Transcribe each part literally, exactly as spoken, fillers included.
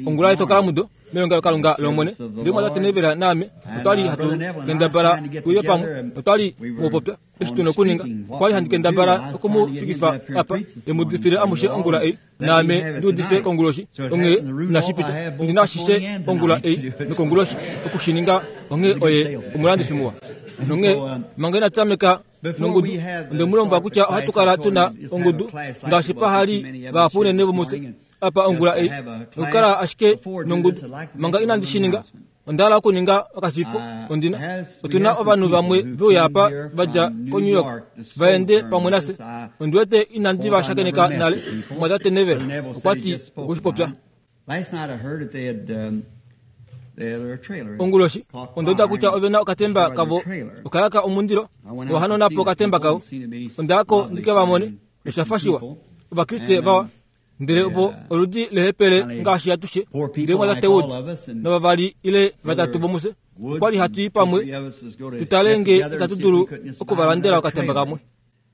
Ongula yetokalamudo melongelokalunga lOmwene, ndele mwatate Neville naame otwali hatu kendabala tuye pamwe, notwali mupopya eshi tuna okuninga. Okwali handi kendabala okumufikifa apa emuudifile amushe ongula ei, naame ndiudife konguloshi. Onghee inashi pita, ondina ashishe ongula ei nokonguloshi okushininga. Onghee oye omulandifi muwa. Nonghee manga ina tameka nongudu, onde mu lombwela kutya ohatu kala tuna ongudu ngaashi pahali vahapu unene vomufye apa ongula ei, nokukala ashike nongudu. Manga inandi shi ninga, onda hala okuninga okashifo ondina. Otuna ovanhu vamwe veuya apa va dja koNew York va ende pamwe nafye. Ondi wete inandi va shakeneka nale. Mwatate Neville okwa ti okushipopya. Onguloshi onda uda kutya ove na okatemba kavo okayaka omundilo nohanona po okatemba kavo. Onda yako ndike va mone nosha fa shiwa. Ovakriste vawa, ndele vo oludi lehepele ngaashi atushe. Ndele mwatate Wood novavali ile vatatu vomufye okwali hatu i pamwe tutale nge itatu dulu okuvalandela okatemba kamwe.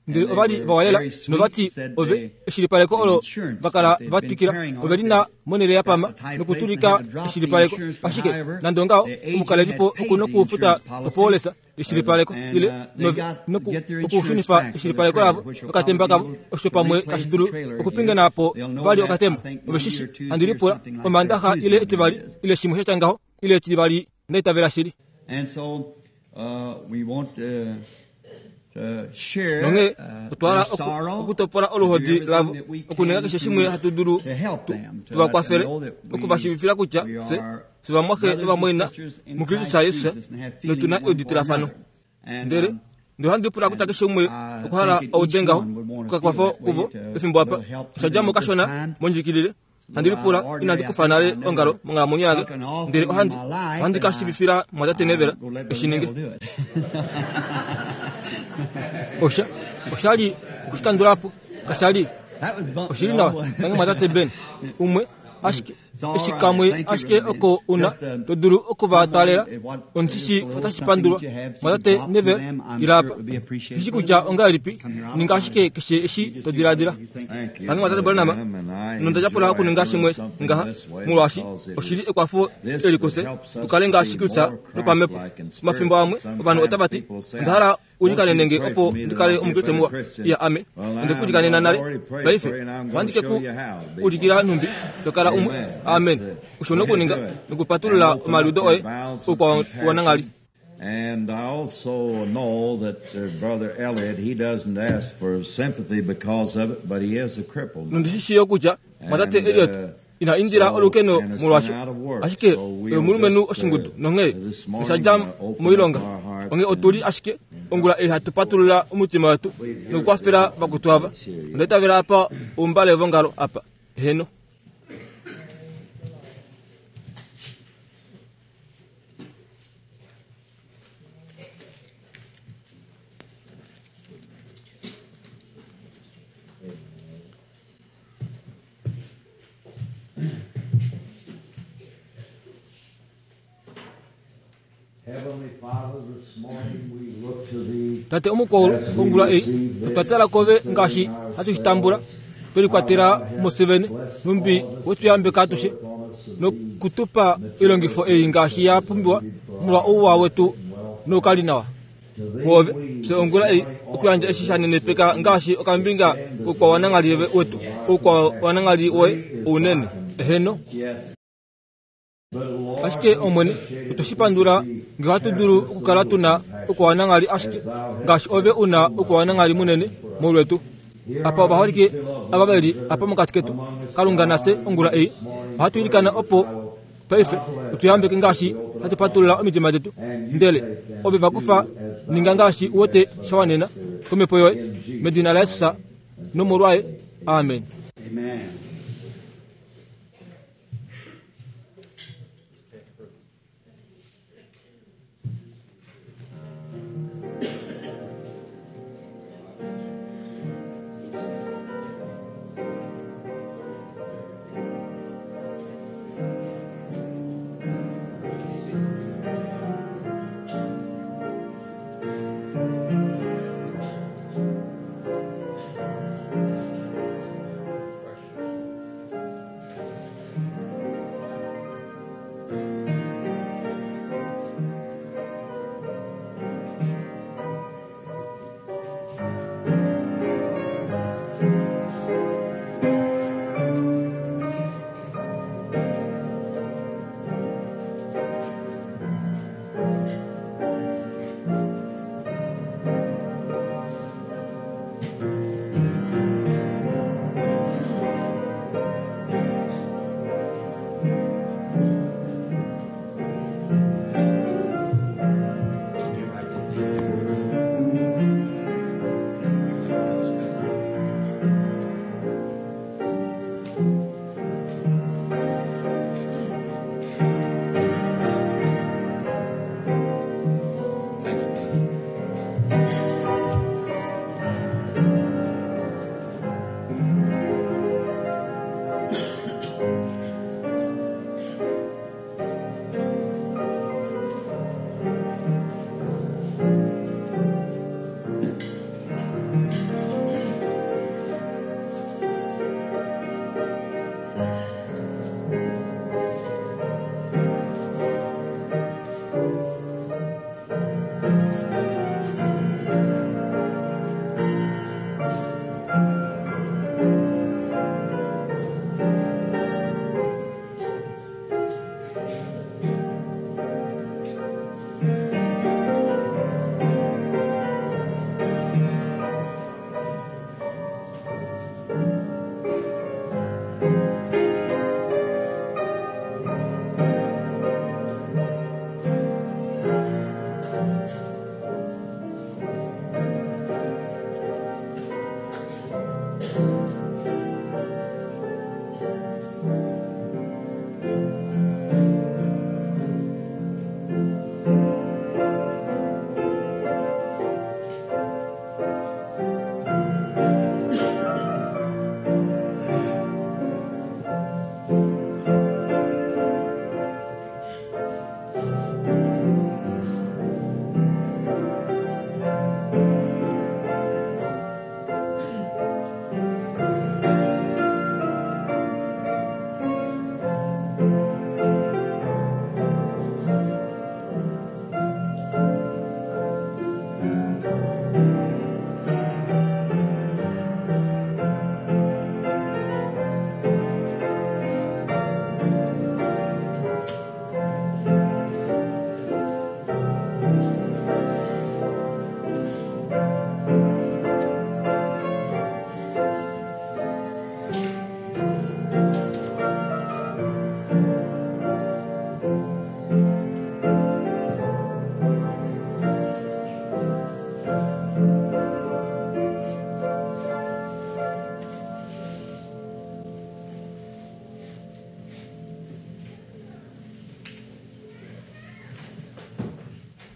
Ndele ovali vawalela novati ove eshilipaleko olo vakala va twikila ove lina monhele ya pama nokutulika eshilipaleko. Ashike nande ongaho omukalelipo okuna okufuta opoolesa eshilipaleko ile nove noku okushunifa eshilipaleko lavo okatemba kavo, osho pamwe tashi dulu okupingena po vali okatemba. Ove shishi handi lipula omandaxa ile etivali ile shimwe sha tya ngaho ile etivali ndaitavela shili. Nonghee otwa hala okutopola oluhodi lavo, okuninga keshe shimwe hatu dulu tu va kwafele, okuvashiivifila kutya fye fye vamwaxe novamwaina muKristus Jesus notuna euditilafano. Ndele ndele ohandi pula kutya keshe umwe okwa hala aude ngaho okakwafo kuvo pefimbo apa. Osha dja mo kashona mondjikilile. Handi lipula inandi kufa nale ongalo monghalamwenyo yange, ndele ohandi ohandi ka shiivifila mwatate Neville eshi ninge. Osha osha li okushikandula po, kasha li oshili nawa. Tangi mwatate Ben, umwe ashike eshi kamwe ashike oko una to dulu okuvatwalela omushishi otashi pandulwa. Mwatate Neville ila apa, shishi kutya ongahelipi, ninga ashike keshe eshi to diladila. Tangi mwatate Branham, nonda tyapula okuninga shimwe ngaha, molwaashi oshili ekwafo eli kufye tukale ngaashi Kristus nopamhepo. Omafimbo amwe ovanhu otava ti, onda hala ulikanene nge opo ndikale omukriste muwa. Iya, ame onde ku ulikanena nale. Paife ohandi ke ku ulikila nhumbi to kala umwe. Amen. Osho nokuninga nokupatulula omaliudo oye oukwa wananghali. And I also know that uh, Brother Elliot, he doesn't ask for sympathy because of it, but he is a cripple. Nondishi yo kutya mwatate Elliot ina indila olukeno molwasho, ashike omulumenhu oshingudu nonghee osha dja moilonga. Onghee otuli ashike ongula ei hatu patulula omutima wetu nokukwafela vakutu ava. Onda itavela apa oumbale vongalo apa. Heno. Tate omukwaulu ongula ei otwa tala kove ngaashi hatu shi tambula, twelikwatela mufye vene, nhumbi wetuyambeka atushe nokutupa oilongifo ei ngaashi ya pumbiwa molwa ouwa wetu noukali nawa. Mwoove fye ongula ei okuyandja eshi sha nenepeka ngaashi okambinga koukwawananghali wetu, oukwawananghali woye ounene. Eheno. Ashike Omwene, otwe shi pandula nge ohatu dulu okukala tuna oukwawananghali ashike ngaashi ove una oukwawananghali munene molwetu. Apa ovaholike ava veli apa mokati ketu, Kalunga nafye ongula ei ohatu ilikana opo paife otuyambeke ngaashi hatu patulula omitima detu. Ndele ove va kufa, ninga ngaashi u wete sha wanena komhepo yoye, medina laJesus nomolwaye. Amen.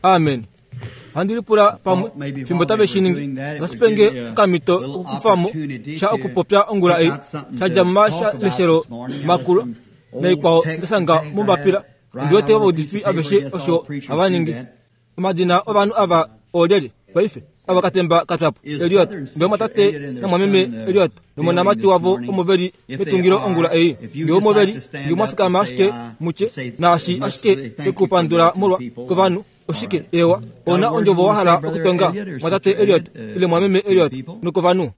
Amen. Handi lipula pamwe fimbo tave shi ningi nasipenge okamhito okukufamo sha okupopya ongula ei sha dja mumashaleshelo makulu naikwao ndasanga mombapila ndiwete ovaudifi aveshe osho hava ningi. Omadina ovanhu ava oolyelye paife ava katemba katwapo Eliot ngee mwatate namwameme Eliot nomonamati wavo omo veli metungilo ongula ei ngee omo veli ngee mwafikama ashike mutye naashi ashike ekupandula molwa kovanhu oshike ewa ona ondjovo wahala okutonga mwatate Eliot ile mwameme Eliot nokovanhu.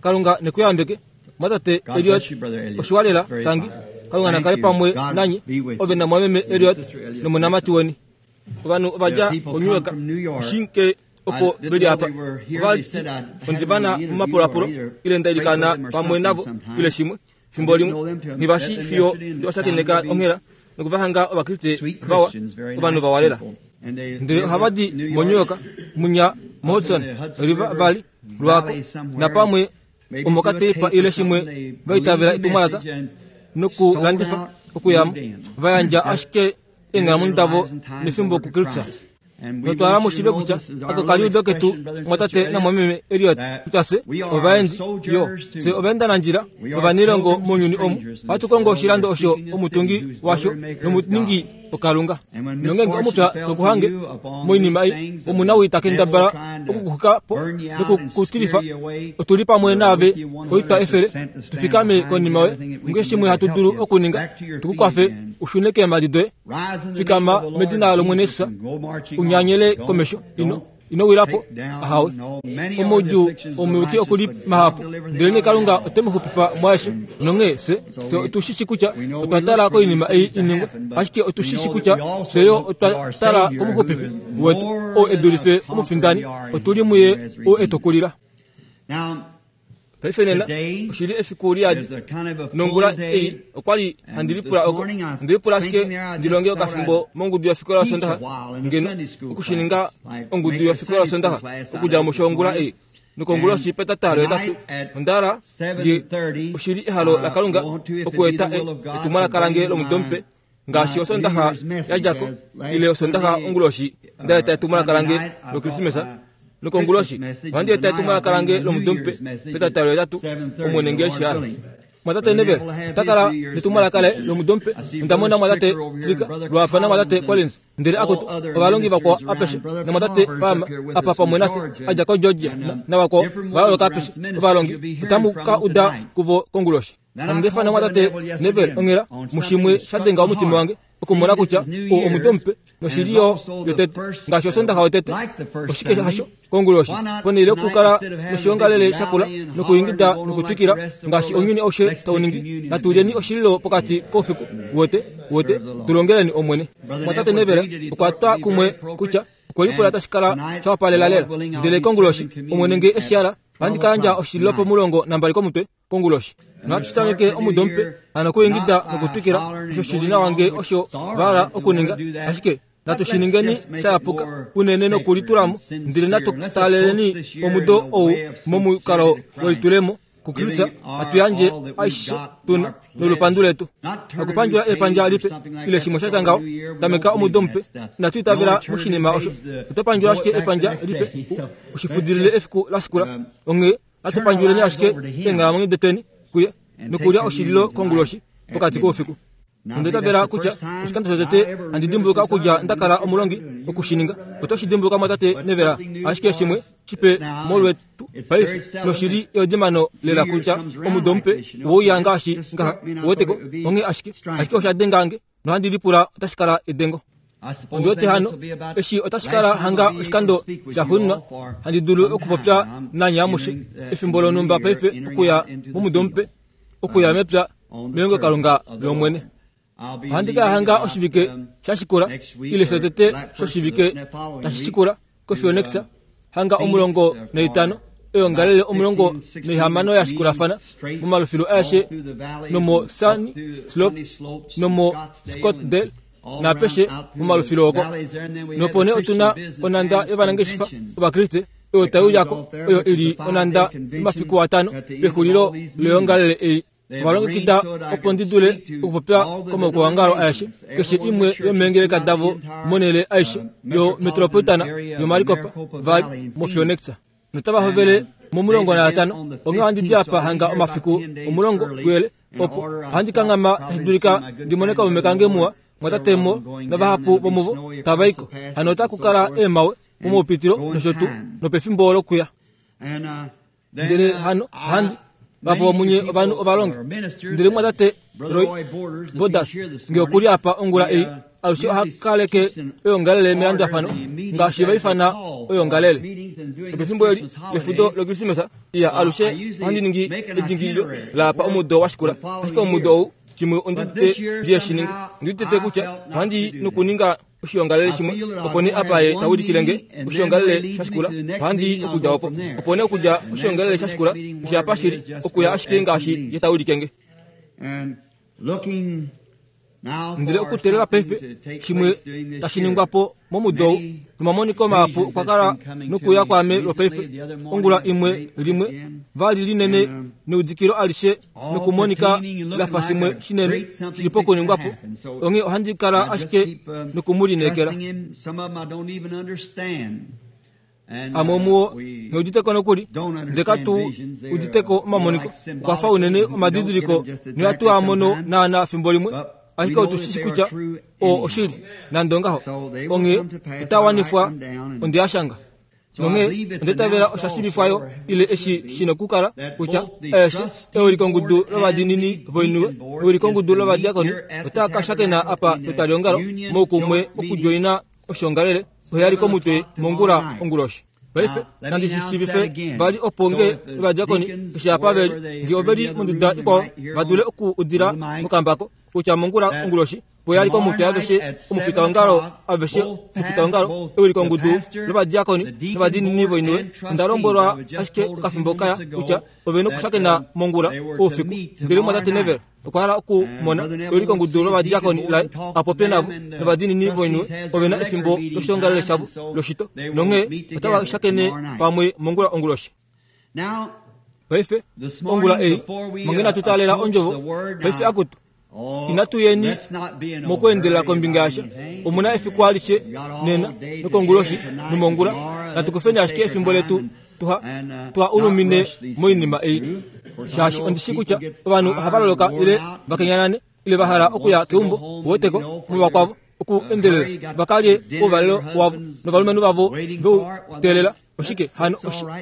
Kalunga nekuyambeke mwatate Eliot oshiwalela tangi Kalunga nakale pamwe nanye ove namwameme Eliot nomonamati weni. Ovanhu ovadja koNew York shinke opo veli apa ovati ondivana mumapulapulo ile ndailikana pamwe navo ile shimwe fimbo limwe ngivashi fiyo ndiwashakeneka onghela nokuvahanga ovakriste vawa ovanhu vawalela ndele ohavadi moNew York munya moHudson River Valley lwako napamwe omokatepa ile shimwe vaitavela etumwalaka nokulandifa okuyamo vayandja ashike eenghalamwenyo davo nefimbo kuKristus. Notwala mushive kutya ako kaliudo ketu mwatate namwameme Eliot kutya se ovaendi yo se ovaendanandjila ovanilongo mounyuni omu ohatu kongo oshilando osho omutungi washo nomuningi okalunga. Nongenge omupya nokuhange moinima ei omunawii takendabala okukuxuka po nokukutilifa otuli pamwe naave oitwa efele tufikame konima yoye mukeshe shimwe hatu dulu okuninga tukukwafe ushune keemhadi doye. Fikama medina lOmwene Jesus unyanyele komesho ino ino wilapo ahawe omoudjuu omuyuki okuli mahapu ndelenee Kalunga ote mu xupifa mwaeshe nonghee se otushishi kutya otwa tala koinima ei iningwe ashike otushishi kutya fye yo otwa tala komuxupifi wetu oo e dulife omufindani otuli muye oo e tukulila. Paife nena oshili efiku liyadi nongula ei okwali handi lipula oko ndi lipula ashike ndilonge okafimbo mongudu yofikola yosondaxa ngeno okushininga ongudu yofikola yosondaxa okudja musho ongula ei nokonguloshi petatalo etatu ondala nge oshili ehalo laKalunga okueta etumwalaka lange lomudo mupe ngaashi osondaxa yadjako ile osondaxa onguloshi ndaeta etumwalaka lange lokrismesa nokonguloshi ohandi eta etumwalaka lange lomudo mupe petatalo etatu Omwene ngee shihala. Mwatate Neville otakala netumwalaka laye lomudo mupe ondamona mwatate Trika lwapa namwatate Collins ndele akutu ovalongi vakwao apeshe namwatate Palmer apa pamwe nafye adja koGeorgia navakwao vayooloka apeshe ovalongi otamu ka uda kuvo konguloshi. Handi namwatate Neville onghela mushimwe shadenga omutima wange okumona kutya oo omudo mupe noshili yo yotete ngaashi osondaxa yotete oshike hasho konguloshi ponhele yokukala noshiongalele shakula nokuingida nokutwikila ngaashi ounyuni aushe tau ningi natulyeni oshililo pokati koufiku wote wote tulongeleni Omwene. Mwatate Neville okwa twa kumwe kutya okwelipula tashi kala shawapalela lela ndele konguloshi Omwene ngee eshihala ohandi ka yandja oshililo pomulongo nambali komutwe konguloshi. Nohatu tameke omudo mupe hano okuingida nokutwikila osho shili nawa ngee osho vahala okuninga ashike natu shiningeni shayapuka unene nokulitulamo ndele natu taaleleni omudo ou momukalo welitulemo kuKristus atuyandje aishe tuna nolupandu letu. Hakupandjula epandja lipe ile shimwe shatya ngaho tameka omudo mupe natu itavela moshinima osho oto pandjula ashike epandja lipe ushifudilile efiku lashikula onghee natu pandjuleni ashike eenghalamwenyo detweni kuye nokulya oshililo konguloshi pokati koufiku. Ondaitavela kutya oshikando shotete handi dimbuluka okudja ndakala omulongi okushininga oto shi dimbuluka mwatate Neville ashike shimwe shipe molwetu paife noshili eodimano lela kutya omudo mupe oweuya ngaashi ngaha uweteko onghee ashike ashike osha dengange nohandi lipula otashi kala edengo. Ondiwete hano eshi otashi kala hanga oshikando shaxuuninwa handi dulu okupopya nanye amushe efimbo lonhumba paife okuya momudo mupe okuya mepya melongelokalunga lOmwene. Ohandi ka hanga oshivike shashikula ile shotete shoshivike tashi shikula koPhoenix hanga omulongo naitano eongalele omulongo naihamano yashikulafana momalufilo aeshe nomo Sunny Slope nomo Scottsdale Naapeshe momalufilo oko nopone otuna onanda yovanangeshefa ovakriste oyo taiuyako oyo ili onanda yomafiku atano pexulilo loyoongalele ei. Ovalongekida opo ndi dule okupopya komaukwaongalo aeshe keshe imwe yomeengeleka davo monhele aishe yo metropolitana yoMaricopa Valley moPhoenix. Notava hovele momulongo naatano onghee ohandi di apa hanga omafiku omulongo kuyele opo ohandi kanghama tashi dulika ndi mone kaume kange muwa mwatatemo navahapu vomuvo tava iko hano otaku kala eemawe momaupitilo nosho tuu nopefimbo lokuya. Ndele hano ohandi vapo vomunye ovanhu ovalongi ndele mwatate Roy Borders nge okuli apa ongula ei alushe ohakaleke oyoongalele melandulafano ngaashi vaifana oyoongalele nopefimbo eli lefudo lokrisimesa iya alushe ohandi ningi edingililo laapa omudo washikula ashike omudo ou shimwe ondidite ndiye shininge ondidite kutya ohandi nokuninga oshiongalele shimwe opo nee apa ye taulikile nge oshiongalele shashikula ohandi okudja opo opo nee okudja oshiongalele shashikula oshapa shili okuya ashike ngaashi ye taulike nge. Ndele okuteelela paife shimwe tashi ningwa po momudo ou nomamoniko mahapu okwa kala nokuya kwaame lwopaife ongula imwe limwe vali linene neudikilo alishe nokumonika lafa shimwe shinene shili pokuningwa po onghee ohandi kala ashike nokumulineekela. Amwe omuwo ngheuditeko nokuli ndele katu uditeko omamoniko okwafa unene omadidiliko nohatu a mono naana fimbo limwe ashike otu shi kutya oo oshili nande ongaho onghee otawanifwa onde yashanga nonghee ondetavela osha shivifwayo ile eshi shina okukala kutya aeshe eulikongudu lovadiinini voiniwe eulikongudu lovadiakoni otaa ka shakena apa petwaliongalo moukumwe okudjoina oshiongalele oheyali komutwe mongula onguloshi. Paife nandi shi shiivife vali opo nge ovadiakoni eshi apa veli nge oveli monduda ikwao va dule okuudila mokambako kutya mongula onguloshi poyali komutwe aveshe omufitaongalo aveshe omufitaongalo eulikongudu lovadiakoni novadiinini voiniwe onda lombwelwa ashike okafimbo kaya kutya ove nokushakena mongula oufiku ndele mwatate Neville okwa hala okumona eulikongudu lovadiakoni laye apopye navo novadiinini voiniwe ove na efimbo loshiongalele shavo loshito nonghee otava shakene pamwe mongula onguloshi. Paife ongula ei mongena natu taalela ondjovo paife akutu inatu yeni mokweendelela kombinga yasha omuna efiku alishe nena nokonguloshi nomongula natukufeni ashike efimbo letu tuha tuha ulumine moinima ei shaashi ondishi kutya ovanhu ohava loloka ile vakenyanane ile vahala okuya keumbo woteko muvakwavo okuendelela vakalye ouvalelo wavo novalumenhu vavo veuteelela oshike hano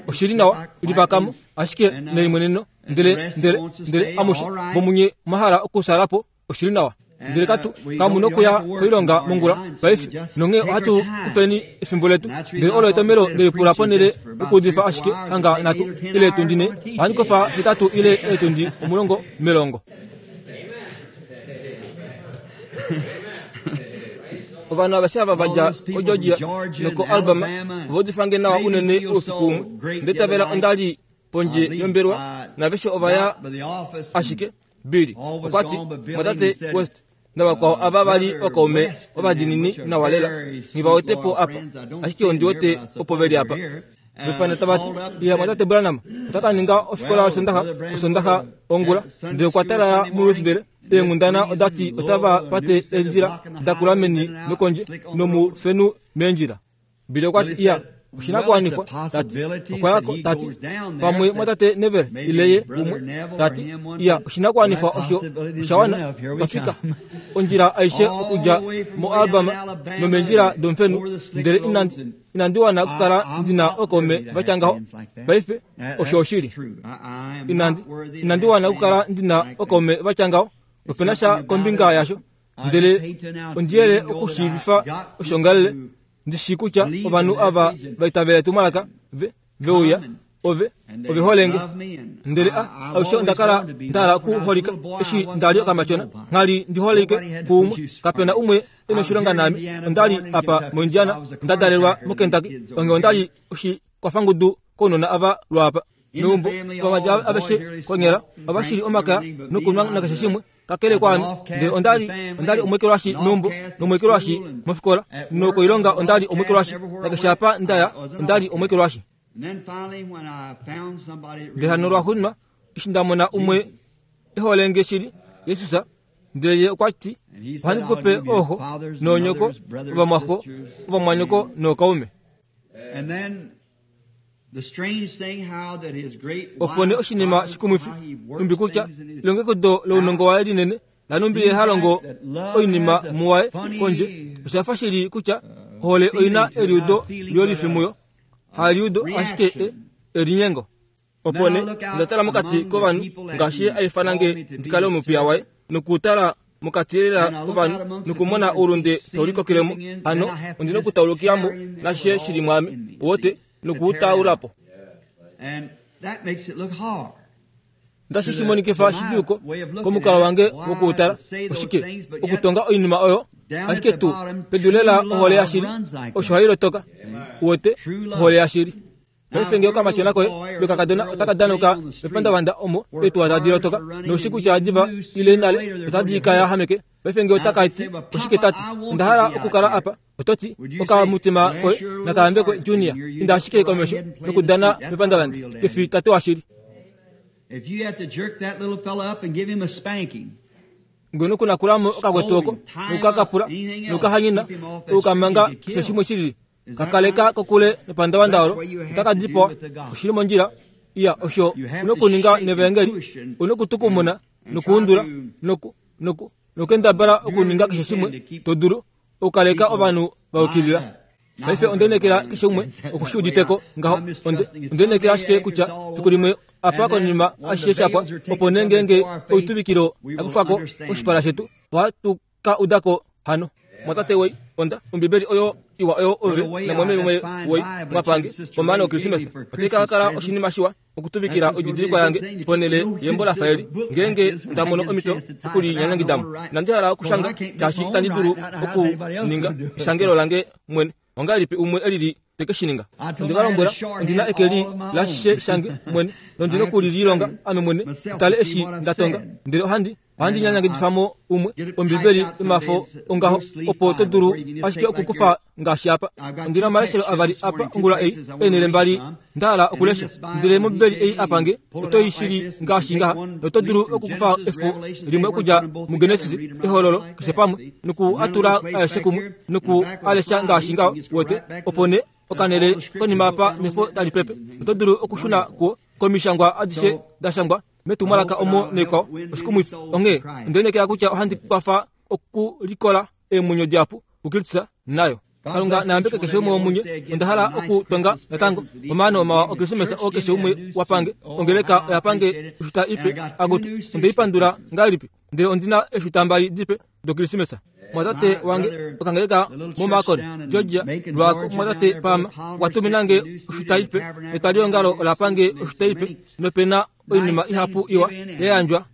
oshili nawa livakamo ashike nelimweneno ndele ndele ndele amushe vomunye mwahala okusalapo oshili nawa ndele katu kamu nokuya koilonga mongula paife nonghee ohatu kufeni efimbo letu ndele olo etomelo ndelipula ponhele okuudifa ashike hanga nhatu ile etundi ne ohandi kofa hetatu ile etundi omulongo melongo. Ovanhu aveshe ava vadja koGeorgia nokoAlabama ovaudifange nawa unene oufiku umwe ndetavela ondali pondje yombelwa naveshe ovaya ashike Billy okwati mwatate West navakwao ava vali okaume ovadiinini nawa lela nghivawetepo apa ashike ondi wete opo veli apa. Vefana tavati iya mwatate Branham otaka ninga ofikola yosondaxa osondaxa ongula ndele okwa talala muLouisville eenghundana odati otava pate eendjila dakula meni nokondje nomufenu meendjila. Billy okwati iya oshinakuwanifwa tati okwayako tati pamwe mwatate Neville ile ye umwe tati iya oshinakuwanifwa osho oshawana twafika ondjila aishe okudja moAlabama nomeendjila domufenu ndele inandi inandi wana okukala ndina okaume vatya ngaho paife osho oshili inandi inandi wana okukala ndina okaume vatya ngaho opena sha kombinga yasho ndele ondiyele okushiivifa oshiongalele ndishi kutya ovanhu ava vaitavela etumwalaka ve veuya ove ove holenge ndele a alushe ondakala ndahala okuholika eshi ndali okamatyona nghali ndiholike kuumwe kapena umwe ena oshilonga naame ondali apa moIndiana ndadalelwa moKentucky onghee ondali oshikwafangudu kounona ava lwaapa. Meumbo ovamati aveshe konyala ovashili omakaya nokunwa nakeshe shimwe kakele kwaame, ndele ondali ondali omwekelwashi meumbo nomwekelwashi mofikola nokoilonga ondali omwekelwashi nakeshe apa ndaya ondali omwekelwashi. Ndele hano lwaxuuninwa eshi ndamona umwe eholenge shili Jesus, ndele ye okwa ti ohandi kupe ooxo noonyoko ovamwaxo ovamwanyoko nookaume. Opo nee oshinima shikumwifi numbi kutya elongekido lounongo waye linene lanumbi ye halongo oinima muwaye kondje oshafa shili kutya ohole oina eliudo liolifi muyo haliudo ashike elinyengo. Opo nee onda tala mokati kovanhu ngaashi ye aifana nge ndikale omupiya waye nokutala mokati lela kovanhu nokumona oulunde taulikokilemo hano ondina okutaulukilamo nashishe shili mwaame wote nokuutaulapo. Ndashi shimonikifa shidiuko komukalo wange wokuutala oshike okutonga oinima oyo ashike tu pedu lela ohole yashili osho hailotoka wote ohole yashili. Paife ngee okamatyona koye lokakadona otaka danuka mepandavanda omo eetuwa tadi lotoka noushi kutya diva ile nale otadi ka yahameke. Paife ngee otaka ti oshike tati onda hala okukala apa ototi okamutima koye nakaambekwe junior inda ashike komesho nokudana mepandavanda kefi tate washili. Ngeno kunakulamo okakwetu oko nokukakapula nokukahanyina okukamanga keshe shimwe shilili kakaleka kokule nepandavanda olo otaka dipawa oshili mondjila iya osho unokuninga nevangeli unokutukumuna nokuundula noku noku nokendabala okuninga keshe shimwe todulu okukaleka ovanhu vaukilila. Paife ondenekela keshe umwe okushiuditeko ngaho ondenekela ashike kutya fiku limwe apa konima ashishe shapwa opo nee ngeenge oituvikilo yakufako oshipala shetu ohatu ka udako hano. Mwatate wei onda ombibeli oyo iwa oyo ove namwameme wei mwapange omaano okrisimesa otai ka kala oshinima shiwa okutuvikila oididilikwa yange ponele yembo lafaeli ngeenge ndamono omhito okulinyanyangidamo. Inandi hala okushanga shaashi itandi dulu okuninga eshangelo lange mwene. Ongahelipi umwe elili teke shininga? Onde va lombwela ondina eke li lashishe shange mwene nondina okulililonga ame mwene tutale eshi ndatonga ndele ohandi ohandi nyanyangidifamo umwe ombibeli yomafo ongaho opo to dulu ashike okukufa ngaashi apa. Ondina omaleshelo avali apa ongula ei eenhele mbali ndahala okulesha ndele mombibeli ei apange oto i shili ngaashi ngaha noto dulu okukufa efo limwe okudja muGenesis ehololo keshe pamwe noku atula aeshe kumwe noku alesha ngaashi ngaho wote opo nee okanele konima apa nefo tali pepe oto dulu okushuna kuo komishangwa adishe dashangwa metumwalaka omo nekwao oshikumwifi. Onghee ondenekela kutya ohandi kwafa okulikola eemwenyo dihapu kuKristus nayo. Kalunga nayambeke keshe umwe womunye. Onda hala okutonga natango omaano mawa okrisimesa oo keshe umwe wapange. Ongeleka oyapange oshuta ipe agutu ondeipandula ngahelipi ndele ondina eeshuta mbali dipe dokrisimesa. Mwatate wange okangeleka moMacon Georgia lwako mwatate Pama okwa tuminange oshuta ipe etwaliongalo olapange oshuta ipe nopena oinima ihapu iwa yayandjwa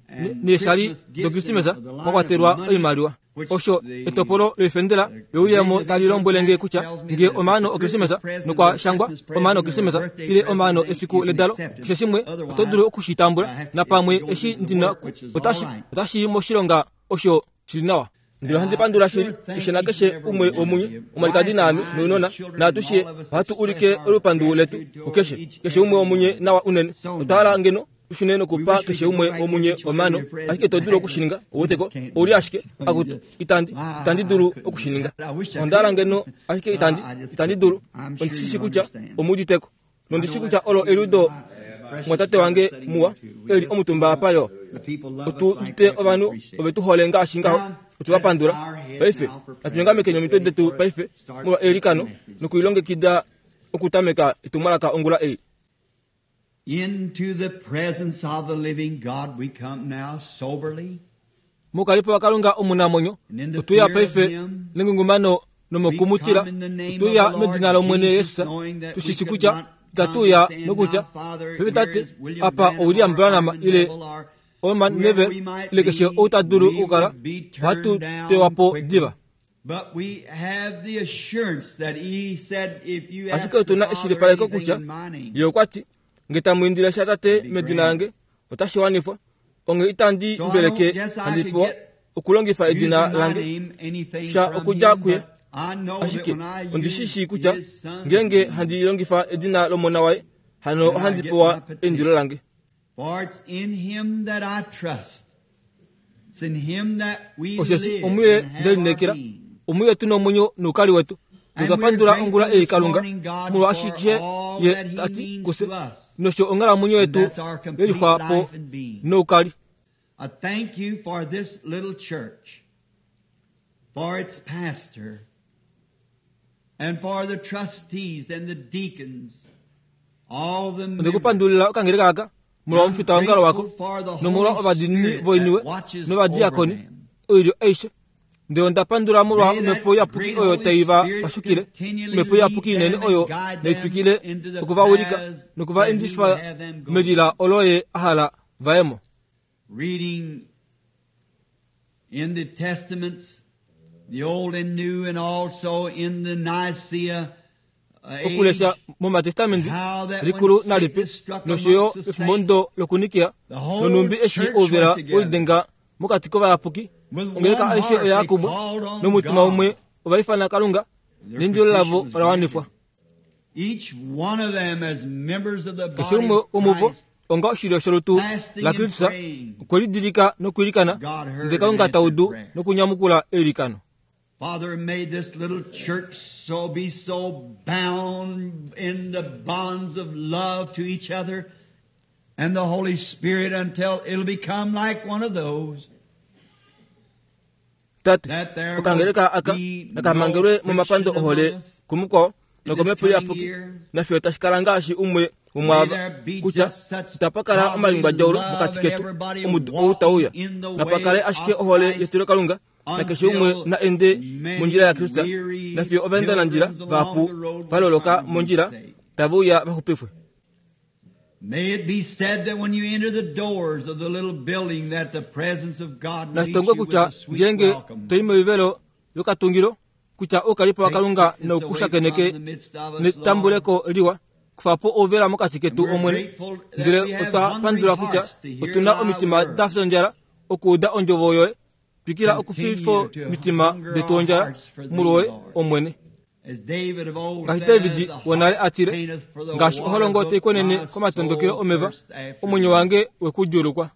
neeshali dokrisimesa mwakwatelwa oimaliwa. Osho etopolo loifendela louyemo tali lombwelenge kutya ngee omaano okrisimesa nokwa shangwa omaano okrisimesa ile omaano efiku ledalo keshe shimwe oto dulu okushitambula napamwe eshi ndina otashi otashi moshilonga osho shili nawa. Ndele ohandi pandula shili keshe nakeshe umwe womunye omwalikadi naame nounona naatushe ohatu ulike olupandu letu kukeshe keshe umwe womunye nawa unene. Otwa hala ngeno tushune nokupa keshe umwe womunye omaano ashike to dulu okushininga oweteko ouli ashike akutu itandi itandi dulu okushininga. Onda hala ngeno ashike itandi itandi dulu ondishishi kutya omuuditeko nondishi kutya olo eliudo mwatate wange muwa eli omutumba apa yo otu udite ovanhu ove tu hole ngaashi ngaho otu va pandula. Paife natunyongamekeni omitwe detu paife molwa eilikano nokuilongekida okutameka etumwalaka ongula ei. Into the presence of the living God we come now soberly. Mokalipo wakalunga omunamwenyo otuya paife nengungumano nomokumutila otuya medina lomwene Yesus tushishi kutya itatuya nokutya paife tate apa William Branham ile Orman Neville ile keshe ou ta dulu okukala ohatu tewapo diva. Ashike otuna eshilipaleko kutya ye okwa ti Nge tamu indile sha Tate medina lange, otashi wanifwa. Onge itandi mbeleke handi pewa okulongifa edina lange sha okudja kuye. Ashike ondi shi shii kutya ngeenge handi longifa edina lOmona waye, hano ohandi pewa eindilo lange. Osheshi omuye ndelineekela, omuye tu nomwenyo noukali wetu. Notwa pandula ongula ei Kalunga molwa ashishe ye tati kufye, nosho onghalamwenyo yetu yelixwa po noukali. I thank you for this little church, for its pastor, and for the trustees and the deacons, all the members. Ondekupandulila okangeleka aka molwa omufita wongalo wako, nomolwa ovadiinini voiniwe novadiakoni, oilyo aishe. Ndele onda pandula molwa omhepo iyapuki oyo tai va pashukile, omhepo iyapuki inene oyo naitwikile okuvawilika nokuva endifa melila olo ye a hala vaye mo. Reading in the Testaments, the Old and New, and also in the Nicaea okulesha momatestamenti likulu nalipe nosho yo efimbo lokunikia nonumbi eshi ouvela wolidenga mokati kovayapuki, ongeleka aishe oya kumwe nomutima umwe ovaifana Kalunga, neindilo lavo ola wanifwa. Keshe umwe womuvo onga oshilyo sholutu la Kristus okwe lidilika nokwiilikana, ndele Kalunga ta udu nokunyamukula eilikano. Father, may this little church so be so bound in the bonds of love to each other and the Holy Spirit until it'll become like one of those. Tate, okangeleka aka nakamangelwe momapando ohole kumukwao nokomhepo iyapuki, nafiyo tashi kala ngaashi umwe womwaava kutya itapa kala omalingwadjaulo mokati ketu omudo ou tauya. Napa kale ashike ohole yetu Kalunga, nakeshe umwe na ende mondjila ya Kristus, nafiyo ovaendanandjila vahapu valoloka mondjila tave uya vaxupifwe. May it be said that when you enter the doors of the little building that the presence of God meets Nashitongwe you with kutya a sweet ngeenge welcome. toi moivelo yokatungilo kutya oukalipo waKalunga noukushakeneke netambuleko liwa, kufa po ouvela mokati ketu Omwene. Ndele otwa pandula kutya otuna omitima da fya ondjala okuuda ondjovo yoye. Twikila okufifa mitima detu ondjala molwoye Omwene. Ngaashi David wonale atile, ngaashi oholongo tai konene komatondokelo omeva, omwenyo wange wekudjuulukwa.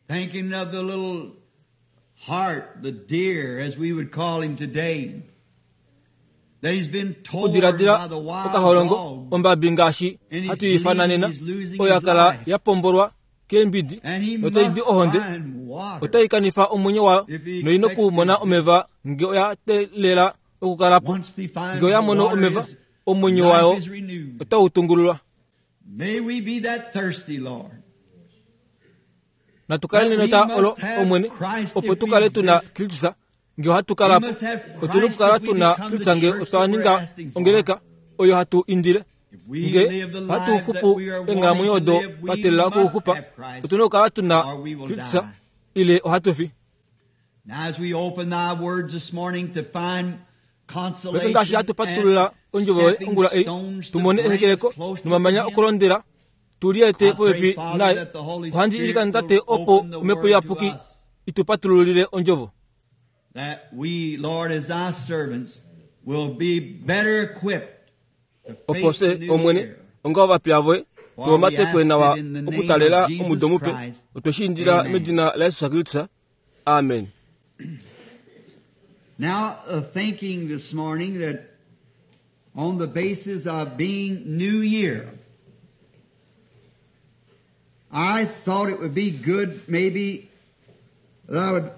Thinking of the little hart, the deer, as we would call him today, that he's been torn Okudiladila by the wild okaholongo dog, ombabi ngaashi hatu ifana nena, oyo ya kala ya pombolwa keembidi and he notai di must ohonde, find water. otai kanifa omwenyo wayo noina okumona omeva nge oya teelela okukalapo. Once he finds Nge oya mono water, omeva, his omwenyo life wayo is renewed. otau tungululwa. May we be that thirsty, Lord. Natu kale nenota olo Omwene, opo tu kale tuna Kristus nge ohatu kalapo. Otuna okukala tuna Kristus nge otwa ninga ongeleka oyo hatu indile. If we Nge live the hatu lives that xupu we are eenghalamwenyo wanting to odo live, we twa teelela must okuxupa, have Christ, otuna okukala tuna or we will Kristus die. ile ohatu fi. Now as we open thy words this morning to find Paife ngaashi consolation hatu patulula and ondjovo yoye stepping ongula ei, stones to tu mone bring us ehekeleko close to nomamanya him, okulondela tu liete I pray, popepi Father, naye. that the Holy Ohandi Spirit ilikana Tate will opo open the omhepo word to iyapuki us, itu patululile ondjovo, that we, Lord, as thy servants, will be better equipped to opo face the fye new Omwene year. onga ovapiya voye For we tuomatekwe ask nawa it in the name okutalela of Jesus omudo mupe. Christ. Otwe shi indila Amen. medina la Jesus Kristus. Amen. Now, uh, thinking this morning that on the basis of being New Year, I thought it would be good maybe that I would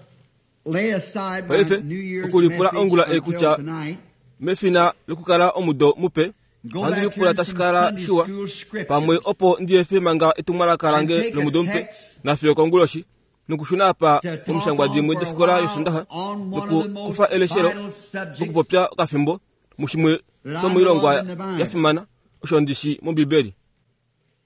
lay aside my Paife, New Year's okulipula message ongula ei until kutya tonight. mefina lokukala omudo mupe, Go ohandi back lipula here to tashi some kala Sunday shiwa school scriptures pamwe opo ndiefe manga etumwalaka and lange take a lomudo mupe text nafiyo konguloshi, nokushuna apa to talk omishangwa on dimwe for a dofikola while yosundaha on one of the most nokukufa eleshelo vital subjects okupopya okafimbo mushimwe that I know shomoilongwa of in the Bible. ya fimana osho ndishi mOmbibeli.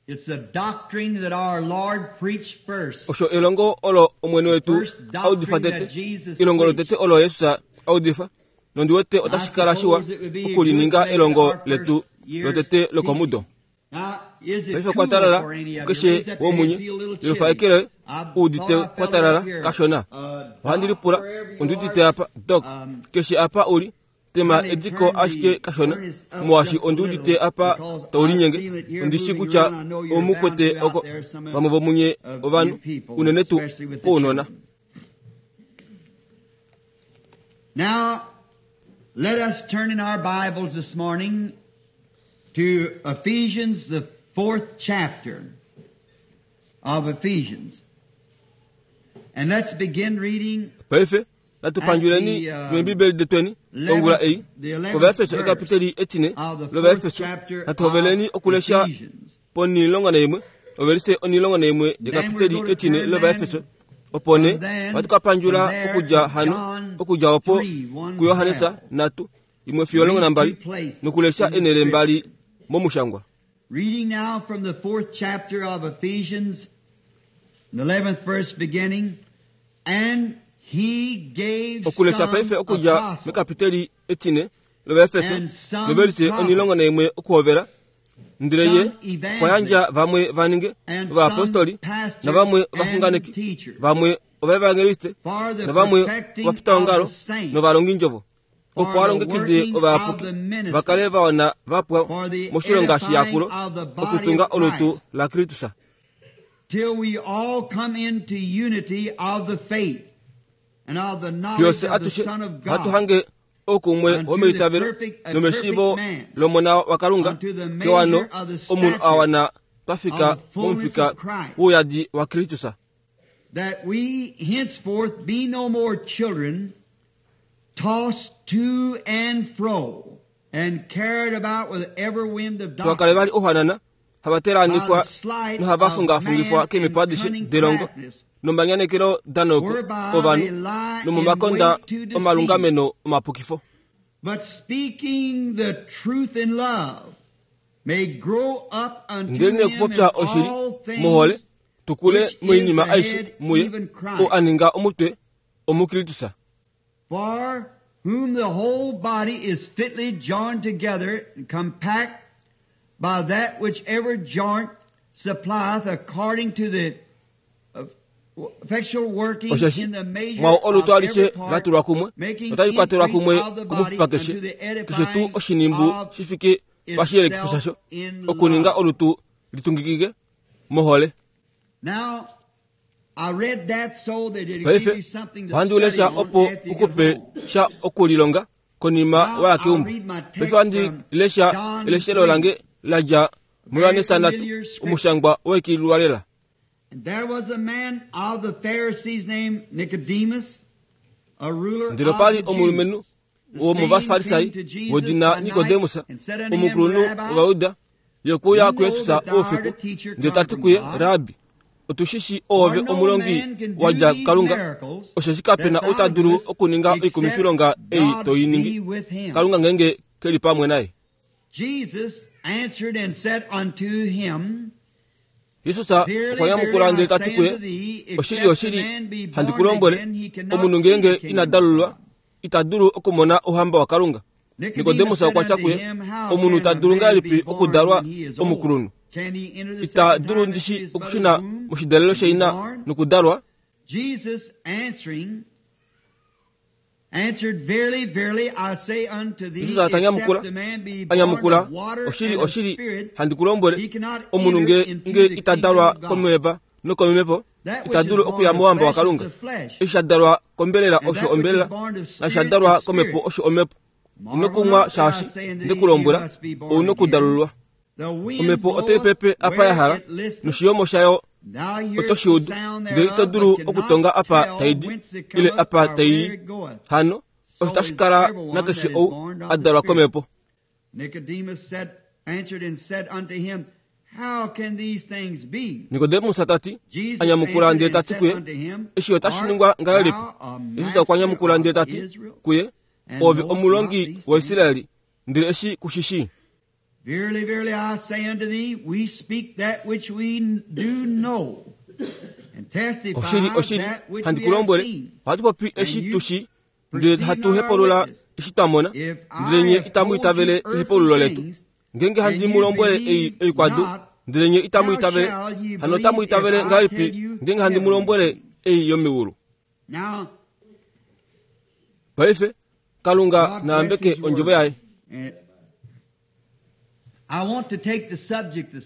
It's a doctrine that our Lord preached first. Osho elongo olo Omwene wetu First audifa doctrine that tete, Jesus elongo preached. lotete olo Jesus audifa, nondi wete I otashi kala shiwa suppose it would be good to okulininga make it elongo our letu first year's lotete lokomudo. teaching. Paife kwatalala keshe womunye yelufaekele uudite kwatalala kashona. Ohandi lipula ondiudite apa Doc keshe apa uli tema ediko ashike kashona molwaashi ondiudite apa taulinyenge ondishi kutya omukwete oko vamwe vomunye ovanhu unene tuu kounona. Now, let us turn in our Bibles this morning to Ephesians, the fourth chapter of Ephesians. And let's begin reading Paife natupanjuleni mEembibeli detweni ongula ei kOvaefeso ekapiteli etine lOvaefeso natuhoveleni okulesha ponilongo naimwe ovelise onilongo naimwe yekapiteli etine lOvaefeso opo ne ohatu okudja hano okudja opo kuYohanesa nhatu imwe fiyo olongo nambali nokulesha enele mbali momushangwa. Reading now from the fourth chapter of Ephesians, the eleventh verse beginning, and he gave okulesha some paife okudja apostles, mekapiteli etine lOvaefeso novelise onilongo naimwe okuhovela ndele ye kwayandja vamwe vaninge and ovaapostoli some pastors navamwe and ovaxunganeki teachers, vamwe ovaevangeliste for the navamwe perfecting ovafitaongalo of the saints, novalongindjovo for opo the alongekide working of ovayapuki the ministry, vakale vawana vapwa for the moshilonga shiyakulo edifying of the body okutunga of olutu Christ, la Kristus till we all come into unity of the faith and of the knowledge fyose of the atushe Son of hatu God, hange oukumwe unto the womeitavelo perfect, a nomeshiivo perfect man, lomona waKalunga unto the kewano measure of the omunhu stature awana twafika of the fullness momufika of Christ, wouyadi waKristus that we henceforth be no more children, tossed to and fro, and carried about with every wind of twakale doctrine, vali ohanana by havatelaanifwa the sleight of nohavafungafungifwa man and keemipo adishe cunning delongo craftiness, nomanyanekelo danoko whereby they ovanhu lie in nomomakonda wait to deceive. omalungameno omapukifo. But speaking the truth in love, may grow up unto Ndele him in okupopya oshili all muhole things tukule which is moinima the aishe head, muye even Christ. oo aninga omutwe omuKristus. For whom the whole body is fitly joined together and compact by that which every joint supplieth according to the effectual working Osheshi in the measure mwawo of olutu every alishe part, latulwa kumwe making otali kwatelwa increase kumwe of the body kumufupa unto keshe the keshe tuu edifying oshinimbu of shifike pashiyelekifo itself shasho in okuninga love. olutu litungikike mohole. Now, I read that so that it'll give Paife you something to ohandi study ulesha on opo after you get ukupe home. sha okulilonga konima Now, waya I'll keumbo. read my text Paife ohandi from lesha John eleshelo three. lange ladja muYohanesa Very nhatu familiar scripture. omushangwa wekiilwalela. And there was a man of the Pharisees named Nicodemus, a ruler Ndele of opali the omulumenhu Jews. The same womovafarisai came to Jesus wodina by night Nikodemus and said unto him, omukulunhu Rabbi, wOvayuda ye okuya we know kuYesus that thou art oufiku a teacher ndele come tati from kuye God. Rabi otushishi oove For no omulongi man can do wadja these kuKalunga miracles osheshi kapena that thou ou ta dulu doest okuninga except oikumifilonga ei God to i ningi be with him. Kalunga ngenge keli pamwe naye. Jesus answered and said unto him, Jesus Verily, okwa nyamukula verily, ndele I tati say kuye unto thee, oshili except a oshili man be handi born ku lombwele again, he cannot omunhu see the ngenge kingdom ina of dalulwa God. ita dulu okumona ouhamba waKalunga. Nicodemus Nikodemus said okwa tya unto kuye him, How omunhu can ta a dulu man ngahelipi be born okudalwa when he is old? omukulunhu? Can he enter the Ita second dulu time into ndishi his mother's okushuna womb moshidalelo and be shaina born? nokudalwa? Jesus answering, answered, Verily, verily, I say unto thee, Jesus atanyamukula except a man be born anyamukula of water oshili and of oshili spirit, handi ku lombwele he cannot omunhu enter nge into nge the ita kingdom dalwa of God. komeva nokomhepo That which ita is dulu born okuya of mouhamba flesh is waKalunga. of flesh, Eshi sha dalwa kombelela and osho that which is ombelela born of nashi sha spirit dalwa is komhepo spirit. osho omhepo. Ino Marvel kumwa not that I shaashi say unto nde thee, ku you lombwela must be born ouna again. okudalulwa. The wind Omhepo otai bloweth pepe apa ya where hala it listeth. noshiyomo shayo Thou hearest oto shi the udu sound ndele ito thereof, dulu but okutonga cannot apa tell tai di whence it ile cometh apa or tai where i. it goeth. Hano osho So tashi is kala everyone nakeshe that is ou born a of the dalwa Spirit. komhepo. Nicodemus said, answered and said unto him, How can these things be? Nikodemus tati Jesus anyamukula answered ndele and tati said kuye unto him, eshi otashi Art ningwa ngahelipi? thou a Jesus okwa master nyamukula of ndele tati Israel, kuye and oove knowest not omulongi these things? waIsraeli ndele eshi kushishi. Verily, verily, I say unto thee, we speak that which we do know, and testify Oshili oshili that which handi we ku have lombwele seen. ohatu popi And eshi you tushi ndele perceive hatu not our hepulula witness. eshi twa mona If ndele I nye have itamu told itavele you earthly ehepululo letu. things Ngenge handi mu lombwele ei oikwadu, ndele nye itamu itavele, hano otamu itavele ngahelipi ngenge handi mu lombwele ei yomeulu? Paife Kalunga naambeke ondjovo yaye.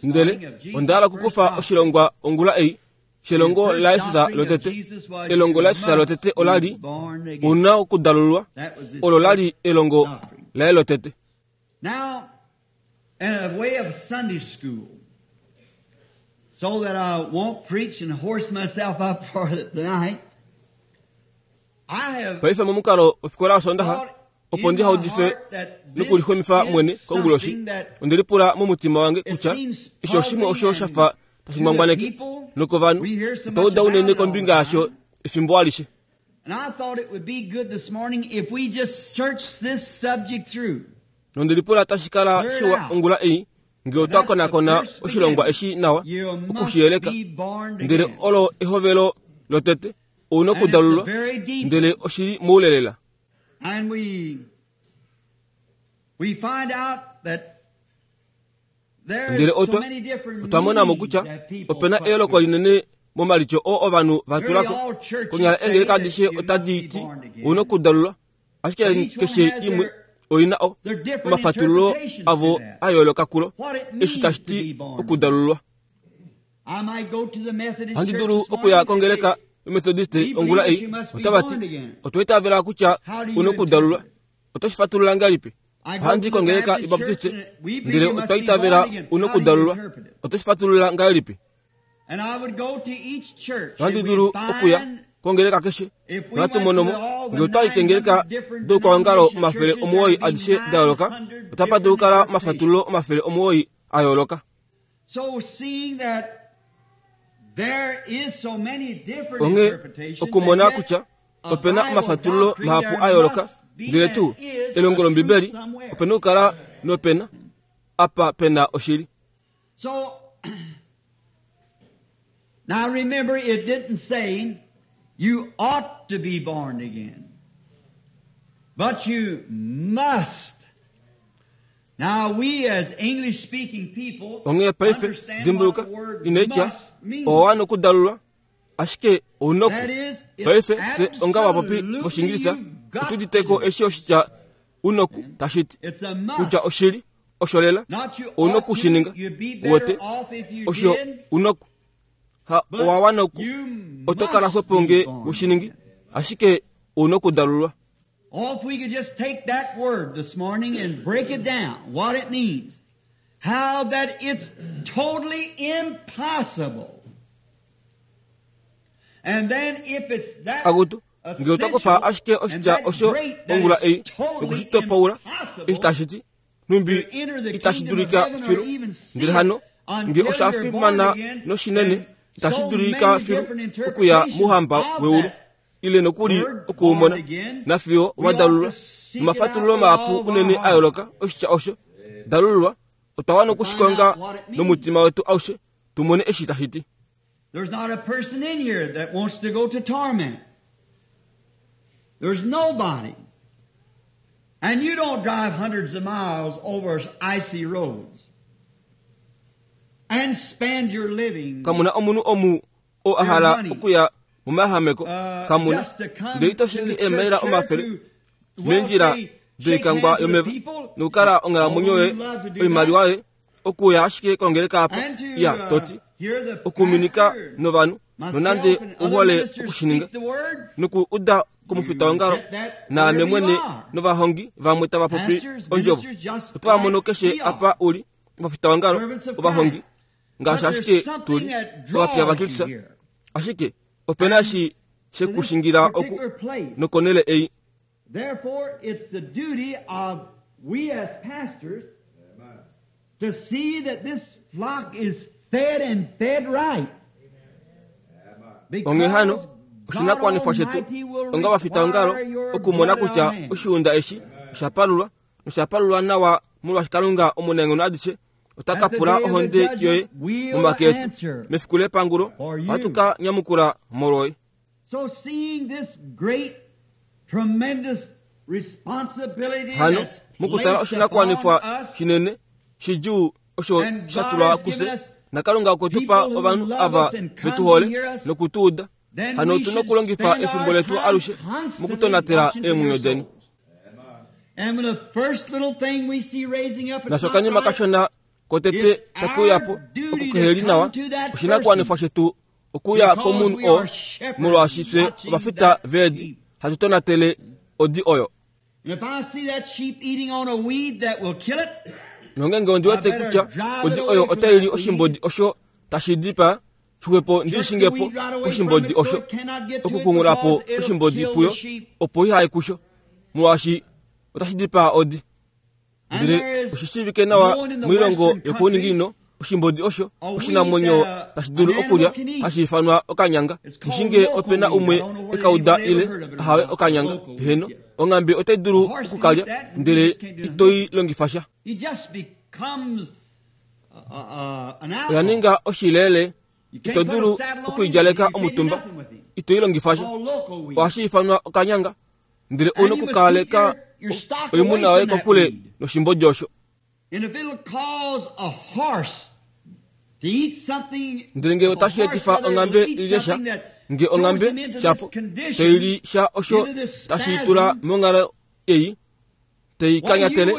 Ndele onda hala okukufa oshilongwa ongula ei shelongo laYesus lotete. Elongo laYesus lotete ola li una okudalulwa, olo la li elongo laye lotete. Now, in a way of Sunday school, so that I won't preach and horse myself up for the night, I have Paife momukalo wofikola yOsoondaxa, opo ndi haudife nokulixomifa mwene konguloshi, onde lipula momutima wange kutya eshi oshimwe osho sha fa tashi ngwangwaneke nokovanhu otwa uda unene kombinga yasho efimbo alishe. And I thought it would be good this morning if we just search this subject through. Nonde lipula tashi kala shiwa ongula ei ngee otwa konakona oshilongwa eshi nawa okushiyeleka, ndele olo ehovelo lotete ouna okudalulwa, ndele oshili moulelela. And we we find out that there Ndele is so otwa many different otwa mona mo meanings kutya that people opena put eyooloko to it. linene momalityo oo ovanhu va Nearly tulako. all churches Konyala say eengeleka that adishe you must otadi be ti born again. ouna okudalulwa, ashike But each one keshe has imwe their, oina o their different omafatululo interpretations avo to that. a yooloka kulo What it eshi means tashi to be ti born again. okudalulwa. I might go to the Methodist Ohandi church dulu this morning okuya and kongeleka say, yomethodiste we ongula believe that ei you must be otava born ti again. otwa itavela kutya How do you una okudalulwa, interpret it? oto shi fatulula ngahelipi? I go Ohandi to the kongeleka Baptist church yobaptiste and we believe ndele you must otwa be itavela born again. una How do you okudalulwa, interpret it? oto shi fatulula ngahelipi? And I would go to each church Ohandi and dulu we'd okuya find kongeleka keshe if we nohatu went to mono mo the, all the ngee otwa yi nine kengeleka hundred different doukwaongalo denomination omafele churches, omuwoi there'd be adishe da nine yooloka, hundred otapa dulu different kukala omafatululo interpretations. omafele omuwoi a yooloka. So seeing that there is so many different Onghee interpretations, and okumona yet kutya a opena Bible omafatululo doctrine, mahapu there a yooloka, must be ndele and tuu is elongo a truth lombibeli somewhere. opena okukala nopena apa pena oshili. So now remember, it didn't say you ought to be born again, but you must. Now we as English speaking people Onghee paife understand what dimbuluka the word inaitya must means. owa nokudalulwa, ashike ounoku. That is, it's Paife fye onga vapopi absolutely vOshingilisa you've got otu to diteko do it. eshi oshitya unoku tashi ti It's a kutya must. oshili osholela Not you ouna ought to, okushininga you'd be wote better off if you osho did, unoku ha but owawa noku you oto kala must xwepo be nge born ushiningi again. ashike ouna okudalulwa. Oh, if we could just take that word this morning and break it down, what it means, how that it's totally impossible. And then if it's that Akutu ngee otwa kufa essential ashike and oshitya that osho great that ongula it's ei totally nokushitopaula eshi impossible tashi ti numbi to enter the itashi kingdom of dulika heaven or filu, even see ndele it hano ngee until osha you're born fimana again, noshinene and itashi so dulika many filu different okuya interpretations mouhamba of weulu that ile nokuli word born okuumona again, nafiyo we ought to wadalulwa seek it out nomafatululo with mahapu all of our unene a heart yooloka oshitya osho dalululwa otwa wana to find okushikonga out what it means. nomutima wetu aushe tumone eshi tashi ti. There's not a person in here that wants to go to torment. There's nobody. And you don't drive hundreds of miles over icy roads and spend your living Kamuna omunhu omu oo a your hala money okuya momayahameko uh, kamuna just to come ndele ito to shingi the church eemaila here omafele to, well, meendjila say, shake doikangwa hands with yomeva the people, nokukala onghalamwenyo although yoye you love to do oimaliwa that, yoye okuya ashike kongeleka apa and to ya uh, toti hear the okuminika pastor, novanhu nonande myself and other uhole ministers okushininga speak the word, noku uda komufita you wongalo get that naame wherever you mwene are. novahongi vamwe tava popi Pastors, ondjovo ministers, just otava mono like keshe we are, apa uli ovafita wongalo servants of ovahongi Christ. ngaashi But there's ashike something tuli that ovapiya draws vaKristus you here. ashike opena And eshi to this shekushingira oku particular place. nokonele ei. Therefore, it's the duty of we as pastors to see that this flock is fed and fed right. Onghee hano Because God oshinakuwanifwa shetu Almighty will onga vafitaongalo require your okumona blood in our kutya hands. oshiunda eshi osha palulwa nosha palulwa nawa molwaashi Kalunga omunaenghono adishe ota ka At the pula day of the ohonde yoye judgment, we'll momake etu answer mefiku lepangulo for ohatu you. ka nyamukula molwoye. So seeing this great, tremendous responsibility Hano that's mukutala placed upon oshinakuwanifwa us shinene shidjuu osho sha tulwa kufye naKalunga okwe tu pa ovanhu ava vetu hole noku tu uda. Hano otu na okulongifa efimbo letu alushe mokutonatela eemwenyo deni. Nasho kashona kotete takuya po okukeheli nawa oshinakuwanifwa shetu okuya komunhu oo molwaashi fye ovafita veedi hatu tonatele odi oyo. Nongenge ondi wete kutya odi oyo otaili oshimbodi osho tashi dipaa xwepo ndishingepo oshimbodi osho okukungulapo oshimbodi puyo opo ihaye kusho molwaashi otashi dipaa odi. Ndele oshishivike nawa moilongo yokuuninginino oshimbodi osho oshinamwenyo tashi dulu okulya hashi ifanwa okanyanga. Nishinge opena umwe ekauda ile ahawe okanyanga heno onghambe otai dulu okukalya ndele itoi longifa sha. Oya ninga oshilele ito dulu okuidjaleka omutumba itoi longifa sha. Ohashi ifanwa okanyanga ndele una okukaleka oimuna yoye kokule noshimbodi osho. Ndele nge otashi etifa onghambe ilye sha, nge onghambe shapo toili sha osho tashi tula monghalo ei teikanyatele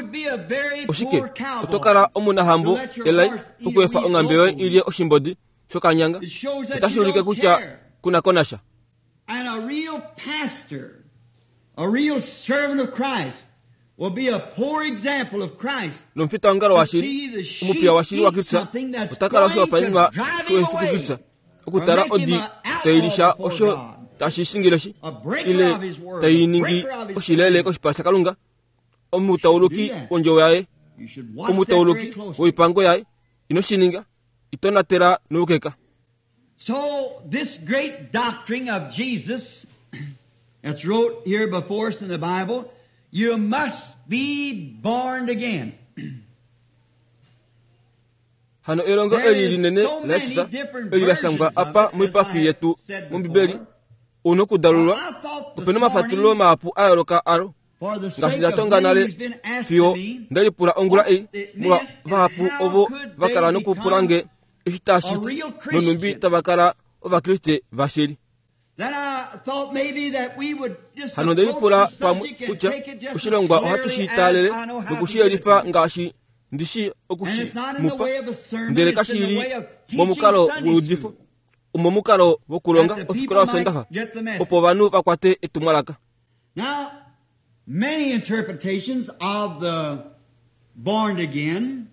oshike oto kala omunahambo elai okuefa onghambe yoye ilye oshimbodi shokanyanga. Otashi ulike kutya kuna konasha. And a real pastor, a real servant of Christ will be a poor example of Christ. Nomufitaongalo washili omupiya washili wa Kristo otakala oshihopaenenwa shoyesu Kristo okutala odi tailisha osho tashi shingileshi ile tainingi oshilele koshipala shaKalunga omutauluki wondjovo yaye omutauluki woipango yaye ino shininga itonatela noukeka. So this great doctrine of Jesus that's wrote here before us in the Bible, you must be born again. Hano elongo eli linene laYesu eli lashangwa apa moipafi yetu mOmbibeli una okudalulwa opena omafatululo mahapu a yooloka alo ngaashi ndatonga nale fiyo ndelipula ongula ei molwa vahapu ovo vakala nokupula nge eshi tashi ti nonumbi tava kala Ovakriste vashili. Hano ndelipula pamwe kutya oshilongwa ohatu shi taalele nokushiyelifa ngaashi ndishi okushi mupa ndele kashili momukalo weudifo omomukalo wokulonga ofikola yosondaxa opo ovanhu vakwate etumwalaka. Now, many interpretations of the born again.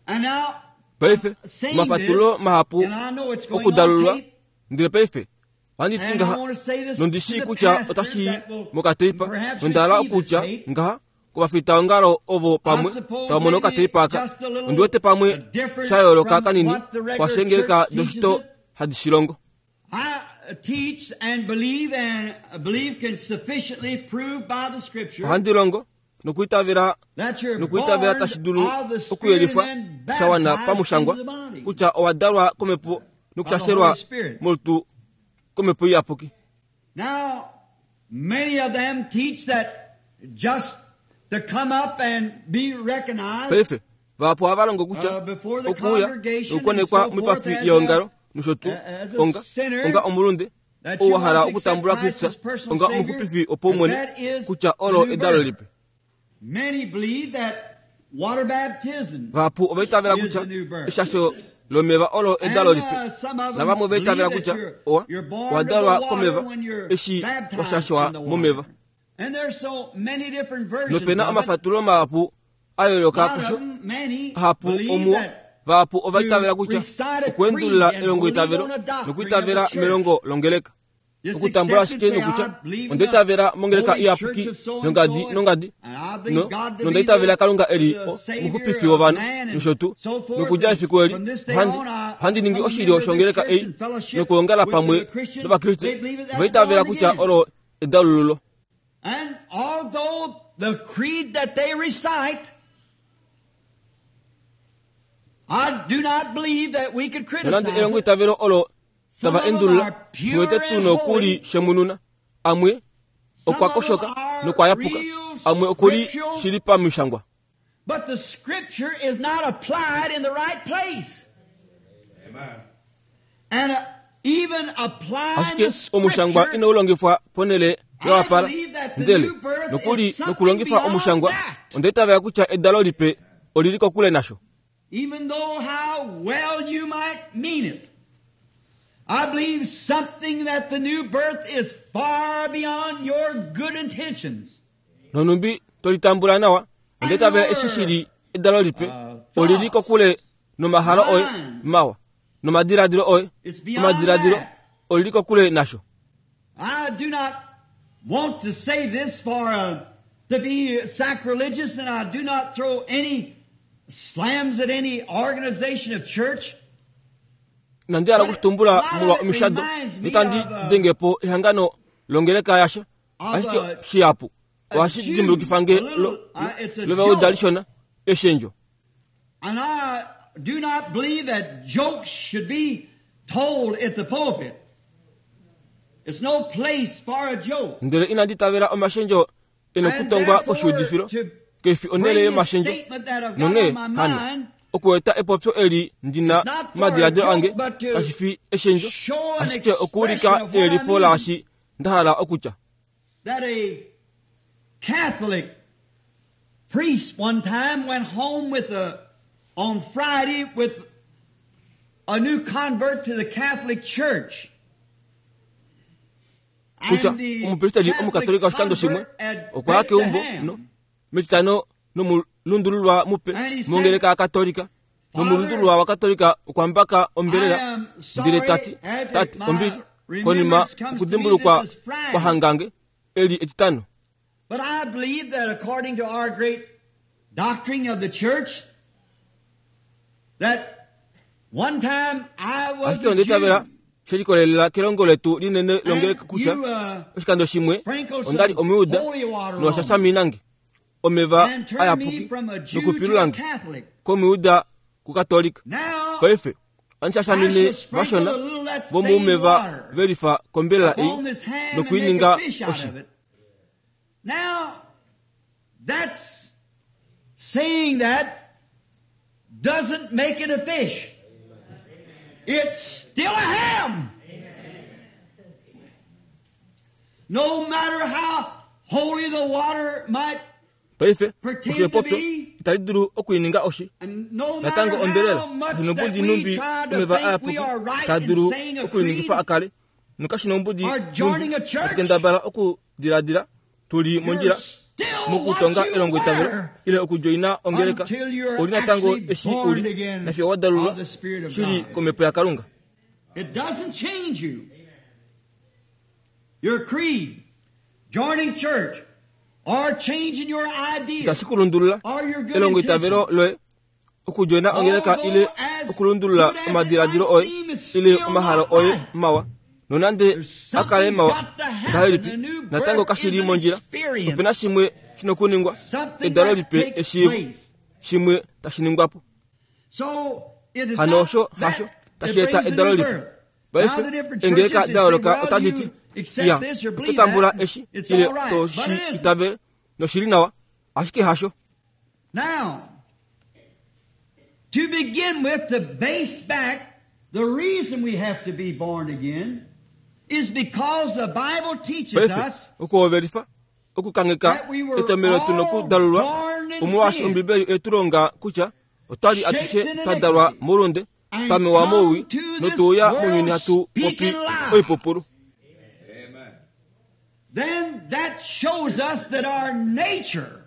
And now, paife omafatululo mahapu okudalulwa ndele paife ohandi ti ngaha nondishi kutya otashi mokateipa nondahala okutya ngaha kovafitaongalo ovo pamwe tava mono okateipa aka ondiwete pamwe sha yooloka kanini kwashengeleka doshito hadi shilongo. Ohandi longo nokuitavela nokuitavela tashi dulu okuyelifwa sha wana pamushangwa kutya owa dalwa komhepo nokushashelwa molutu komhepo iyapuki. Now, many of them teach that just to come up and be recognized. Paife vahapu ohava longo kutya okuuya nokukonekwa moipafi yeongalo nosho tuu onga onga omulunde ou wa hala okutambula Kristo onga omuxupifi wopaumwene kutya olo edalo lipe. Vahapu ovaitavela kutya eshasho lomeva olo edalo lipe navamwe ovaitavela kutya owa owadalwa komeva eshi washashwa momeva. Nopena omafatululo mahapu a yooloka kusho ahapu omuo vahapu ovaitavela kutya okuendulula elongoitavelo nokuitavela melongo longeleka okutambula ashike nokutya ondaitavela mongeleka iyapuki nongadi nongadi no nondaitavela Kalunga eli omuxupifi wovanhu nosho tuu nokudja efiku eli ohandi ohandi ningi oshilyo shongeleka ei nokuongala pamwe nOvakriste ovaitavela kutya olo edalululo. And although the creed that they recite, I do not believe that we could criticize nonande elongo itavelo olo tava endulula tuwete tu nokuli shemununa amwe okwakoshoka nokwayapuka amwe okuli shili pamishangwa. But the scripture is not applied in the right place. Amen. And uh, even applying ashike the omushangwa scripture, inaulongifwa ponele yowapala ndele nokuli nokulongifa omushangwa ondaitavela kutya edalo lipe olili kokule nasho even though how well you might mean it, I believe something that the new birth is far beyond your good intentions. nonumbi tolitambula nawa ondaitavela eshi shili edalo lipe olili kokule nomahalo oye mawa nomadiladilo oye It's beyond omadiladilo that. olili kokule nasho I do not want to say this for uh, to be sacrilegious, and I do not throw any slams at any organization of church. nandi hala okushitumbula molwa omishado notandi dengepo ehangano longeleka yasha ashike shihapu ohashi dimbulukifange lovauda lishona eshendjo And I do not believe that jokes should be told at the pulpit. It's no place for a joke. Ndele inandi tavela omashendjo ena And okutongwa koshiudifilo therefore, to kefi onele bring this yomashendjo statement that I've got nonghee on my hano mind, okueta epopyo eli ndina It's not for madiladilo a ange joke, but to kashi fi eshendjo show an ashike okuulika expression of what I eyelifo mean. laashi ndahala okutya That a Catholic priest one time went home with a, on Friday with a new convert to the Catholic Church. Kutya And the omupristeli Catholic omukatolika oshikando shimwe convert had okwa ya baked a keumbo ham. no metitano nomulundululwa mupe And he said, mongeleka yakatolika nomulundululwa wakatolika okwambaka ombelela I am sorry, ndele tati after tati my ombili remembrance konima comes to me, okudimbulukwa this is Friday. kwahangange eli etitano But I believe that according to our great doctrine of the church, that one time I was ashike a ondeitavela Jew. shelikolelela kelongo letu linene And longeleka kutya you, uh, oshikando shimwe sprinkled ondali some omuyuda holy water nosha on me shaminange omeva and turned me ayapuki from a Jew to a nokupilulange Catholic. komuyuda kukatolika Now, paife andishashamine I shall sprinkle vashona a little that same vomuumeva water velifa kombelela upon ei this ham and make nokuininga a fish out oshi of it. Now, that's saying that doesn't make it a fish. It's still a ham. No matter how holy the water might, paife Pretend osho epopyo to be. itali dulu okuininga oshi and no matter natango ombelela how much that shinombudi we numbi try to omeva think we ayapuki are right taa in dulu saying a creed, okuiningifa akale nokashinombudi or joining a church, atukendabala okudiladila tuli you're mondjila still what mokutonga you elongo itavelo were ile okudjoina ongeleka until you're oli natango actually eshi born uli again nafiyo wadalulwa of the Spirit of shili God. komhepo yakalunga It doesn't change you. Your creed, joining church, or changing your ideas, itashi kulundulula or your good elongo itavelo intentions. loye okudjoina ongeleka ile Although as okulundulula good as it omadiladilo might oye seem, it's ile still omahalo not oye right. mawa nonande There's akale something's mawa got to happen. ngahelipi The new natango birth kashili is an mondjila experience. opena shimwe shinokuningwa Something edalo that lipe takes eshiivo place. shimwe tashiningwapo So it is hano not osho that hasho that tashieta brings the edalo new lipe birth. Now paife the different engeleka churches that say, dayooloka well, otadi ti you accept ya this or oto believe tambula that, eshi it's ile all right. to But shi it isn't. itavele noshili nawa ashike hasho Now, to begin with, to base back, the reason we have to be born again is because the Bible teaches paife us okuhovelifa okukangeka that we were etomelo tu all nokudalulwa born in omolwaashi sin ombibeli etulonga kutya otwali atushe shaped in twadalwa iniquity, moulunde and twamewa mouwi come to this notuuya world mounyuni hatu popi speaking lies. oipupulu Amen. Then that shows us that our nature,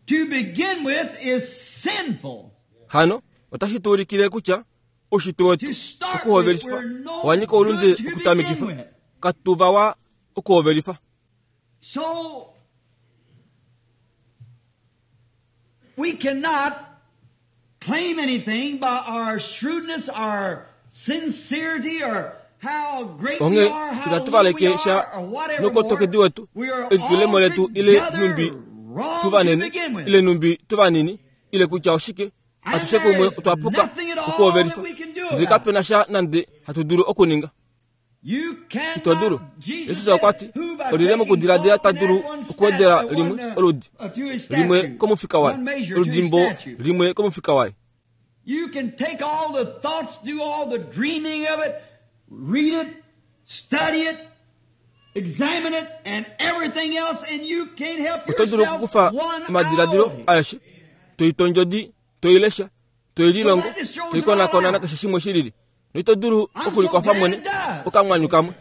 to begin with, is sinful. hano otashi tuulikile kutya oushitwe wetu To start with, okuhovelifa we're no owanyika oulunde good to begin okutamikifa with. katuvawa okuhovelifa So, we cannot claim anything by our shrewdness, our sincerity, or how great we onghee are, how itatu little we valeke sha are, or whatever nokotokedi more. wetu We are elitulemo letu ile numbi altogether wrong tu to vanene begin with. ile numbi tu vanini ile kutya oshike And atushe there kumwe is otwa puka nothing at all okuhovelifa that we can do ndele about it. kapena sha nande hatu dulu okuninga Ito dulu. Jesus okwa ti olile mokudiladila ta dulu okuwedela limwe oludi limwe komufika waye, oludimbo limwe komufika waye. You can take all the thoughts, do all the dreaming of it, read it, study it, examine it, and everything else, and you can't help Oto dulu yourself okukufa one omadiladilo iota. aeshe, toitondjodi, toilesha, toililongo, toikonakona nakeshe shimwe shilili, noito dulu okulikwafa mwene okamwanyu kamwe.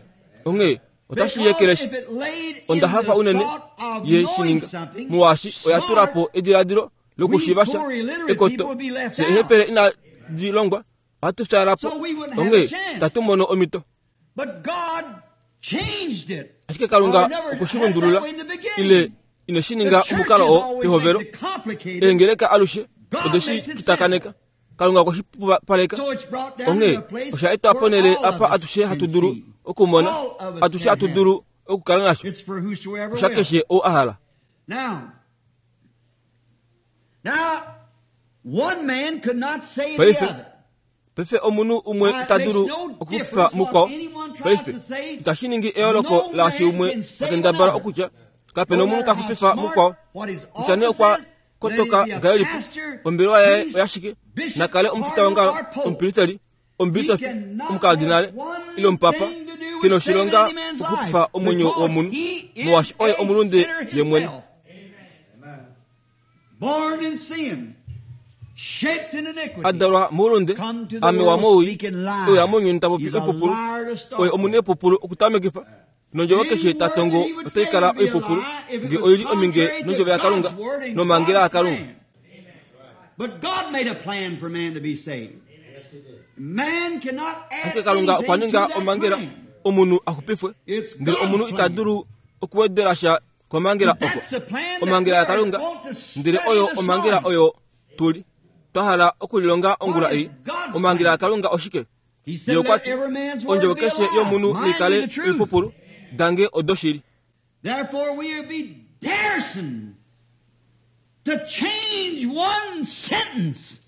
Onghee otashi yekeleshi. Because if it laid in Onda hafa the unene thought of ye knowing shininga something, muwashi oya tula smart, po ediladilo lokushiva sha we poor illiterate ekoto people would be left se out. ehepele inadi longwa ohatu fyaala po. So we wouldn't have Onghee a chance. tatu mono omhito. But God changed it. Ashike Kalunga Or never okwe shi had that lundulula way in the beginning. ile ine shi The ninga churches omukalo oo always pehovelo. makes it complicated. Eengeleka alushe God ode shi makes it kitakaneka. Kalunga okwe shi pupaleka. So it's brought down Onghee to a place osha etwa where ponhele all of apa us atushe can hatu dulu see. okumona, All of us atushe can hatu have. dulu okukala nasho. It's for whosoever Osha will. keshe ou a hala. Now, now, one man could not save the Paife, other. Paife omunhu umwe Now, it ita dulu makes no okukufa difference mukwao. what anyone tries Paife to say. itashi ningi eyooloko No laashi man umwe can save takendabala another. okutya kapena No omunhu matter ta how xupifa smart, mukwao. what his Kutya nee office okwa is, let kotoka it be a ngahelipi, pastor, ombelewa yaye priest, oyashike, bishop, nakale omufita cardinal, wongalo, or pope. omupristeli, omubisofi, He cannot omukardinale have one ile omupapa, thing to do with kena oshilonga saving any man's okuxupifa life, omwenyo because womunhu, he is molwaashi oye a omulunde sinner ye mwene. himself. Born in sin, shaped in iniquity. Adalwa moulunde, Come to the amewa world mowii, speaking lies. oya mounyuni ta popi He's a oipupulu, liar to start oye omuna epupulu okutamekifa. Nondjovo keshe ta tongo Any word he would otai kala say would be a oipupulu, lie if it nge was oili ominge contrary to nondjovo yaKalunga God's word and nomhangela God's yaKalunga. plan. But God made a plan for man to be saved. Man cannot add Ashike Kalunga okwa anything to ninga that omhangela plan. omunhu a xupifwe, It's ndele God's omunhu ita plan. dulu okuwedela sha komhangela oko. That's the plan that Omhangela we yaKalunga, want to study ndele oyo this omhangela morning. oyo tuli twa hala okulilonga ongula ei. Omhangela yaKalunga oshike? He said, Ye okwa let ti every man's word ondjovo be a keshe lie. yomunhu Mine be nikale the truth. oipupulu, dange odoshili. Therefore we will be daresome to change one sentence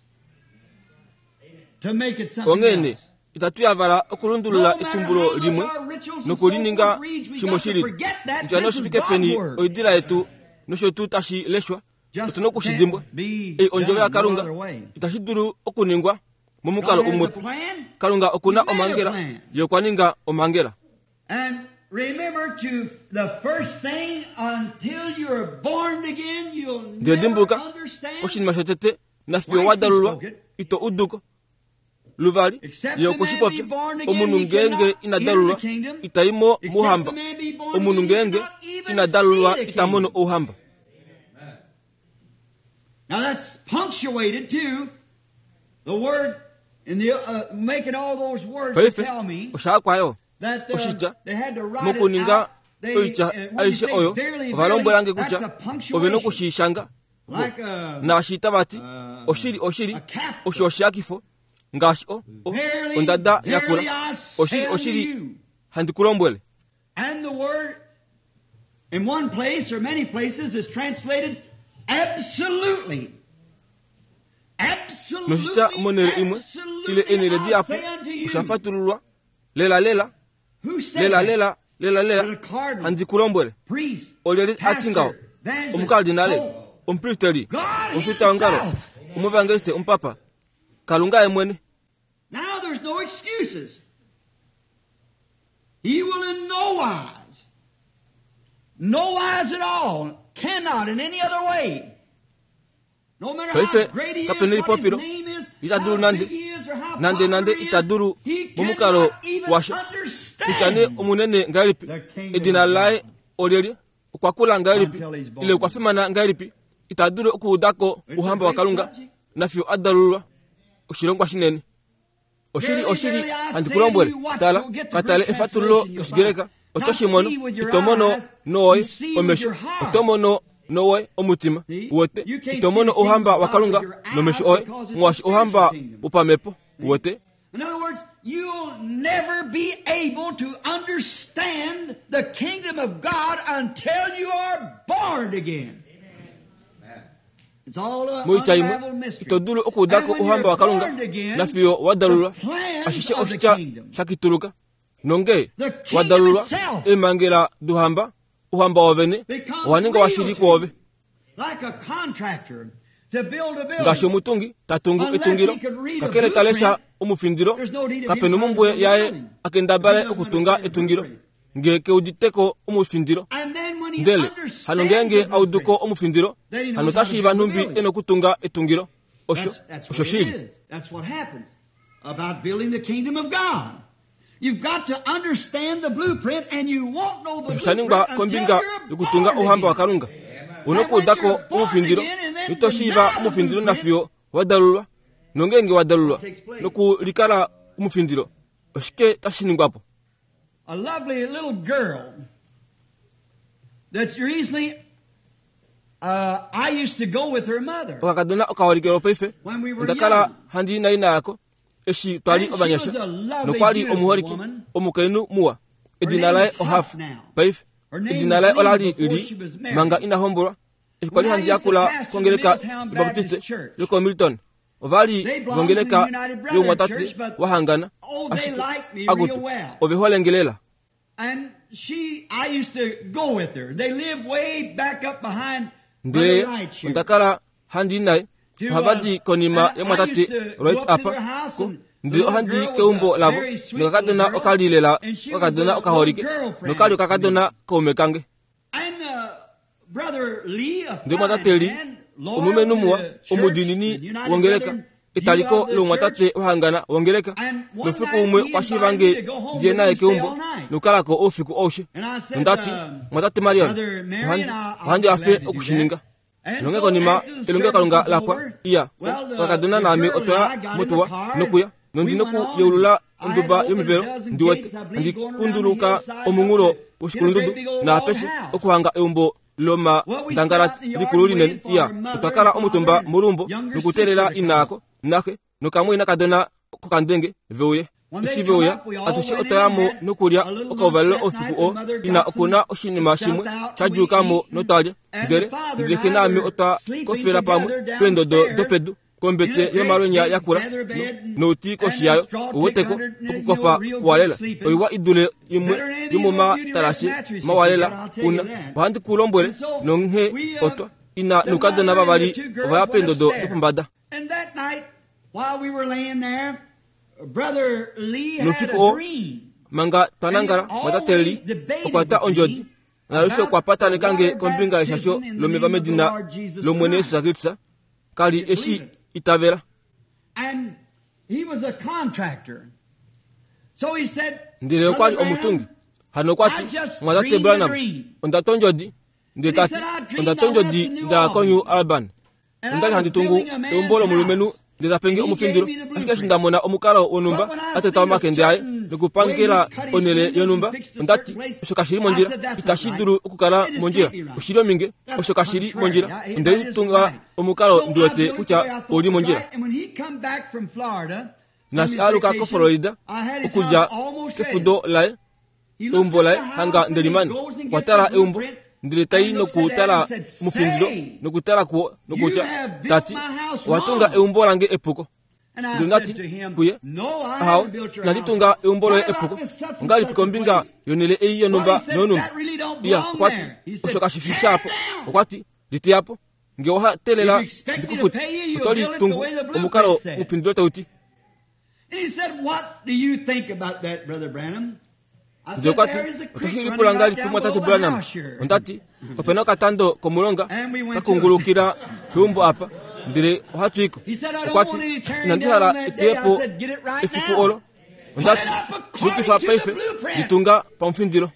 to make it something Onghee else. itatu yavala okulundulula No matter etumbulo how much limwe our rituals and nokulininga so forth reads, we shimwe got to shilili. forget that Kutya this is noshifike God's peni word. oidila yetu nosho tuu tashi leshwa, Just otuna okushi dimbwa. can't be Ei ondjovo done no yaKalunga other way. itashi dulu okuningwa momukalo God has a umwepo. plan. Kalunga okuna He made a omhangela, plan. ye okwa ninga omhangela. And remember to the first thing until you're born again, you'll Ndele never dimbuluka understand. oshinima shotete nafiyo wa dalulwa ito uduko. Luvali Except ye the okwe shi man popya, be born again, omunhu he ngeenge cannot ina enter the dalulwa kingdom. ita i mo Except mouhamba. the man be born Omunhu again, he ngeenge cannot even ina dalulwa see the ita mono kingdom. ouhamba. Now that's punctuated too. The word in the uh, making all those words to Paife tell me oshaakwayo that uh, oshitya they had to write it mokuninga out. They, oitya uh, when you aishe say oyo verily, ova lombwelange verily, that's kutya a punctuation. ove nokushishanga Like a, naashi tavati uh, oshili oshili a capital. osho oshiyakifo ngaashi o o- Verily, ondada verily, yakula I say oshili unto oshili you. handi kulombwele. And the word in one place or many places is translated absolutely. Absolutely, Noshitya monhele imwe ile absolutely, eenhele I dihapu say unto you. osha fatululwa lela lela Who said lela that? lela lela lela The cardinal, handi kulombwele. priest, Olyeli ati ngaho pastor, evangelist, omukardinale pope. omupristeli God omufita wongalo himself. omuevangeliste omupapa Kalunga ye mwene. Now there's no excuses. He will in no wise, no wise at all, cannot in any other way. No matter how Paife great he is, kapena what his elipopilo name is, ita dulu how nande big he is, or how nande popular nande he is, ita dulu he momukalo cannot even washa kutya nee understand omunene ngahelipi the kingdom edina of laye God. olyelye okwa kula ngahelipi Until he's born. ile okwa fimana ngahelipi ita dulu okuudako It's a ouhamba great waKalunga subject. nafiyo a dalulwa oshilongwa shinene. Oshili Verily, oshili verily, I handi say kulombwele unto you, watch, tala you'll get the katale Greek efatululo translation, you'll loshigreka find. oto Not shi mono see with your ito mono eyes, nowoye you see with omesho your heart. oto mono nowoye omutima See? uwete You can't ito mono see the kingdom ouhamba of God waKalunga with your eyes nomesho oye because it's a molwaashi ouhamba spiritual kingdom. wopamhepo uwete. In other words, you'll never be able to understand the kingdom of God until you are born again. It's all a Moitya imwe unraveled mystery. ito dulu okuudako And when ouhamba you're waKalunga born again, nafiyo wa dalulwa the plans ashishe of the oshitya kingdom. shakituluka Nonge wadalulwa emangela duhamba uhamba wovene owaninga washili kwove. Ngaashi omutungi tatungu etungilo kakele talesha omufindilo kapena omumbwe yaye akendabale okutunga etungilo nge keuditeko omufindilo. Ndele hano ngenge auduko omufindilo hano tashiiva nhumbi ena okutunga etungilo. Osho osho shili. About building the kingdom of God. You've got to understand the blueprint and you won't know the blueprint kombinga yokutunga ohamba wa Kalunga. Unokuudako omufindilo itoshiiva omufindilo nafiyo wadalulwa. Nongenge wadalulwa nokulikala omufindilo oshike tashiningwapo? A lovely little girl that's recently uh, I used to go with her mother. Okakadona okaholikelo paife ndakala handi naina yako eshi twali obanyasha nokwali omuholiki omukainhu muwa edina laye Ohafu paife edina laye olali li manga inahombolwa. Eshi kwali handi yakula kongeleka Baptiste yoko Milton ovali vongeleka yomwatate wahangana ashike agutu oveholengelela. And she, I used to go with her. They live way back up behind ndele ondakala handi naye ohavadi konima yomwatate right apa ko ndele ohandi keumbo lavo nokakadona okalilela okakadona okaholike nokali okakadona kaume kange. Ndele mwatate li omulumenhu muwa omudinini wongeleka etaliko lomwatate wahangana wongeleka nofiku umwe kwashiiva nge ndiye naye keumbo nokukalako oufiku oushe. Nondati mwatate Marion ohandi afe okushininga. Nonge konima elongelokalunga lapwa iya okakadona naame otwaya motuwa nokuya nondi nokuyeulula onduba yomivelo ndiwete andikunduluka omunghulo woshikulundudu naapeshe okuhanga eumbo loma ndangalati likulu linene. Iya otwakala omutumba molumbo nokuteelela inaako naxe nokamwina kadona kokandenge veuye. Eshi veuya atushe otwayamo nokulya okauvalelo oufiku oo ina okuna oshinima shimwe shadjuukamo notwalya. Ndele ndele xe naame otwa kofela pamwe peendodo dopedu kombete yomalwenya yakula nouti koshi yayo uweteko okukofa kuwalela oiwa idule imwe yomomatalashe mawalela una ohandi kulombwele nonghe otwa ina noukadona vavali ovaya peendodo dopombada. Noufiku oo manga twanangala mwatate li okwata ondjodi nalushe okwa patanekange kombinga yeshasho lomeva medina lOmwene Yesu Kristus kali eshi itavela. And he was a contractor. So he said, ndele okwali omutungi hano okwati mwatate Branham ondata ondjodi ndele tati ondata ondjodi ndaya ko New Albany ondali handi tungu eumbo lomulumenhu ndele tapenge omufindilo ashike eshi ndamona omukalo wonhumba ateta omakende aye nokupangela onhele yonhumba ondati osho kashili mondjila itashi dulu okukala mondjila oshili ominge osho kashili mondjila ondeitunga omukalo ndiwete kutya oli mondjila. Nasi aluka ko Florida okudja kefudo laye eumbo laye hanga ndelimani okwatala eumbo ndele tai nokutala omufindilo nokutala kuwo nokutya tati owatunga eumbo lange epuko. Ndele ndati kuye ahawe inanditunga eumbo loye epuko ongalipi kombinga yonhele ei yonhumba nonhumba. Iya okwati osho kashifi shapo okwati liteyapo nge oha teelela ndikufute otolitungu omukalo omufindilo tauti. Ndele okwati otoshilipula ngalipi mwatate Branham? Ondati opena okatando komulonga kakungulukila peumbo apa ndele ohatwiko. Okwati inandihala eteyepo efiku olo. Ondati shiyukifa paife litunga pamufindilo.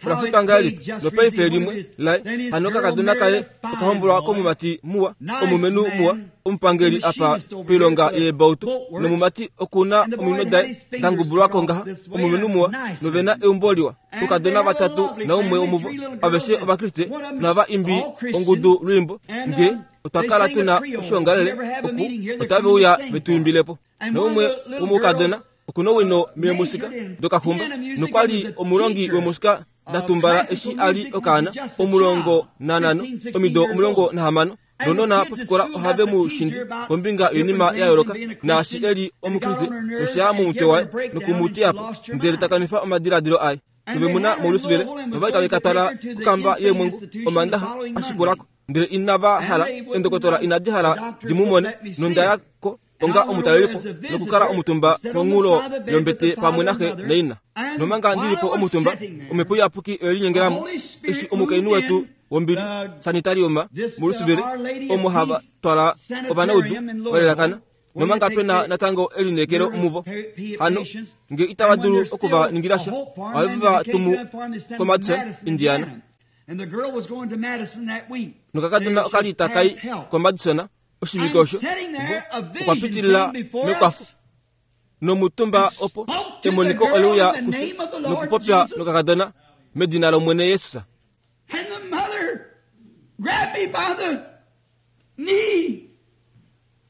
Olafuta ngalipi lopaife limwe laye hano kakadona kaye okahombolwa komumati muwa omulumenhu muwa omupangeli apa poilonga yeebautu nomumati okuna ominwe daye dangubulwako ngaha omulumenhu muwa novena eumbo liwa okadona vatatu naumwe womuvo aveshe ovakriste nava imbi ongudu lwiimbo nge otwakala tuna oshiongalele oku otaveuya vetuimbilepo. Naumwe womukadona okuna owino meemusika dokaxumba nokwali omulongi wemusika datumbala eshi ali okaana omulongo nanhano omido omulongo nahamano Nounona pofikola ohave mu shindi kombinga yoinima ya yooloka naashi eli omukriste nosha momutwe waye nokumutiya po ndele takanifa omadiladilo aye. Nove muna molusivele novali tave ka twala kokamba yeemwengu omandaxa ashikulako ndele inava hala endokotola inadi hala di mu mone nonda yako onga omutalelipo nokukala omutumba monghulo yombete pamwe naxe naina. Nomanga ndilipo omutumba omhepo iyapuki oyelinyengelamo eshi omukainhu wetu wombili sanitariuma molusivele omo hava twala ovanaudu valelakana nomanga pena natango elineekelo muvo hano nge itava dulu okuva ningila sha ohave va tumu koMadison, Indiana. Nokakadona okali takai koMadison oshivike osho okwa pitilila mekwafo nomutumba opo emoniko oleuya kufye nokupopya nokakadona medina lOmwene Jesus. And the mother grabbed me by the knee,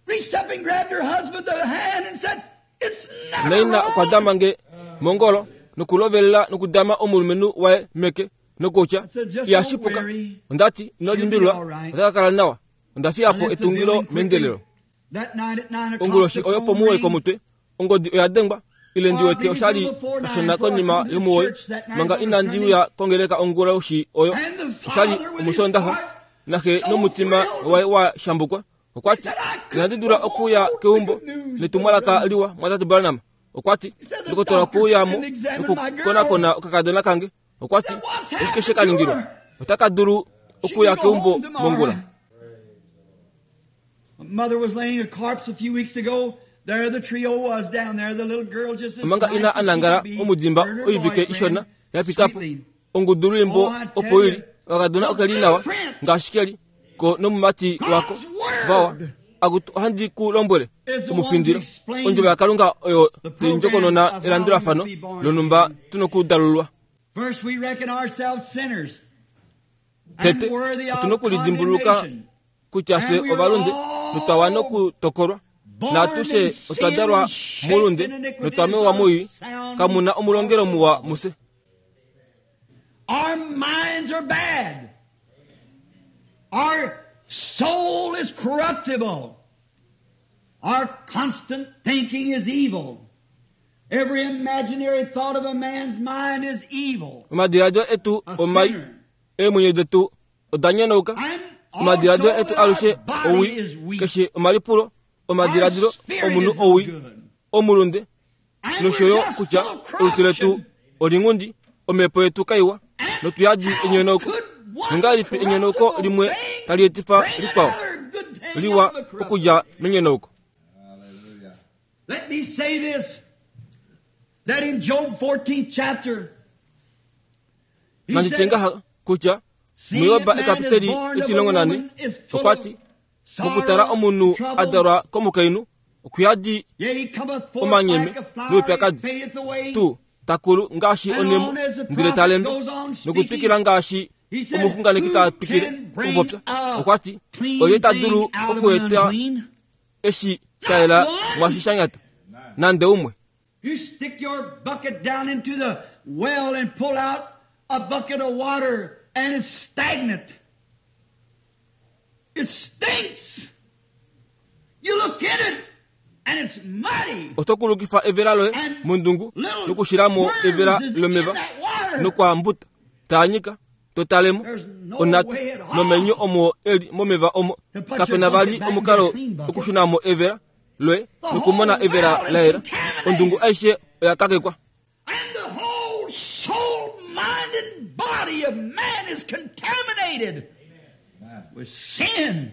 reached up and grabbed her husband the hand and said, "It's never Naina okwa wrong." dama nge mongolo nokulovelela nokudama omulumenhu waye meke nokutya ihashipuka. Ondati ino limbililwa ota ka kala nawa. Onda fiya po etungilo meendelelo. That night at nine o'clock, Onguloshi the oyo phone pomuwoi rang. komutwe ongodi oya dengwa ile ndi wete oshali kashona konima yomuwoi manga inandi uya kongeleka onguloshi oyo And the oshali father with his omusondaxa heart naxe so nomutima thrilled. waye wa shambukwa okwati inandi dula okuya keumbo netumwalaka liwa mwatate Branham. Okwati ndokotola kuuyamo nokukonakona okakadona kange. Okwati oshike she ka ningilwa otaka dulu She okuya can go keumbo home tomorrow. mongula. Mother was laying a corpse a few weeks ago. There the trio was down there. The little girl just as Omanga nice ina as she anangala could be. omudimba Her and her oivike boyfriend, ishona yapitapo sweetly. ongudu lwimbo opo ili okakadona okeli nawa ngaashi keli ko nomumati wako vawa akutu ohandi ku lombwele omufindilo ondjovo yaKalunga oyo tayi ndjokonona elandulafano lonumba tunokudalulwa. First we reckon ourselves sinners and Tete worthy of otuna okulidimbuluka condemnation. kutya fye ovalunde notwa wana okutokolwa natushe otwa dalwa moulunde notwa mewa moii kamuna omulongelo muwa muse. Our minds are bad. Our soul is corruptible. Our constant thinking is evil. Every imaginary thought of a man's mind is evil. Omadiladilo etu A omai sinner. eemwenyo detu oda nyonauka. And Omadiladilo also etu that our alushe body owii is weak. keshe omalipulo omadiladilo Our spirit omunhu is no owii good. omulunde And nosho we're yo just kutya full of olutu letu corruption. olinghundi omhepo yetu kaiwa And notuyadi how enyonauko. could one Nongahelipi enyonauko corruptible limwe thing tali etifa bring likwao another good thing liwa out of a corruptible? okudja menyonauko? Let me say this, that in Job fourteenth chapter, he Nandi said, tye ngaha kutya "Seeing muYoba that man is ekapiteli born of a etilongo nane woman is full okwati of sorrow, mokutala omunhu trouble. adalwa komukainhu okuyadi Yea, he cometh forth omanyeme like a flower, noupyakadi. he fadeth away. Tu takulu ngaashi And onemo on as the ndele prophet talembe goes on speaking, nokutwikila ngaashi he said, omuxunganeki ta "Who twikile can bring okupopya a okwati clean olye ta thing dulu out of an okueta unclean?" eshi sha yela mwaashi sha nyata nande umwe. You stick your bucket down into the well and pull out a bucket of water and it's stagnant. It stinks. You look in it and it's muddy. Oto kulukifa evela loye And mondungu little nokushilamo worms evela is in lomeva that water. nokwambuta taanyika totalemo There's no onata way at all nomenyo omo eli momeva omo to put your kapena vali bucket back omukalo in the clean bucket. okushunamo evela loye The nokumona whole evela well is la yela contaminated. ondungu aishe oya kakekwa. And the whole soul, mind, and body of man is contaminated with sin.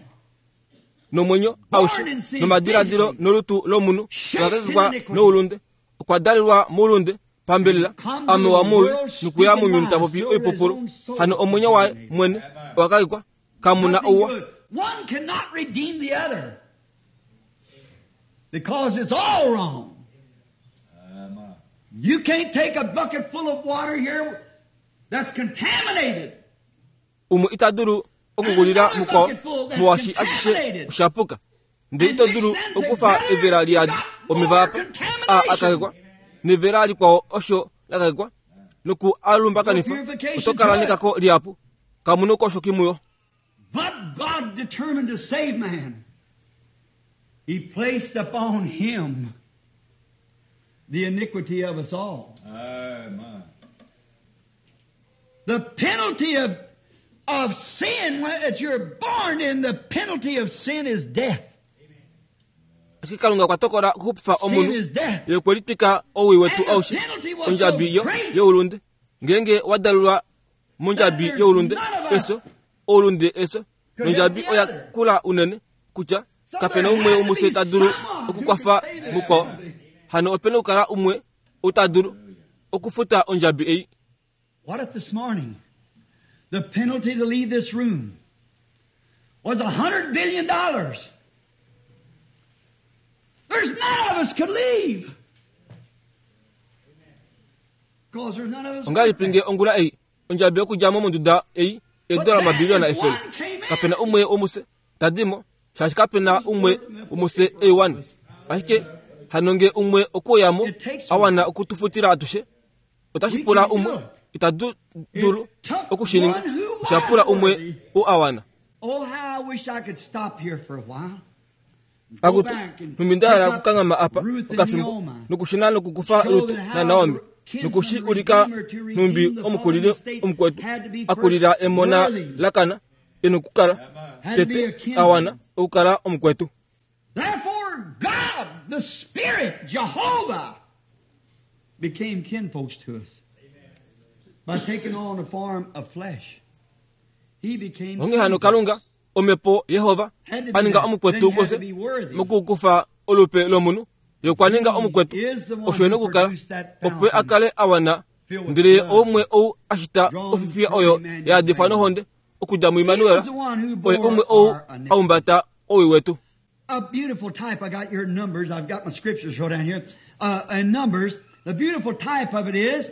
Nomwenyo aushe nomadiladilo nolutu lomunhu ola kakekwa noulunde okwa dalelwa moulunde pambelela amewa moui nokuya mounyuni tapopi oipupulu hano omwenyo waye mwene owa kakekwa kamuna Nothing ouwa. good. One cannot redeem the other because it's all wrong. You can't take a bucket full of water here that's contaminated. Umwe ita dulu okukulila mukwao muwashi ashishe oshapuka ndele ito dulu okufa evela liyadi omeva apa a akakekwa nevela likwao osho lakakekwa noku alumbakanifa oto kala nekako lihapu kamuna oukoshoki muyo. But God determined to save man. He placed upon him the iniquity of us all. Amen. The penalty of, of sin, when that you're born in, the penalty of sin is death. Ashike Kalunga okwa tokola okuxupifa Sin omunhu is death. ye okwe litwika owii wetu And the aushe penalty was ondjabi so yo great youlunde ngeenge wa dalulwa mondjabi that there's youlunde none of us eso oulunde eso could nondjabi help the oya other. kula unene kutya So kapena there umwe had to womufye be ta dulu someone who okukwafa could pay the mukwao penalty. hano opena okukala umwe ou ta dulu okufuta ondjabi ei. What if this morning the penalty to leave this room was a hundred billion dollars? There's none of us could leave. Because there's none of us. Ongahelipi nge ongula ei ondjabi yokudja mo monduda ei eedola omabiliyona efele kapena umwe womufye tadimo shaashi kapena umwe womufye eiwana ashike hano nge umwe okweuyamo a wana okutufutila atushe otashi pula umwe ita dulu okushininga osha pula umwe ou a wana. Oh, how I wish I could stop here for a while. Go Akutu back and nhumbi nda hala pick up okukanghama apa Ruth and okafimbo Naomi. nokushuna nokukufa Show Rut that how na Naomi the nokushi kinsman ulika redeemer to redeem nhumbi the omukulili fallen estate omukwetu had to be akulila first emona worthy. lakana ena okukala Had to be a tete kinsman. a wana okukala omukwetu. Therefore, God, the Spirit, Jehovah, became kinfolks to us by taking on a form of flesh. He became Onghee hano kinfolks. Kalunga omhepo Yehova Had to be a ninga that. omukwetu Then he had kufye to be worthy. mokukufa olupe lomunhu ye okwa ninga omukwetu He is the one osho ena who okukala produced that opo fountain a kale a wana filled with ndele ye blood, oumwe ou a shita drawn ofifiya from oyo Emmanuel's ya yadifwa veins. nohonde okudja He muImmanuel was the one who oye bore umwe ou our a iniquity. humbata owii wetu. A beautiful type. I got your numbers. I've got my scriptures wrote down here. Uh, in Numbers, the beautiful type of it is,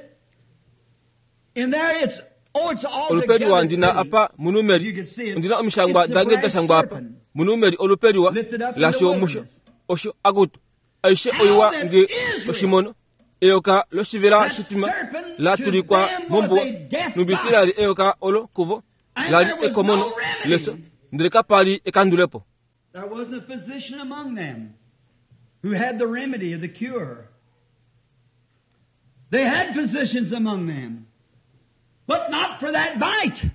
in there it's, oh, it's all olupe liwa together ndina pretty. apa munumeri You can see it. ndina omishangwa It's the dange brass dashangwa apa serpent munumeri olupe liwa lifted up in the lasho musho wilderness. osho akutu aishe How oiwa that nge Israel, oshimono eyoka loshivela that shitima serpent la to tulikwa them was mombuwa a death nubisirali eyoka olo kuvo And lali there was ekomono no remedy. leso ndele kapali ekandulepo. There wasn't a physician among them who had the remedy of the cure. They had physicians among them, but not for that bite.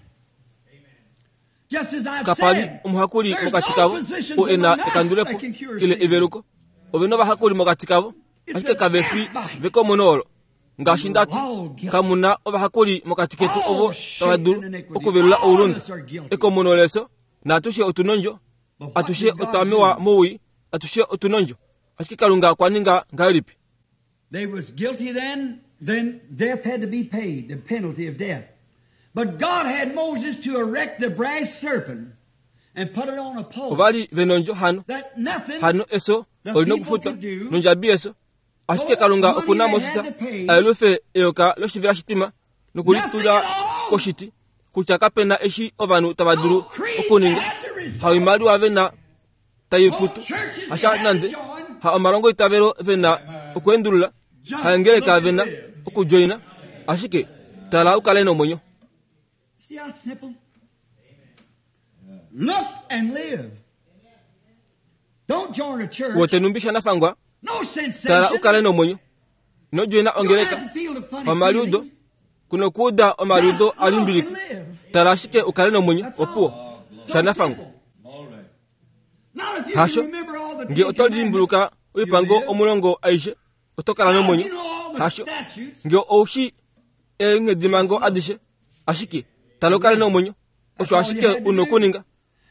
Just as I've Kapali said, omuhakuli there's mokati no kavo physicians o ena among us ekandulepo that can cure ile sin. eveluko ove novahakuli mokati kavo It's ashike a kave fi death bite. vekomono olo ngaashi ndati All guilty. kamuna ovahakuli mokati ketu All ovo shaped tava dulu in iniquity. okuvelula All of oulunde us are guilty. ekomono leso naatushe otuna ondjo But what atushe did God otwa do? mowii atushe otuna ondjo ashike Kalunga okwa ninga ngahelipi? They was guilty then, then death had to be paid, the penalty of death. But God had Moses to erect the brass serpent and put it on a pole. Ovali vena ondjo hano That nothing hano eso the olina people okufuta could do, nondjabi yeso ashike no Kalunga money okuna they Moses had to pay, ayelufe eyoka loshivela shitima nokulitula nothing at all. koshiti kutya kapena eshi ovanhu tava dulu No creed they okuninga had to resort. haoimaliwa vena tai futu No churches they hasha had to nande join. ha omalongo itavelo vena okuendulula Just haengeleka look and vena live. okujoina ashike tala ukale nomwenyo. See how simple? Look and live. Don't join a church. Wote numbi shanafangwa No tala sensation. ukale nomwenyo inojoina You don't ongeleka have to feel the funny omaliudo feeling. kuno kuuda omaliudo Just look and alimbiliki live. tala ashike ukale nomwenyo That's opuwo all. So shanafangwa. simple. Not if you Hasho can remember all the nge Ten oto Commandments, limbuluka you oipango live. omulongo aishe oto kala Not if nomwenyo you know all the hasho statutes. nge oushi eenghedimango adishe ashike tala ukale nomwenyo osho ashike una okuninga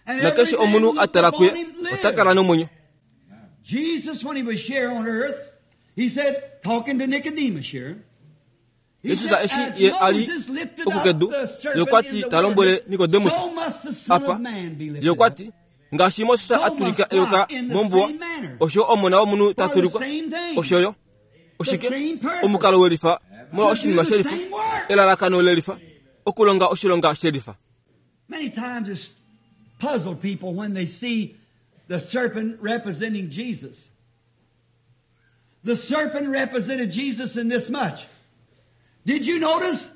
And nakeshe every man omunhu looked a tala upon kuye him ota lived. kala nomwenyo. Jesus, when he was here on earth, he said, talking to Nicodemus here, he Jesus said, eshi as ye ali Moses lifted up okukedu the serpent ye okwa in ti the ta lombwele wilderness, Nikodemus so must the Son apa of Man be ye lifted okwa up. ti ngaashi Moses So a tulika must eyoka God in the mombuwa same manner. osho omona womunhu ta For the tulikwa same thing. osho yo oshike The same purpose. omukalo welifa molwa To do oshinima the shelifa same work. elalakano lelifa okulonga oshilonga shelifa. Many times it's puzzled people when they see the serpent representing Jesus. The serpent represented Jesus in this much. Did you notice?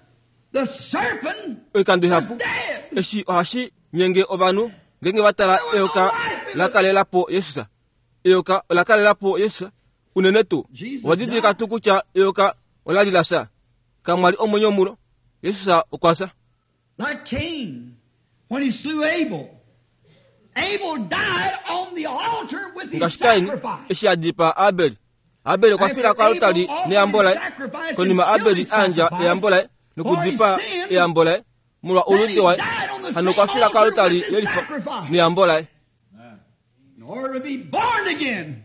The serpent Oikando was ihapu dead. eshi ohashi nyenge ovanhu ngenge va tala eyoka la kalelapo Yesus. Eyoka ola kalelapo Yesus unene tuu. Owa tuu kutya eyoka ola li la fya. Kamwa li omwenyo mulo. Yesus okwa fya. Like Cain, when he slew Abel, Abel died on the altar with his Ngaashi Kain sacrifice. eshi a dipaa Abel. Abel okwa fila koaltari neyambo laye. Konima Abel a yandja eyambo laye nokudipaa eyambo laye molwa oulunde waye, hano okwa fila koaltari yelifa neyambo laye. In order to be born again,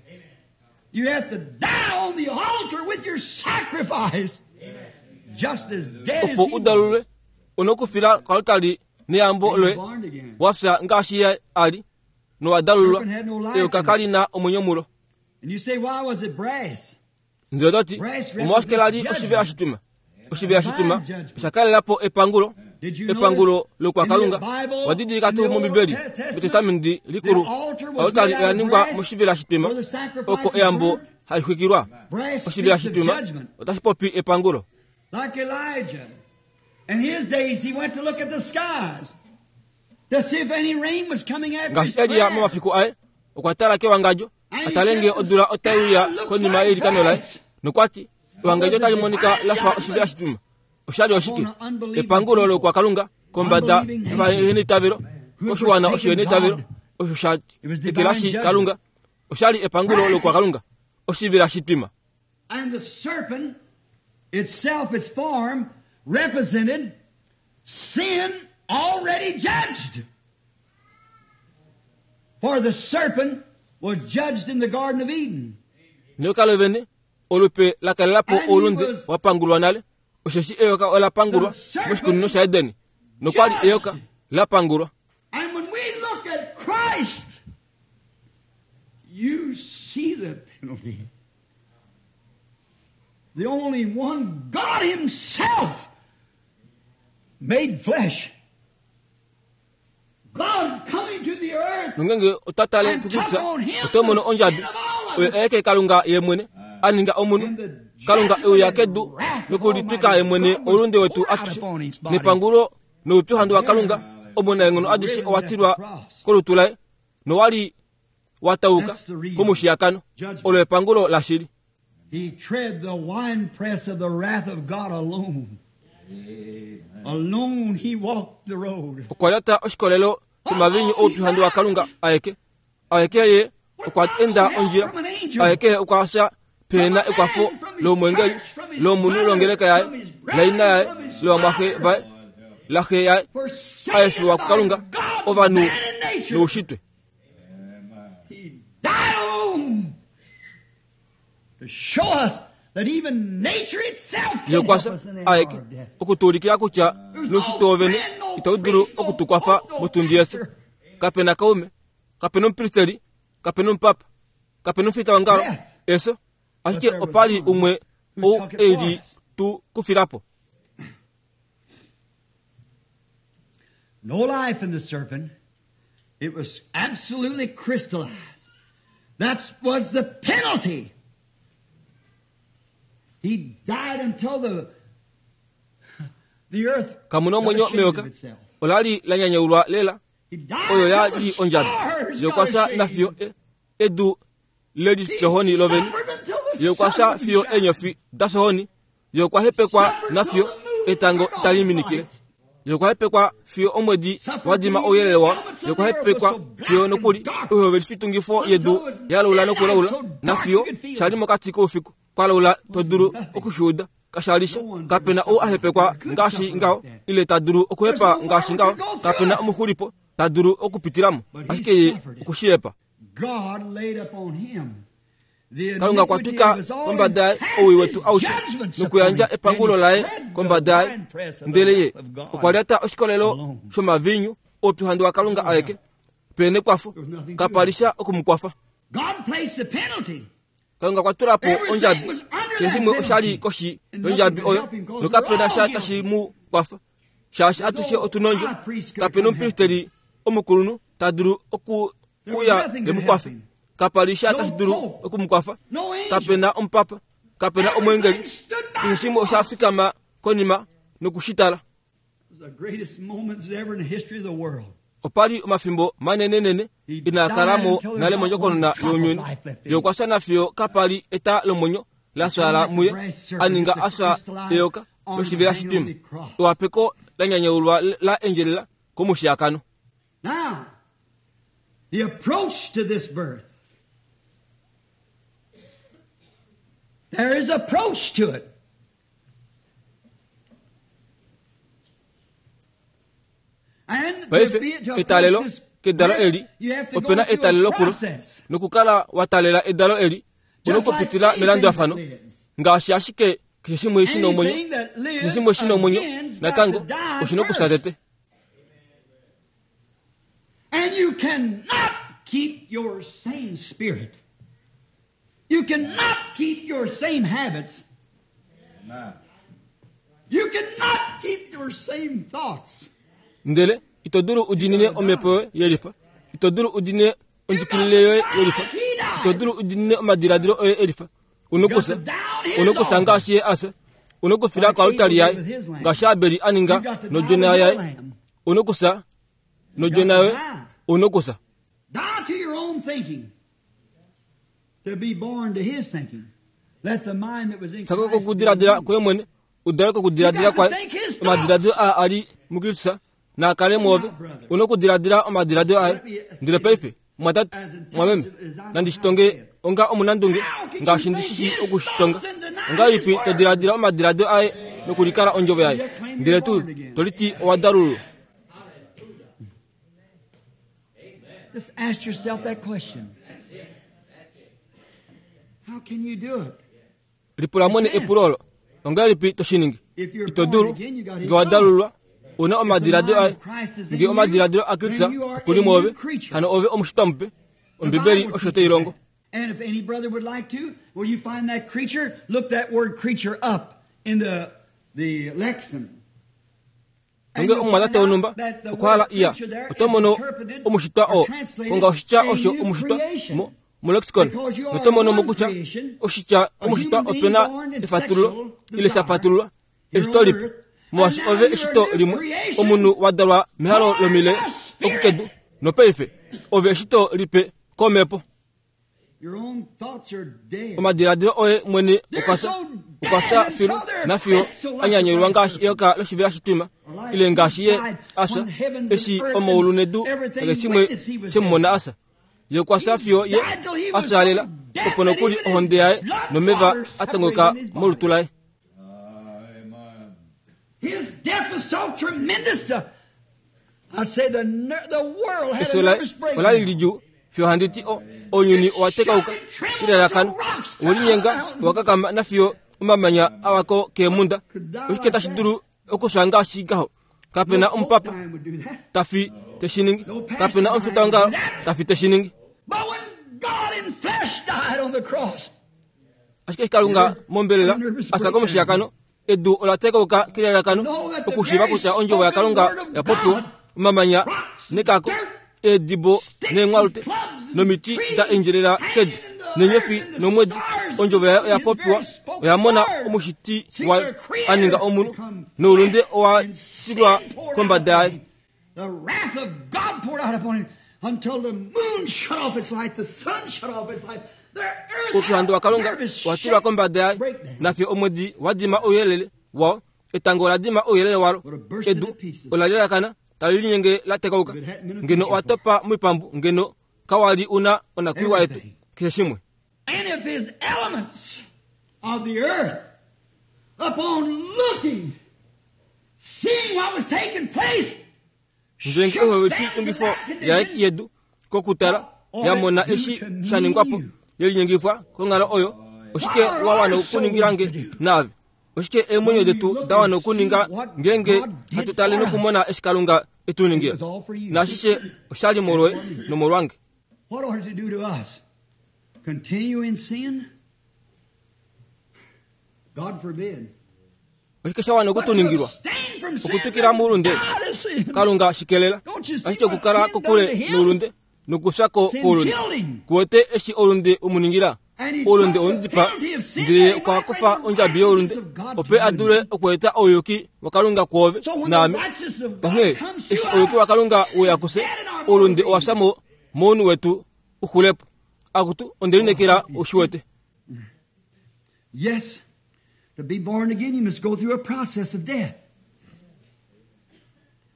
you have to die on the altar with your sacrifice. Just as dead as Opo he was. u dalulwe, onokufila koaltari neyambo loye Born again. wafya ngaashi ye ali nowa dalulwa. Eyoka kali na omwenyo mulo. And you say, why was it brass? Ndele toti omolwashike la li oshivela shituma? Oshivela shituma osha kalelapo epangulo, Did you epangulo notice lokwakalunga. in the Bible, Wadidilika in tuu the Old mOmbibeli, Testament, mEtestamenti likulu, the altar was oaltari made out oya of ningwa brass moshivela shituma, where the sacrifice oko was eyambo burned. hali xwikilwa. Brass Oshivela speaks of shituma judgment. otashi popi epangulo. Like Elijah. In his days, he went to look at the skies to see if any rain was coming after his Ngaashi Elia prayer. momafiku aye okwa tala kewangadjo a tale ngee odula otai uya konima yeilikano laye, nokwati ewangadjo otali monika la fa oshivela shituma. Oshali oshike? Epangulo lokwakalunga kombada yovaheneitavelo, koshiwana oshiheneitavelo osho sha ekelashi Kalunga. Oshali epangulo lokwakalunga, oshivela shitwima. And the serpent itself, its form, represented sin already judged. For the serpent was judged in the Garden of Eden. Neyoka lovene olupe la kalelapo oulunde wa pangulwa nale, osheshi eyoka ola pangulwa moshikunino shaEdeni, nokwali eyoka la pangulwa. And when we look at Christ, you see the penalty. The only one, God Himself, made flesh. God coming to the earth Nongenge otwa tale kuKristus, oto mono ondjabi oyo aeke Kalunga ye mwene a ninga omunhu. Kalunga e uya kedu nokulitwika ye mwene oulunde wetu atushe, nepangulo noupyuhandu waKalunga omunaenghono adishe owa tilwa kolutu laye, nowali wa tauka komushiyakano. Olo epangulo lashili. He tread the winepress of the wrath of God alone. Alone he walked the road. Okwa lyata oshikolelo shomavinyu oupyuhandu waKalunga aeke. Aeke ye okwa enda ondjila. Aeke okwa fya pehena ekwafo lomwengeli, lomunhu longeleka yaye, laina yaye, lovamwaxe vaye, laxe yaye, Forsaken a efiwa by kuKalunga, God, ovanhu man and nature. noushitwe. He died alone to show us that even nature itself Ye can okwa help fya us in the hour aeke of death. okutuulikila kutya noushitwe wovene itau dulu okutukwafa motundi yesu. Kapena kaume, kapena omupristeli, kapena omupapa, kapena omufita wongalo, efyo, ashike opali umwe ou eli tu kufilapo. No life in the serpent. It was absolutely crystallized. That was the penalty. He died until the, the earth Kamuna got omwenyo ashamed of meyoka, itself. olali la nyanyaulwa lela, He died oyo ya until li the ondjabi. stars Ye okwa got fya ashamed. nafiyo e- edu leli He fyohoni lovene. suffered until the Ye okwa sun fya wouldn't fiyo shine. eenyofi da fyohoni. Ye okwa hepekwa nafiyo etango tali minikile. Ye okwa hepekwa fiyo omwedi wa dima ouyelele wao. Ye okwa hepekwa fiyo nokuli oihovelifitungifo yedu ya laula nokulaula, nafiyo shali mokati koufiku kwa laula to dulu okushuuda. Kashalisha kapena ou a hepekwa ngaashi ngaho, ile ta dulu okuhepa ngaashi ngaho. Kapena omuxulipo ta dulu okupitilamo, ashike ye okushihepa. God laid upon him the Kalunga okwa iniquity twika of us all kombada yaye and cast owii wetu his aushe judgments nokuyandja upon him. epangulo And he laye tread the kombada yaye. winepress of the Ndele ye wrath of God. okwa lyata oshikolelo alone. shomavinyu oupyuhandu waKalunga aeke pehena ekwafo, kapalisha okumukwafa. God placed the penalty. Kalunga okwa tula po Everything ondjabi. was under Keshe that shimwe oshali penalty. koshi And nothing yondjabi could oyo, help him because nokapena we're all sha tashi guilty. mu kwafa, shaashi atushe otu na ondjo. Kapena omupristeli omukulunhu ta dulu okuuya e mu kwafe. Kapali sha tashi dulu okumukwafa. No angel. Kapena omupapa, kapena omwengeli. Everything stood by Keshe shimwe osha fikama konima nokushitala. It was the greatest moments ever in the history of the world. Opali omafimbo manenenene inaa kalamo nale mondjokonona younyuni. Ye okwa fya nafiyo kapali eta lomwenyo la fyaala muye, a ninga a fya eyoka loshivela shitwima. Ewapeko la nyanyaulwa la endjelela komushiyakano. Now, the approach to this birth. There is approach to it. Paife etalelo kedalo eli opena etalelo kulo nokukala wa talela edalo eli unokupitila melandulafano ngaashi ashike keshe shimwe shina omwenyo, keshe shimwe shina omwenyo natango oshina okufya tete. And you cannot keep your same spirit. You cannot keep your same habits. You cannot keep your same thoughts. Ndele ito dulu udinine omhepo yoye yelifa, ito dulu udinine ondjikilile yoye yelifa, ito dulu udinine omadiladilo oye elifa. Unokusa, unokusa ngaashi ye asa, unokufila koaltari yaye ngaashi Abeli a ninga nodjona yaye. Unokusa nodjona yoye, unokusa. Die to your own thinking to be born to his thinking. Let the mind that was in Sako Christ be in kokudiladila you. kwoye mwene, udale kokudiladila kwaye. Omadiladilo aa ali muKristus naakale mwoove. Unokudiladila omadiladilo aye. Ndele paife mwatatu mwameme nandishitonge onga omunandunge ngaashi ndishishi okushitonga. Ongahelipi to diladila omadiladilo aye nokulikala ondjovo yaye, ndele tuu toliti owa dalululwa? Just ask yourself that question. How can you do it? Lipula mwene epulo olo. Ongahelipi to shi ningi? If you're Ito born dulu again, you got his nge wa thoughts. dalululwa, una omadiladilo aye. Nge omadiladilo a Kristus okuli mwoove, hano ove omushitwa mupe. Ombibeli osho tai longo. And if any brother would like to, will you find that creature? Look that word creature up in the, the lexicon. And Nge you'll omumwatate find out wonhumba that the okwa hala word iya, creature there oto is mono interpreted omushitwa or oo. translated Konga oshitya a osho new omushitwa creation. mo molexicon. Because you are Noto mono one mokutya creation, oshitya a omushitwa human being opena born in efatululo sexual ile desire shafatululwa here eshito on lipe. earth. Molwaashi And now ove you're a eshito new limwe, creation, omunhu wa dalwa mehalo born lomile by spirit. okukedu, nopaife ove eshito lipe komhepo. Your own thoughts are dead. Omadiladilo oye mwene They're okwa fya, so okwa dead fya filu until they're nafiyo crystal like a nyanyulwa the ngaashi eyoka loshivela shitwima, ile ngaashi ye asa eshi omaulu nedu keshe shimwe shemumona asa. Ye okwa fya fiyo ye a fyaalela, opo nokuli ohonde yaye nomeva a tongoka molutu laye. His death was so tremendous. Uh, I'd say the ner- the world had Efyo a laye nervous ola li breakdown. lidjuu fiyo handi ti o ounyuni owa tekauka kelalakano, owelinyenga owa kakama nafiyo omamanya a wako keemhunda. Oshike tashi dulu okufya ngaashi ngaho? Kapena No omupapa Pope would do that. tafi te shi ningi, kapena omufitaongalo tafi te shi ningi. But when God in flesh died on the cross, Ashike eshi Kalunga mombelela a fya komushiyakano, edu ola tekauka kelalakano okushiiva kutya ondjovo yaKalunga ya popiwa, omamanya nekako, eedibo neenghwalute nomiti da endjelela kedu neenyofi nomwedi, ondjovo yayo oya popiwa, oya mona omushiti wayo a ninga omunhu, noulunde owa tilwa kombada yaye. The wrath of God poured out upon him until the moon shut off its light, the sun shut off its light, the earth Oupyuhandu waKalunga nervous owa tilwa kombada yaye, breakdown. nafiyo omwedi wa dima ouyelele wao, etango ola dima ouyelele walo, edu ola lelakana tali linyenge la tekauka. Ngeno owa topa moipambu, ngeno kawali una onakwiiwa yetu keshe shimwe. And if his elements of the earth, upon looking, seeing what was taking place, Ndele shook oyo down to oshitungifo that yaye condition, yedu kokutala ya mona eshi sha ningwapo yelinyengifwa konghalo oyo, oshike wa wana okuningira nge naave? Oshike eemwenyo detu da wana okuninga ngeenge hatu tale nokumona eshi Kalunga e tu ningila? Naashishe oshali molwoye nomolwange. What ought it to do to us? Continue in sin? God forbid. Oshike sha wana But to okutuningilwa? abstain from sin Okutukila and muulunde. die to sin. Kalunga shikelela, Don't you see ashike what okukala sin done kokule to him? noulunde nokufya ko Sin koulunde. killed him. Kuwete eshi oulunde umuningila, Oulunde omudipa ndele okwa kufa ondjabi youlunde opo a dule okweeta ouyuki waKalunga kwoove naame. Onghee eshi ouyuki waKalunga weya kufye, oulunde owa fya mo mounhu wetu uxulepo. Akutu ondelineekela ushiwete. Yes, to be born again you must go through a process of death.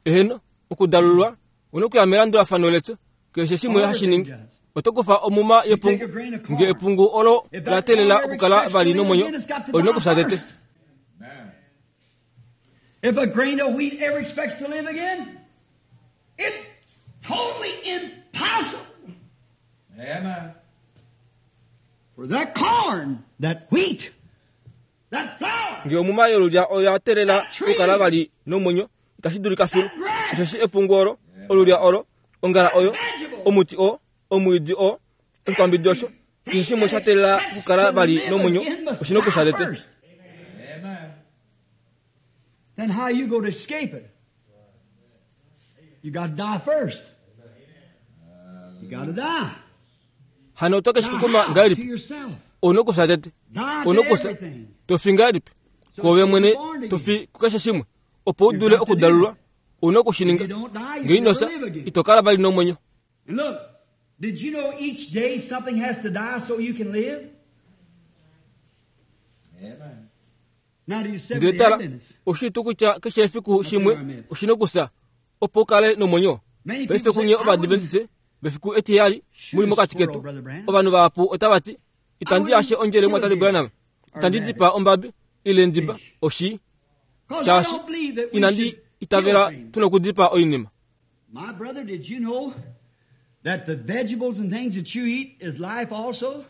Eheno, okudalulwa onokuya melandulafano lefyo keshe shimwe hashi ningi. Oto kufa omuma yepungu, nge epungu olo la teelela okukala vali nomwenyo, olina okufya tete. If a grain of wheat ever expects to live again, it's totally impossible. Amen. For that corn, that wheat, that flour, Nge omuma yolulya oya teelela okukala vali nomwenyo, itashi dulika filu. Osheshi epungu olo, olulya olo, ongala oyo, omuti oo, omwiidi oo, oshikwambidi osho, keshe shimwe sha teelela okukala vali nomwenyo, oshina okufya tete. Amen. Then how you go to escape it? You got to die first. You got to die. Hano oto ke shi kukuma Die to ngahelipi? yourself. Ouna okufya tete. Die to Ouna okufya. everything. Tofi ngahelipi? Kwoove mwene tofi kukeshe shimwe, opo u dule okudalulwa, ouna okushininga. If you don't die, Nge you ino never fya, live again. ito kala vali nomwenyo. And look, did you know each day something has to die so you can live? Amen. Now do you Ndele Seventh-day tala, Adventists? oshitu kutya keshe efiku shimwe oshina okufya opo u kale nomwenyo. Many Paife people say, kunye I Ovadventiste wouldn't vefiku etiheyali muli mokati ketu. Ovanhu vahapu otava ti, itandi yashe ondjele mwatate Branham, itandi dipa ombabi ile ndiba oshi, Because I shaashi don't believe that we inandi should kill itavela things. tuna okudipa oinima. My brother, did you know that the vegetables and things that you eat is life also?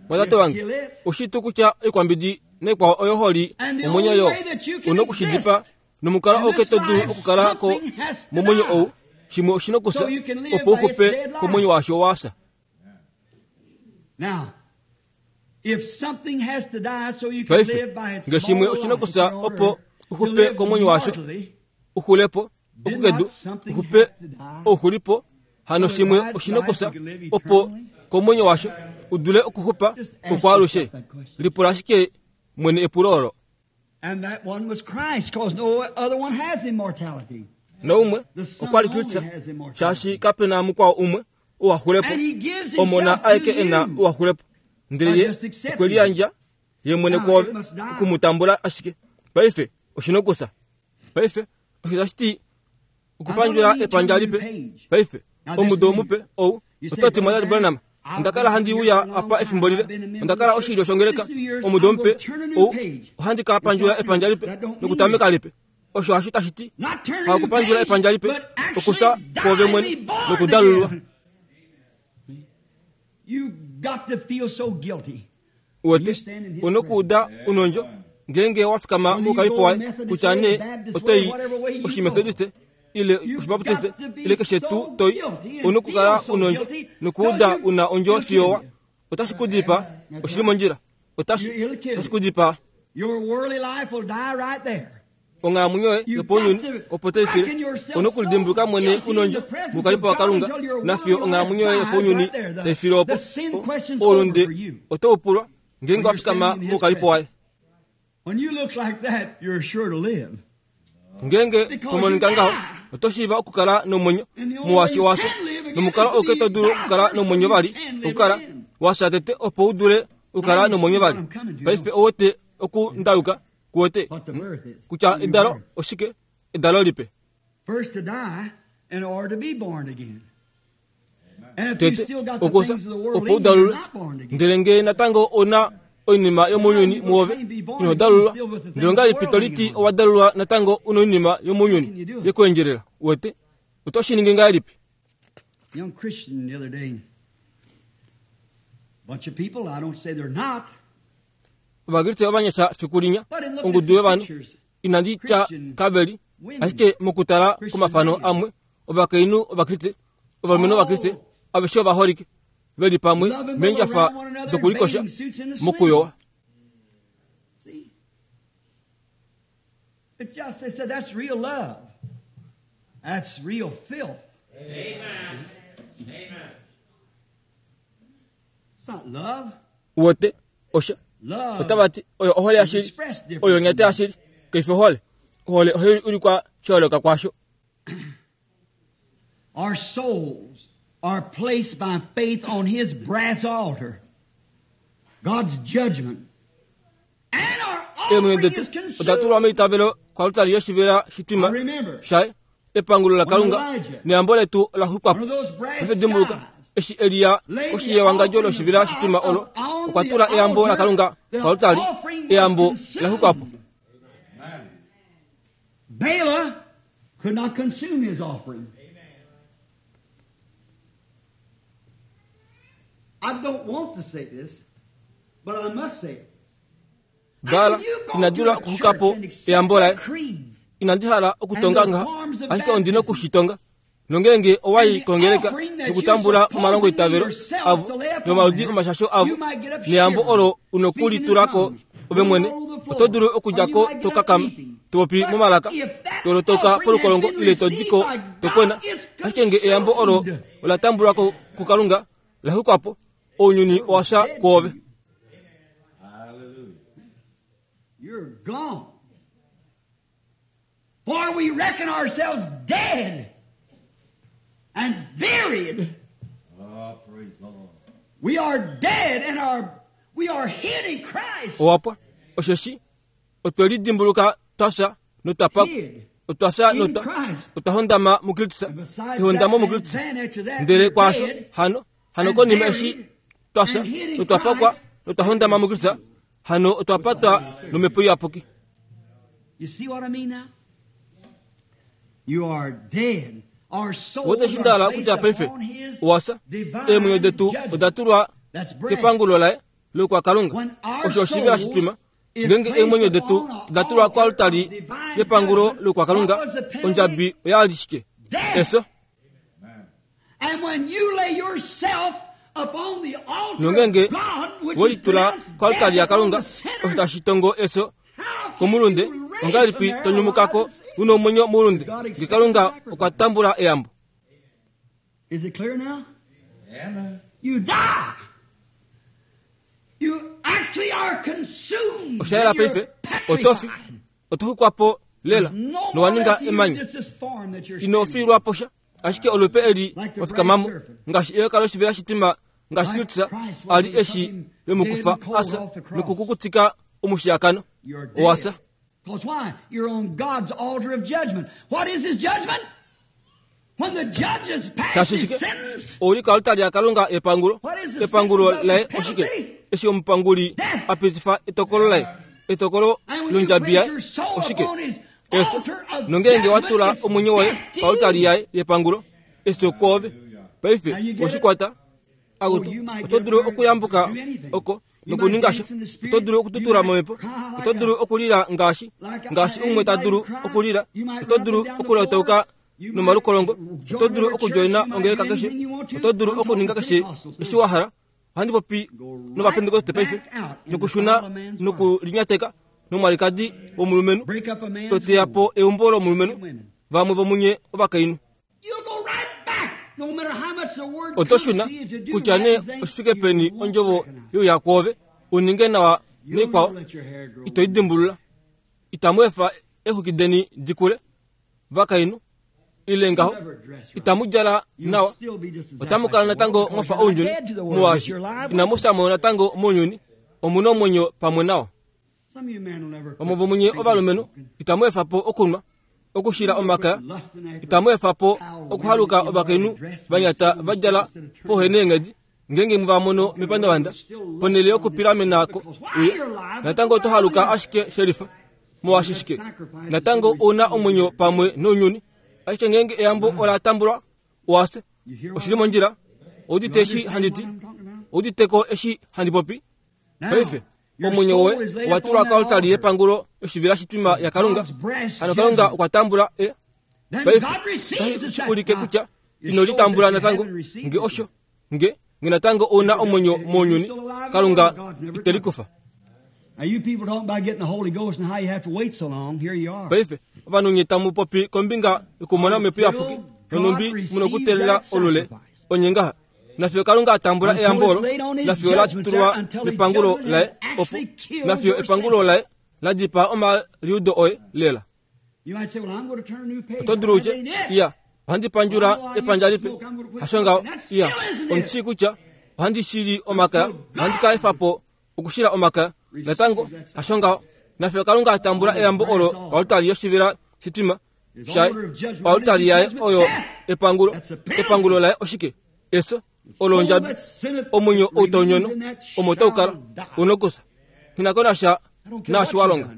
Mwatate wange, oshitu kutya oikwambidi naikwao oyo holi And the omwenyo only yo, way that you can una okushidipa exist nomukalo in ouke this to dulu life, okukala ko something has to momwenyo die. ou, shimwe oshina okufya So you can live opo by its uxupe dead life. komwenyo washo wafya. Now, if something has to die so you can Paife, live by its nge shimwe mortal oshina life okufya in order opo to uxupe live komwenyo washo, mortally, uxulepo, did okukedu, not something uxupe have to die ouxulipo, hano so that shimwe God's oshina life okufya could live opo eternally? komwenyo washo udule okuxupa Just ask okwaalushe. yourself that question. Lipula ashike mwene epulo olo. And that one was Christ, because no other one has immortality. Naumwe The Son okwa li only Kristus, has immortality. shaashi kapena mukwao umwe ou axulepo, And he gives omona himself to aeke ena you. ou axulepo. Ndele By ye just accepting okwe liyandja ye mwene Now, kwoove it must die. okumutambula ashike. Paife oshina okufya. Paife osho tashi ti okupandjula epandja lipe. Paife omudo mupe ou oto ti mwatate Branham, onda kala handi uya apa efimbo lile, onda kala oshilyo shongeleka. Omudo mupe ou ohandi ka pandjula epandja lipe nokutameka lipe. Osho hasho tashi ti Not turn a new hakupandjula page, epandja lipe, but actually okufya die kwoove and mwene be born nokudalulwa. again. You got to feel so guilty. Uwete unokuuda unondjo ngeenge wafikama moukalipo waye kutya nee otoi oshimethodiste ile oshibaptiste ile keshe tuu toi, unokukala unondjo nokuuda una ondjo fiyo wa otashi ku dipaa, oshili mondjila, otashi otashi ku dipaa. Your worldly life will die right there. Onghalamwenyo yoye yopounyuni opo toifile, onokulidimbuluka mwene unondjo moukalipo waKalunga nafiyo onghalamwenyo yoye yopounyuni taifile opo. Oulunde otoupulwa ngeenge wafikama moukalipo waye. When you look like that, you're sure to live. Ngeenge tomonika ngaho, oto shiiva okukala nomwenyo muwashi washo, nomukalo ouke to dulu okukala nomwenyo vali, okukala wafya tete opo u dule okukala nomwenyo vali. Paife ouwete okundayuka kuwete What the birth is. kutya The new edalo birth. oshike, edalo lipe. First to die in order to be born again. And if you Tete still got the okufya things of the world opo in you, u dalulwe, you're not born again. ndele ngee natango ona oinima yomounyuni muove ino dalulwa, ndele ongahelipi to liti owa dalulwa natango una oinima yomounyuni yekuendjelela? Uwete oto shi ningi ngahelipi? Young Christian the other day, bunch of people, I don't say they're not, Ovakriste ovanyasha fiku linya, but in looking at ongudu some yovanhu pictures, inandi tya kaveli, ashike mokutala komafano amwe, ovakainhu Ovakriste, ovalumenhu Ovakriste, aveshe ovaholike, veli pamwe loving will meendjafa around one another in dokulikosha bathing suits in the mokuyowa. swimming. See? It just, they said, that's real love. That's real filth. Amen. Amen. Uwete osha otava ti oyo ohole yashili, oyo onyata yashili, kaifi ohole. Ohole ohai ulikwa sha yooloka kwaasho. Our souls are placed by faith on His brass altar, God's judgment. And our Eemwenyo offering detu is consumed. oda tulwa meitavelo koaltari yoshivela shitwima shaye, epangulo laKalunga, neyambo letu ola xwikwa po. One of those brass Paife dimbuluka, skies. eshi Eliya koshi yewangadjo loshivela shitwima olo, okwa tula eyambo laKalunga koaltari, eyambo la xwikwa po. Bala could not consume his offering. I don't want to say this, but I must say it. Bala And when you go ina to dula a okuxwika po church and accept eyambo laye. the creeds Inandi hala okutonga ngaha, ashike ondina okushitonga. Nongenge owai kongeleka nokutambula omalongo itavelo avo nomaludi omashasho avo neyambo olo unokulitulako ove mwene, oto dulu okudjako tokakama, topopi momalaka, tolotoka polukolongo ile todiko tokwena. Ashike nge eyambo olo ola tambulwako kuKalunga, la xwikwa po, ounyuni owa fya kwoove. Hallelujah. You're gone. For we reckon ourselves dead and buried. Oh, praise the Lord. We are dead and are we are hid in Christ. Owapwa, osheshi otwe lidimbuluka twa fya notwa pakwa, Hid otwa fya in notwa Christ. otwa hondama muKristus, And besides ehondamo that, muKristus. then after that, Ndele we're kwaasho dead hano hano konima eshi twa fya notwa pakwa notwa hondama muKristus, hano otwa patwa nomhepo iyapuki. You see what I mean now? You are dead. Our souls Wote shindala are kutya placed paife upon His owasa divine eemwenyo detu judgment. oda tulwa That's breath. kepangulo laye lokwaKalunga, When our osho oshivela souls shitwima. is Ngenge placed eemwenyo detu upon an oda tulwa altar koaltari of divine yepangulo judgment, lokwaKalunga, what was the penalty? ondjabi oya li shike? Death. Efyo. And when you lay yourself upon the altar Nongenge of God, which is wolitula pronounced koaltari death yaKalunga, upon the sinner, osho tashi tongo efyo how can komulunde, you raise ongahelipi from there tonyumukako alive and see? una omwenyo moulunde, nge Kalunga okwa tambula eyambo. Is it clear now? Amen. You die. You actually are consumed. Osha yela You're paife, otofi, petrified. oto xwikwa po lela, No more nowa ninga left to you emanya. just this form that you're Ino standing in. fiilwa po sha, ashike olupe eli Like the wafikamamo, brass serpent. ngaashi eyoka loshivela shitwima, ngaashi Like Kristus Christ was a li eshi becoming vemukufa dead and cold asa off the cross. nokukukutika omushiyakano. You're dead. Owasa. Because why? You're on God's altar of judgment. What is his judgment? When the judge has passed Shaashi his shike, sentence, ouli koaltari yaKalunga yepangulo, What is the epangulo sentence of laye his oshike, penalty? eshi omupanguli Death. a pitifa etokolo laye, etokolo And when you londjabi place yaye your soul oshike, upon his efyo. altar of Nongenge wa judgment, tula it's omwenyo woye death to koaltari you. yaye yepangulo, efyo kwoove. Paife Now you get it? oshikwata, akutu, Oh, you might oto get dulu up there okuyambuka and do anything. oko You might nokuninga sha, dance in the spirit. oto dulu okututula You might momhepo, cry like oto dulu a- okulila ngaashi like a- ngaashi umwe ta dulu anybody cry. okulila, You might oto run up dulu and down the okulotauka floor. You might nomalukolongo, join oto dulu every okujoina church. You might ongeleka do keshe, anything you want to. oto dulu I'm okuninga talking keshe Pentecostals eshi now. wa hala. Ohandi popi Go right novapentekoste paife, back out in the nokushuna foul of man's nokulinyateka nomwalikadi womulumenhu, Break up a man's toteya home. po eumbo lomulumenhu, Women. vamwe vomunye ovakainhu. You'll go right back, no matter how much the word Oto comes shuna to you to do kutya right nee and things, oshifike you peni won't ondjovo recognize. youya kwoove, uninge nawa You'll noikwao, never let your hair grow. ito idimbulula. Itamu efa exwiki deni di kule, vakainhu, ile ngaho, You'll never dress right. itamu djala You'll nawa, still be just exactly otamu kala like the natango world mwafa because you're ounyuni, not dead to the world, but molwaashi you're alive inamu with fya mo natango mounyuni, omuna omwenyo pamwe nawo. Some of you men will never Vamwe quit vomunye drinking ovalumenhu smoking. itamu efa po okunwa, okushila omakaya, Lusting after itamu efa po foul okuhaluka women ovakainhu immorally dressed vanyata when va djala instead of turning pohene eenghedi, ngenge muva mono mepandavanda, ponhele yokupilamena ko uye, natango oto haluka ashike shelifa, molwaashi shike, natango ouna omwenyo pamwe nounyuni, ashike ngenge eyambo ola tambulwa, owafya, oshili mondjila, oudite eshi handi ti, ouditeko eshi handi popi. Now, Paife your omwenyo soul woye is laid owa upon tulwa that koaltari altar. yepangulo yoshivela shitwima yaKalunga, God's brass hano Kalunga judgment. okwa tambula e Then paife God receives the otashi ulike sacrifice. kutya It ino shows litambula that you natango haven't received nge it osho yet. nge nge natango ouna omwenyo mounyuni, Kalunga ite likufa. Now you people talking about getting the Holy Ghost and how you have to wait so long. Here you are. Paife ovanhu nye tamu popi kombinga yokumona omhepo iyapuki nonumbi munokuteelela olule onye ngaha Nafiyo Kalunga a tambula eyambo olo, nafiyo la tulwa mepangulo laye, opo nafiyo epangulo laye la dipaa omaliudo oye lela. Oto dulu utye, iya, ohandi pandjula epandja lipe. Hasho ngaho, iya, omushii kutya ohandi shili omakaya, ohandi ka efa po okushila omakaya. Natango, hasho ngaho, nafiyo Kalunga a tambula eyambo olo koaltari yoshivela shitwima shaye, oaltari yaye oyo epangulo. Epangulo laye oshike? Efyo. Olo ondjabi. Omwenyo ou tau nyono, omo tau kala, unokusa. Nghi ko nasha naashi wa longa.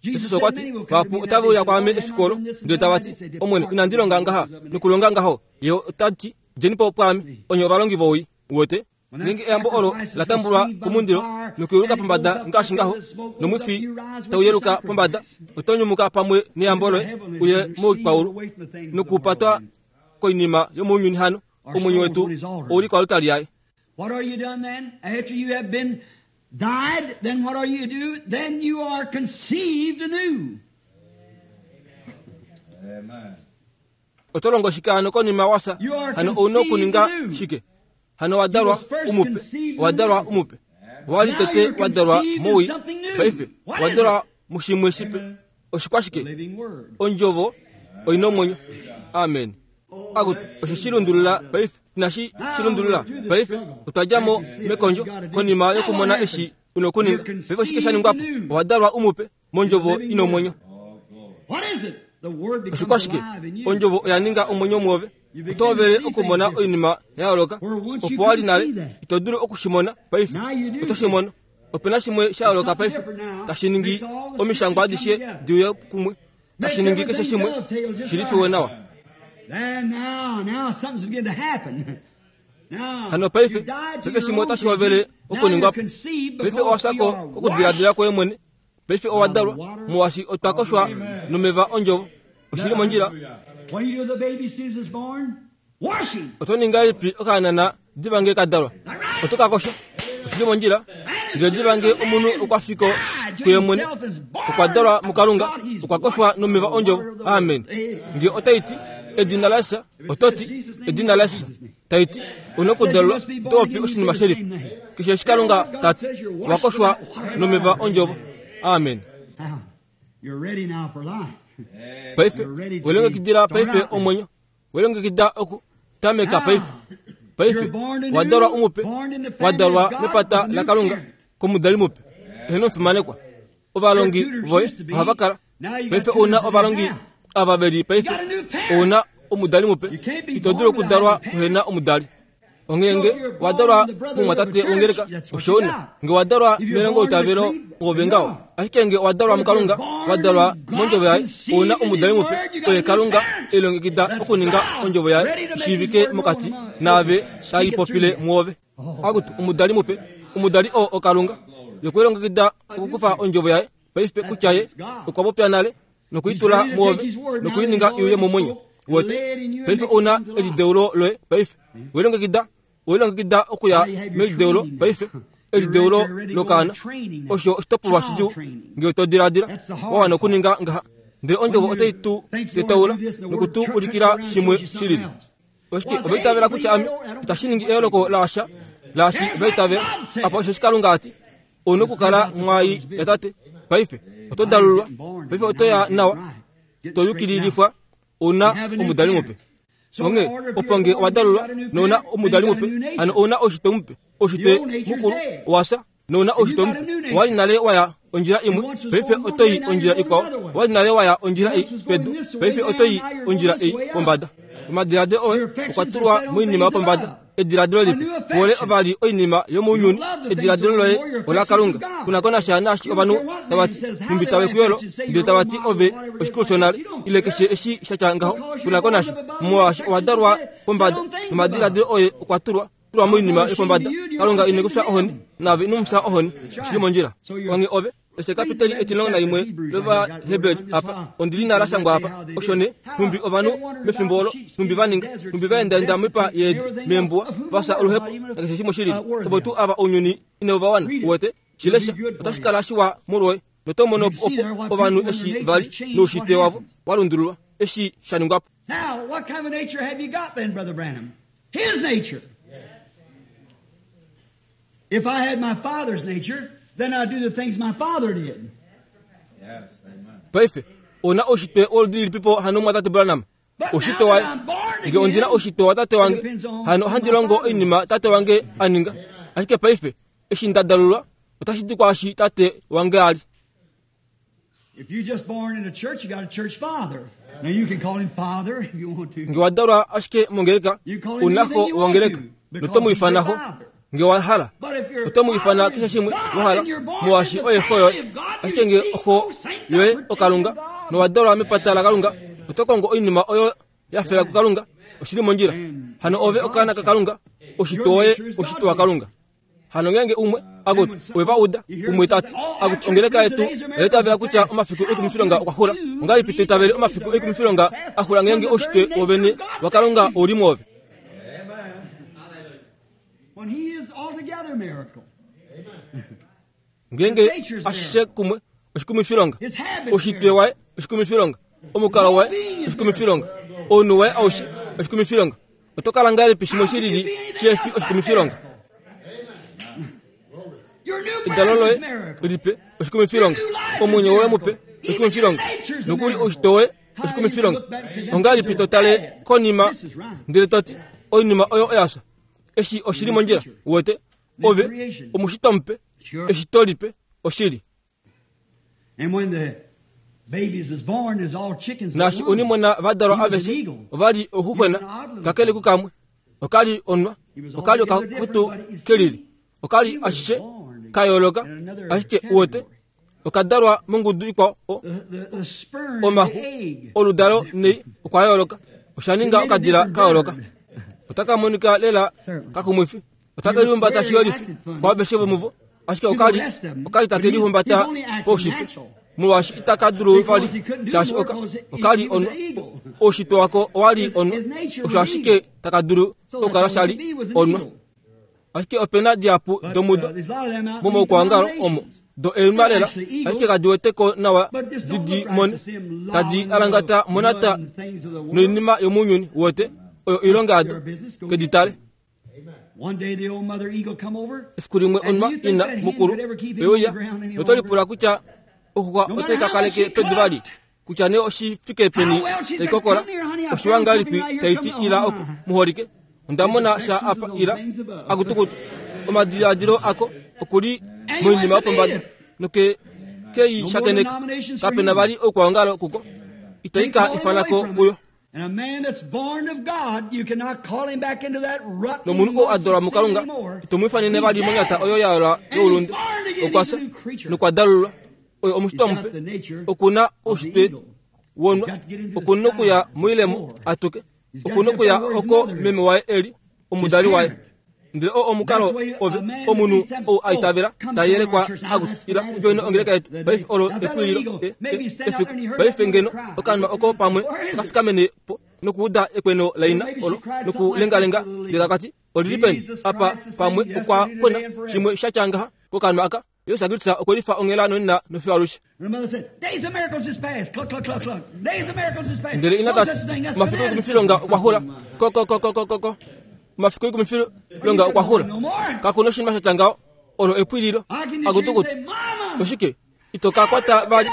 Jesus okwa ti, vahapu otave uya kwaame efiku olo, ndele tava ti, Omwene, inandi longa ngaha nokulonga ngaho. Ye ota ti, djeni po pwaame, onye ovalongi vowii. Uwete? Ngeenge eyambo olo la tambulwa komundilo nokuyeluka pombada ngaashi ngaho, nomwifi tau yeluka pombada, oto nyumuka pamwe neyambo loye uye moikwaulu nokupatwa koinima yomounyuni hano. Omwenyo wetu ouli koaltari yaye. What are you done then? After you have been died, then what are you do? Then you are conceived anew. Amen. Oto longo shike hano konima wasa? Hano ouna okuninga shike? Hano wadalwa umupe. Wadalwa umupe. Wali tete wadalwa mowii. Paife wadalwa mushimwe shipe. Oshikwashike? Ondjovo oina omwenyo. Amen. Akutu osho shilundulula paife. Inashi shilundulula paife. Otwa dja mo mekondjo konima yokumona eshi una okuninga. Paife oshike sha ningwa po? Owadalwa umupe mondjovo ina omwenyo. Oshikwashike? Ondjovo oya ninga omwenyo muove. Oto hovele okumona oinima ya yooloka opo wali nale ito dulu okushimona paife. Oto shimono. Opena shimwe sha yooloka paife tashi ningi omishangwa adishe di uye kumwe, tashi ningi keshe shimwe shilifiwe nawa. Hano paife, paife shimwe otashi hovele okuningwa po. Paife owashako kokudiladila kwoye mwene. Paife owadalwa molwaashi otwa koshwa nomeva ondjovo. Oshili mondjila. Oto ninga lipi okaanana diva nge ka dalwa? Oto ka kosha. Oshili mondjila. Ndele diva nge omunhu okwa fiko kuye mwene, okwa dalwa muKalunga, okwa koshwa nomeva ondjovo. Amen. Nge otai ti edina laJesus, oto ti edina laJesus. Tai ti una okudalwa, oto popi oshinima shelifa. Keshe eshi Kalunga ta ti, owa koshwa nomeva ondjovo. Amen. Paife welongekidila paife omwenyo, welongekida oku tameka paife. Paife wadalwa umupe, wadalwa mepata laKalunga komudali mupe. Eheno omufimanekwa. Ovalongi voye ohava kala. Paife ouna ovalongi ava veli paife ouna omudali mupe. Ito dulu okudalwa kuhena omudali. Ongeenge wadalwa mumwatate wongeleka, osho una. Nge wadalwa melongo itavelo ove ngaho. Ashike nge wadalwa muKalunga, wadalwa mondjovo yaye, ouna omudali mupe. Oye Kalunga elongekida okuninga ondjovo yaye ishiivike mokati naave tai popile muove. Akutu omudali mupe, omudali oo oKalunga. Yokwelongekida okukufa ondjovo yaye paife kutya ye okwa popya nale nokuitula muove nokuininga iuye momwenyo wete. Paife ouna elideulo loye paife. Welongekida, welongekida okuya melideulo paife. Elideulo lokaana osho oshitopolwa shidjuu nge to diladila wa wana okuninga ngaha. Ndele ondjovo otai tu tetaula nokutu ulikila shimwe shilili. Oshike ova itavela kutya ame itashi ningi eyooloko laasha laashi va itavela apa osho eshi Kalunga a ti ouna okukala mwai yatate. Paife oto dalulwa, paife oto ya nawa, to yukililifwa, ouna omudali mupe. Onghee opo nge owa dalulwa nouna omudali mupe, hano ouna oushitwe mupe. Oushitwe mukulu owafya nouna oushitwe mupe. Owali nale waya ondjila imwe, paife oto i ondjila ikwao. Owali nale waya ondjila ei pedu, paife oto i ondjila ei pombada. Omadiladilo oye okwa tulwa moinima yopombada. Ediladilo lipe kuhole ovali oinima yomounyuni. Ediladilo loye ola Kalunga. Kuna ko nasha naashi ovanhu tava ti, nhumbi tave kuyolo, ndele tava ti ove oshikulu shonale, ile keshe eshi sha tya ngaho. Kuna ko nasha molwaashi owa dalwa pombada nomadiladilo oye okwa tulwa tulwa moinima yopombada. Kalunga ine kufya ohoni, naave ino mufya ohoni. Oshili mondjila. Onghee ove ese kapiteli etilongo naimwe lOvaheberi apa, ondili nala shangwa apa. Osho ne nhumbi ovanhu mefimbo olo, nhumbi va ninga, nhumbi va endaenda moipa yeedi meembuwa, vafya oluhepo nakeshe shimwe shilili. Ovo tuu ava ounyuni inau va wana. Uwete, shilesha otashi kala shiwa molwoye. Noto mono opo ovanhu eshi vali noushitwe wavo wa lundululwa eshi sha ningwa po. Now, what kind of nature have you got then, Brother Branham? His nature. If I had my father's nature, then I'd do the things my father did. Yes, amen. Paife ona oshitwe oludi lilipipo hano mwatate Branham But oshitwe now waye that I'm born nge ondina again, oshitwe wa tate wange it depends on hano my ohandi longo father. oinima tate wange aninga ashike paife eshi ndadalulwa otashi di kwaashi tate wange ali. If you just born in a church, you got a church father. Now you can call him father if you want to. Nge wadalwa ashike mongeleka You call him unaho anything you want wangeleka to, because noto he's your muifanaho father. nge wahala But if your oto muifana father keshe is shimwe God wahala and you're born muwashi in the oye hoyo family of God, you ashike nge seek oho those things that yoye pertain okalunga to God. nowadalwa mepata lakalunga oto kongo oinima oyo yafela kukalunga oshili mondjila hano ove okaana kakalunga oshitwe woye oshitwe wakalunga hano ngenge umwe akuti weva uda umwe tati akuti ongeleka yetu oyaitavela kutya omafiku ekumifilonga okwahula ongalipi toitavele omafiku ekumifilonga ahula ngenge oshitwe wovene wakalunga oli mwove. When he is altogether miracle. Ngenge ashishe kumwe oshikumifilonga His habits oshitwe miracle. waye oshikumifilonga omukalo waye oshikumifilonga ounhu waye aushe oshikumifilonga oto kala ngahelipi shimwe shilili shefi oshikumifilonga Your new edalo birth loye is miracle. lipe oshikumifilonga omwenyo woye mupe oshikumifilonga nokuli oshitwe woye oshikumifilonga ongahelipi totale konima ndele toti oinima oyo oyasha eshi oshili mondjila uwete ove omushitwa mupe eshito lipe oshili. And when the babies is born, there's all chickens. but Naashi one. onimona vadalwa He was an aveshe eagle. ovali oxuxwena kakele kukamwe okali onwa okali okakutu kelili okali ashishe kayooloka ashike uwete okadalwa mongudu ikwao o- The, the, the sperm and omaxu the egg. oludalo nei okwa yooloka oshaninga okadila kayooloka otakamonika lela kakumwifi otakelihumbata shiyolifi kwaaveshe vomuvo ashike okali okali takelihumbata poushitwe molwaashi itaka dulu vali shaashi oka okali onwa oushitwe wako owali onwa osho ashike taka dulu So that's okukala all he shali could be was an onwa eagle. ashike opena dihapu But, domudo uh, there's a lot of them out in these momaukwangalo omo denominations. do eenwa lela They're actually ashike kadi weteko nawa But just don't didi look right mone to see 'em tadi lobbing alangata the monata mud and things of the world. noinima yomunyuni wote oyo oilonga yado keditale. One day the old mother eagle come over. Efiku limwe And do onwa you think ina that hen mukulu could ever keep him on oyeuya the ground any notolipula longer? kutya oxuxwa No otai matter how kakaleke much she pedu vali clucked. kutya nee oshifike peni How well she tai said, kokola "Come here, honey, I oshiwa found ngahelipi something right here. tai ti Come ila on." oku muholike ondamona sha apa ila akutukutu omadiladilo ako okuli And he moinima went to yopombada meet it. noke kei No more shakeneka denominations for kapena him. vali oukwaongalo kuko They itaika call him away ifanako from kuyo it. And a man that's born of God, you cannot call him back into that rotten nomunhu oo adalwa lust of sin mukalunga anymore. itomuifanene He's vali monyata dead. oyo yayolwa And he's youlunde born again. He's okwasha a new creature. nokwadalulwa oyo omushitwa He's got mupe the nature okuna of the oushitwe eagle. wonwa He's got to get into the okuna okuya sky moilemo before. atuke He's got okuna to get okuya where his oko mother is. meme waye eli omudali His waye parent. ndele oo omukalo That's why a ove man that omunhu these times, ou aitavela oh, come tayelekwa join our church. Now akuti that's ila fanaticism. ujoine ongeleka yetu The paife olo day. Now that epwililo eagle, e- maybe e- stand out efiku there and he heard paife that ngeno little cry. okanwa oko pamwe Where is it? kafikamene po nokuuda ekweno laina Maybe she olo cried something like nokulengalenga this to the little ndele akati olili peni Jesus apa Christ the same pamwe yesterday, okwa today, kwena and forever. shimwe shatyangaha kokanwa aka Yesu Kristu okwelifa onghela nonena nofiwalushe And the mother said, Days of miracles is past. Cluck, cluck, cluck, cluck. Days of miracles is past. ndele ina No tati such thing. That's mafiku fanaticism. ekumifilonga okwahula kokokokokoko mafiku ekumifilonga okwahula kakuna oshinima shatyangaho olo epwililo I can just hear him akutukutu say, Mama! oshike itoka kwata vali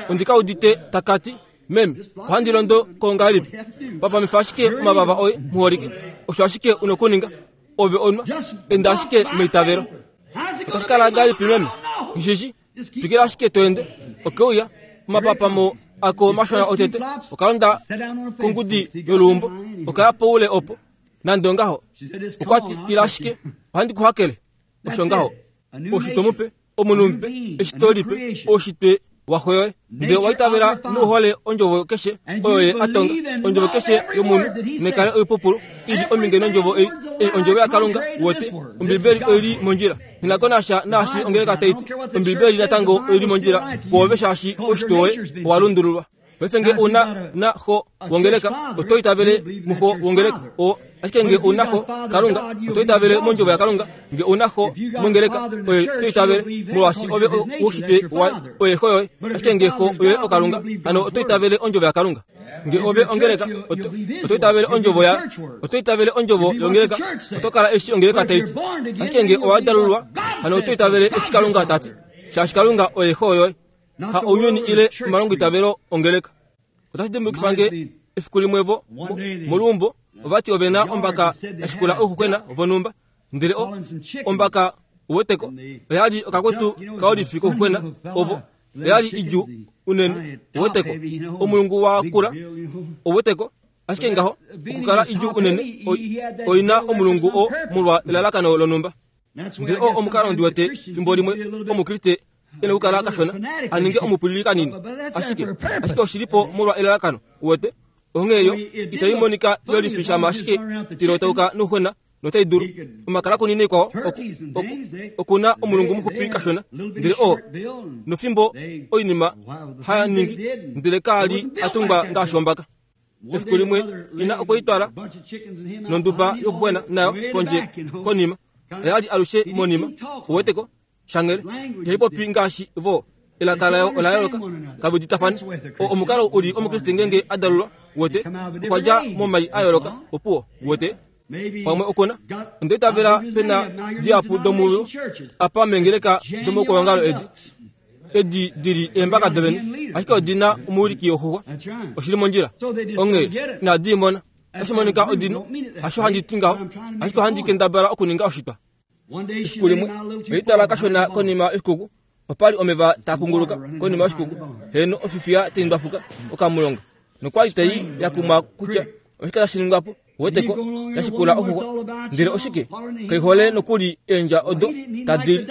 ondikaudite takati meme ohandi londo kongahelipi papamifa ashike omavava oye muholike osho ashike unokuninga ove onwa Just enda walk ashike by meitavelo faith. How's it otashi gonna kala be, ngahelipi Mama? meme I don't know. ngishishi Just keep twikila ashike toende okeuya omapapamo ako mashona otete okalonda kongudi yoluumbo okaya poule opo nande ongaho She said, "Just come okwati on, I'll ila touch ashike you." ohandi kuhakele That's osho ngaho it. A new oshitwe mupe nature, omunhu a new mupe being, a eshito new lipe creation. oshitwe waxoyoye ndele Nature waitavela of your father. nouhole ondjovo keshe And oyo you ye atonga believe and ondjovo love keshe every yomunhu word that he nekale said. oipupulu ili ominge nondjovo ei ei ondjovo yakalunga Everything wote words alike ombibeli contrary to this word. This is oili God's mondjila nginakonasha naashi ongeleka taiti ombibeli natango oili mondjila kwoove shaashi oshitwe woye owalundululwa paife nge una na xo wongeleka oto itavele muxo wongeleka o ashike nge una xo kalunga oto itavele mondjovo yakalunga nge una xo mongeleka oye to itavele molwaashi ove woshitwe waye oye xo yoye ashike nge xo oye okalunga hano oto itavele ondjovo yakalunga nge ove ongeleka oto oto itavele ondjovo ya oto itavele ondjovo yongeleka oto kala eshi ongeleka taiti ashike nge owadalulwa Hano oto itavele eshi Kalunga tati, shaashi Kalunga oye xo yoye, ha ounyuni ile omalongoitavelo ongeleka. Otashi dimbukifa nge efiku limwe vo moluumbo ovati ovena ombaka yashikula ouxuxwena vonhumba, ndele o ombaka uweteko oyali okakwetu kaolifi kouxuxwena ovo oyali idjuu unene uweteko omulungu wa kula uweteko ashike ngaho okukala idjuu unene oina omulungu o molwa elalakano lonhumba. Ndele o omukalo ndiwete fimbo limwe omukriste ene okukala kashona aninge omupwilili kanini, ashike ashike oshilipo molwa elalakano uwete. Onghee itai monika yolifishama ashike tilotauka nouxwena notai dulu omakala kunini kwao okuna omulungu muxupi kashona, ndele o nofimbo oinima haya ningi ndele kaali atungwa ngaashi ombaka. Efiku limwe ina okweitwala nonduba yokuxwena nayo pondje konima oyali alushe monima uweteko shangele ihaipopi ngaashi vo elaka layo ola yooloka kaviditafane. Omukalo uli omukriste ngenge adalulwa uwete okwa dja momai a yooloka opuwo uwete pamwe okuna ondeitavela pena diapu domuyo apa mengeleka domoukwangalo edi edi dili eembaka dovene ashike odina omuwiliki woxuxwa oshili mondjila onghee inadi imona otashi monika odino hasho handi ti ngaho ashike ohandi kendabala okuninga oshitwa. Efiku limwe oitala kashona konima yoshikuku opali omeva taa kunguluka konima yoshikuku heno ofifiya tai ndwafuka okamulonga nokwali tai yakumwa kutya oshike tashi ningwapo uweteko yashikula oxuxwa ndele oshike kaihole nokuli eendja odo tadi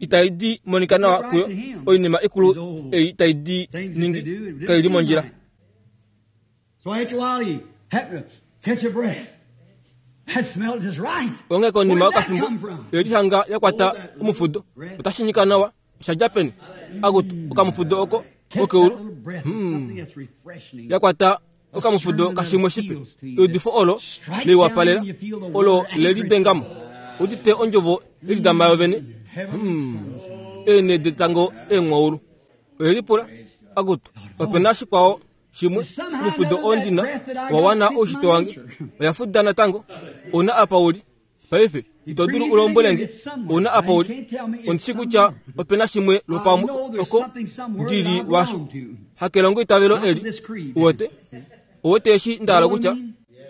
itai di monika nawa kuyo oinima ikulu ei tai di ningi kaili mondjila. Onghee konima yokafimbo oyelihanga yakwata omufudo otashi nyika nawa oshadja peni akutu okamufudo oko kokeulu yakwata okamufudo kashimwe shipe eudifo olo leiwapalela olo lelidengamo udite ondjovo yelidama yovene eene detango eemwaulu oyelipula akutu opena shikwao shimwe omufudo ondina wawana oushitwe wange oyafuda natango ouna apa uli paife ito dulu ulombwelenge ouna apa uli ondishi kutya opena shimwe lwopamwe oko ndili washo hakelongo itavelo eli uwete uwete eshi ndahala kutya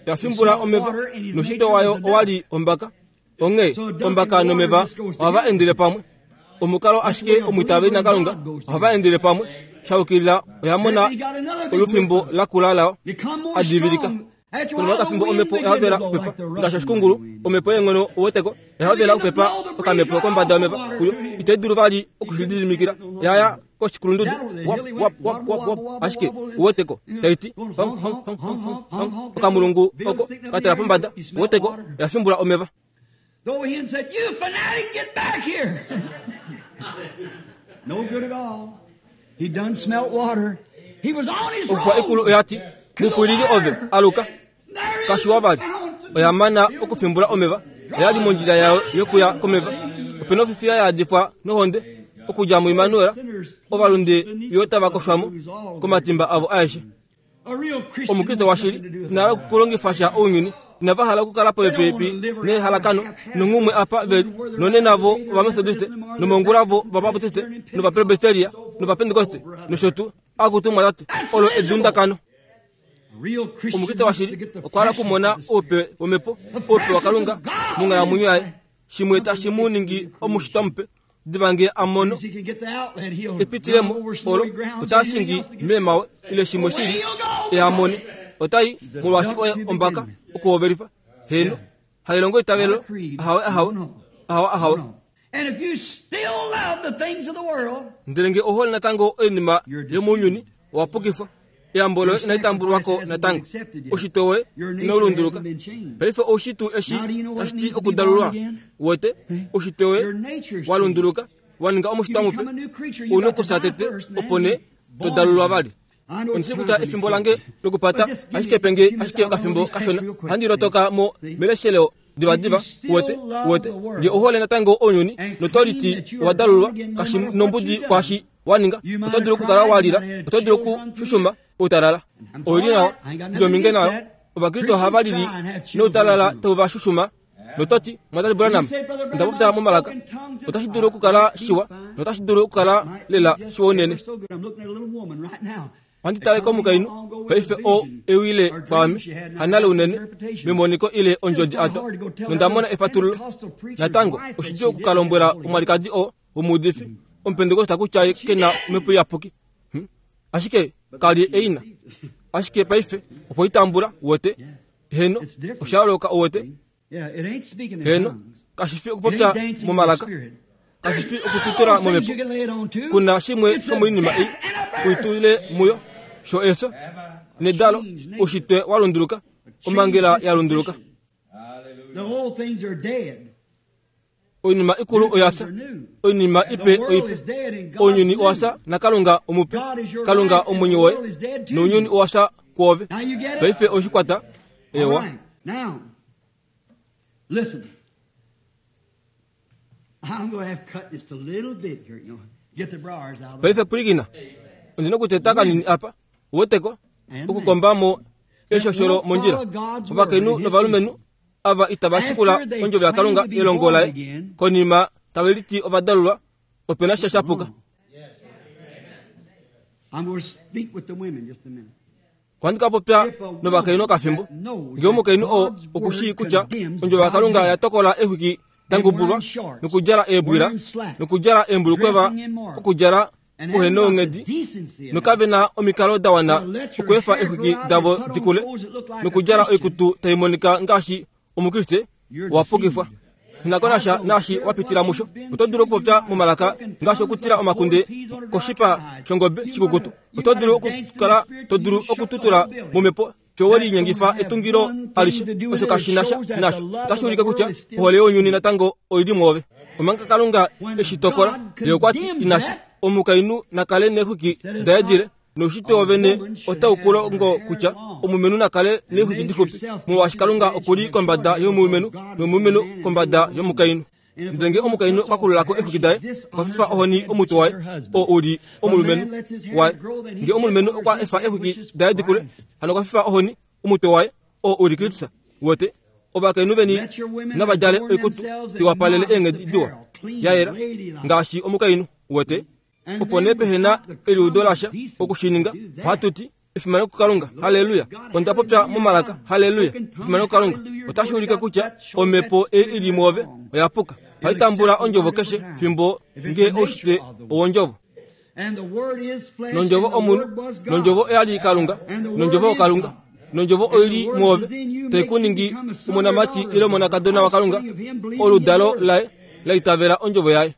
yafimbula omeva noushitwe wayo owali ombaka onghee ombaka nomeva ohava endele pamwe omukalo ashike omwiitaveli naKalunga ohava endele pamwe shaukilila oyamona olufimbo lakula lao adivilika konima yokafimbo omhepo oyahovela okupepa ngaashi oshikungulu omhepo yeenghono uweteko oyahovela okupepa okamhepo kombada yomeva kuyo itai dulu vali okushilididimikila yaya koshikulundudu wap wap wap wap wap ashike uweteko taiti hong hong hong hong hong okamulungu oko katela pombada uweteko oyafimbula omeva. Though he said, "You fanatic, get back here." No good at all. He done smelt water. He was on his road. Ikulu oyati mupwilili ove aluka kashiwa vali oyamana okufimbula omeva oyali mondjila yayo yokuya komeva opena ofifiya yaadifwa nohonde okudja muImanuela ovalunde yo tava koshwamo komatimba avo aeshe. Omukriste washili inala okulongifa sha ounyuni inava hala okukala popepi nehalakano nonghumwe apa veli nonena vo ovamethodiste nomongula vo ovabaptiste novapresbyteria novapentekoste nosho tuu akutumwa tate olo edundakano. Omukriste washili okwa hala okumona oupe womhepo oupe waKalunga monghalamwenyo yaye shimwe tashi mu ningi omushitwa mupe diva nge amono epitilemo olo otashingi meemawe ile shimwe shili eamone otai molwaashi oye ombaka okuhovelifa heno hailongo itavelo ahawe ahawe ahawe ahawe. Ndele nge ohole natango oinima yomounyuni owapukifwa eyambo loye inali tambulwako natango oshitwe woye inaulunduluka paife oushitwe eshi tashi ti okudalulwa uwete oshitwe woye walunduluka waninga omushitwa mupe ouna okusa tete opo nee todalulwa vali. Ondishi kutya efimbo lange lokupata ashike penge ashike okafimbo kashona handi lotoka mo melesheleo divadiva uwete uwete nge ohole natango ounyuni notoliti owadalulwa kashi nombudi kwashi waninga oto dulu okukala walila oto dulu okushushuma outalala oili nawa ndominge nayo ovakriste ohava lili noutalala tau va shushuma Nototi Mwatate Branham onda popya momalaka. Otashi dulu okukala shiwa notashi dulu okukala lela shiwa unene. Ohandi tale komukainhu paife oo ewile kwaame hanale unene memoniko ile ondjodi atwa nonda mona efatululo. Natango oshidjuu okukalombwela omwalikadi oo womuudifi omupentekosta kutya ke na omhepo iyapuki. Hmm? Ashike kali eina. Ashike paife opo itambula wote. Heno osha yooloka owote. Heno kashifi okupopya momalaka. Kashifi okututula momhepo. Kuna shimwe shomoinima ei uitule muyo sho eso nedalo ushitwe wa lunduluka omangela ya lunduluka. Oinima ikulu oyasa, oinima ipe oipe. Ounyuni owasa naKalunga omupe. Kalunga omwenyo woye nounyuni owasa kwoove. Paife oshikwata ewa. Now, listen. I'm going to have to cut just a little bit here, you know. Get the briars out of the Paife pulikina. Ondina okuteta kanini apa. Uweteko okukombamo eshosholo mondjila. Ovakainhu novalumenhu ava itava shikula ondjovo yaKalunga yelongo laye konima tave liti ovadalulwa opena sha shapuka. I'm going to speak with the women just a minute. Ohandi ka popya novakainhu okafimbo. Ngee omukainhu oo okushii kutya ondjovo yaKalunga ya tokola exwiki dangubulwa nokudjala eebwila nokudjala eembulukweva okudjala kuhena onghedi nokave na omikalo da wana okweefa exwiki davo dikule nokudjala oikutu tai monika ngaashi omukriste wapukifwa. Inakonasha naashi wapitila musho. Oto dulu okupopya momalaka ngaashi okutila omakunde koshipa shongobe shikukutu. Oto dulu okukala to dulu okututula momhepo sho we linyengifa etungilo alishe. Osho kashi na sha nasho. Otashi ulike kutya ohole younyuni natango oili mwoove. Omanga Kalunga eshi tokola, ye okwa ti inasha. Omukainhu nakale neexwiki daye dile, noushitwe wovene otau ku longo kutya omulumenhu nakale neexwiki dixupi, molwaashi Kalunga okuli kombada yomulumenhu nomulumenhu kombada yomukainhu. Ndele ngee omukainhu okwa kululako exwiki daye, okwa fifa ohoni omutwe waye, oo uli omulumenhu waye. Ngee omulumenhu okwa efa exwiki daye dikule, hano okwa fifa ohoni omutwe waye, oo uli Kristus. Wote ovakainhu veni nava djale oikutu iwapalele eenghedi diwa ya yela ngaashi omukainhu. Wote opo nee pehe na eliudo lasha okushininga, ohatu ti efimano kuKalunga, haleluya. Onda popya momalaka, haleluya, efimano kuKalunga. Otashi ulike kutya omhepo ei ili mwoove oya puka. Ohai tambula ondjovo keshe fimbo ngee oushitwe owondjovo. Nondjovo omunhu, nondjovo oyali Kalunga, nondjovo oKalunga, nondjovo oili mwoove tai ku ningi omonamati ile omonakadona waKalunga, oludalo laye la itavela ondjovo yaye.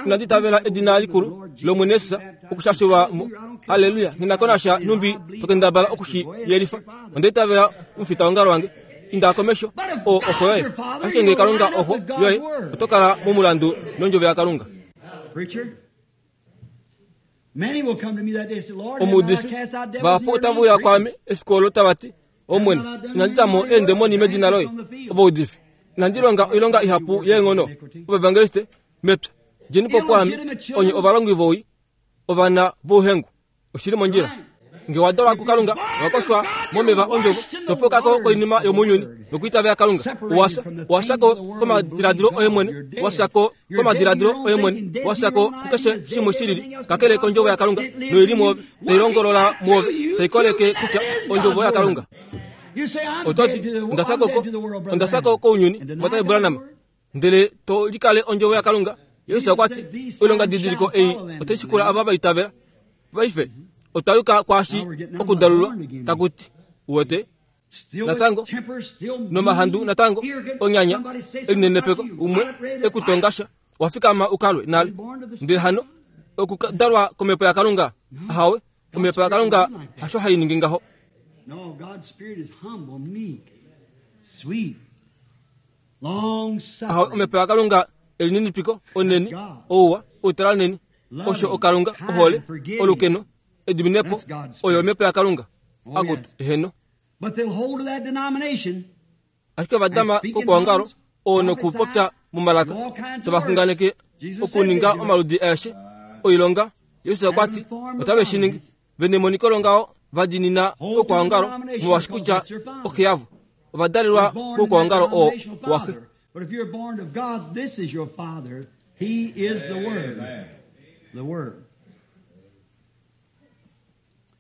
Inandi itavela edina likulu lOmwene Jesus okushashulwa mo. Haleluya. Nghinakonasha numbi tokendabala okushi yelifa. Onda itavela omufitaongalo wange. Inda komesho oo oxo yoye. Ashike ngee Kalunga oxo yoye, oto kala momulandu nondjovo yaKalunga. Omuudifi vahapu otava uya kwaame efiku olo tava ti, Omwene, inandi ta mo eendemoni medina loye. Ovaudifi, inandi longa oilonga ihapu yeenghono. Ovaevangeliste, mepya, djeni po kwaame, onye ovalongi vowii, ovana vouhengu. Oshili mondjila. Ngee wa dalwa kuKalunga, owa koshwa momeva ondjovo, topoka ko koinima yomounyuni nokwiitavela Kalunga. Owasha, owasha ko komadiladilo oye mwene, washa ko komadiladilo oye mwene, washa ko kukeshe shimwe shilili kakele kondjovo yaKalunga, noili mwoove, tai longolola mwoove, tai koleke kutya ondjovo yaKalunga. Oto ti, onda fya ko, onda fya ko kounyuni, Mwatate Branham, ndele to likale ondjovo yaKalunga. Jesus okwa ti, oilonga didiliko ei otai shikula ava va itavela. Paife otwa yuka kwaashi okudalulwa taku ti, uwete natango nomahandu natango onyanya elinenepeko umwe ekutongasha wafikama ukalwe nale. Ndele hano okudalwa komhepo yaKalunga, ahawe, omhepo yaKalunga hasho hai ningi ngaho. No, God's spirit is humble, meek, sweet, long suffering. Ahawe, omhepo yaKalunga elininipiko, oneni, ouwa, outalaneni, osho oKalunga, ohole, olukeno, ediminepo, oyo omhepo yaKalunga. Akutu, heno. But they'll hold to that denomination. Ashike ovadama kokuongalo oo nokupopya momalaka tovaxunganeke okuninga omaludi aeshe oilonga. Jesus okwa ti otave shi ningi. Venemoniko longaho va dinina okwaongalo molwaashi kutya oxe yavo ovadalelwa mokwaongalo oo waxe. But if you're born of God, this is your Father. He is the Word. The Word.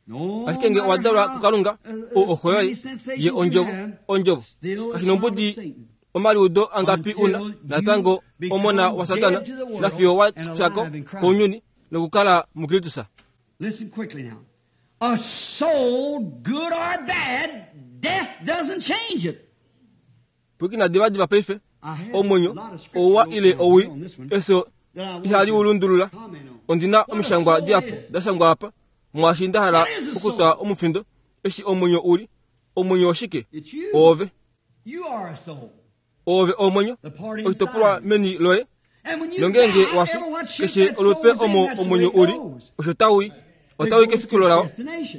No ashike nge owa dalwa kuKalunga, o oxo yoye ye ondjovo, ondjovo. Kashi nombudi omaliudo angapi una natango omona waSatana nafiyo wa fyako kounyuni nokukala muKristus. Listen quickly now. A soul, good or bad, death doesn't change it. Pwikina divadiva paife omwenyo ouwa ile owi efyo ihali ulundulula. Ondina omishangwa dihapu dashangwa apa mwaashi nda hala okutwa omufindo eshi omwenyo uli. Omwenyo oshike? Oove. Oove omwenyo oshitopolwa meni loye. Nongenge wafi keshe olupe omo omwenyo uli osho taui otaui kefikilo lao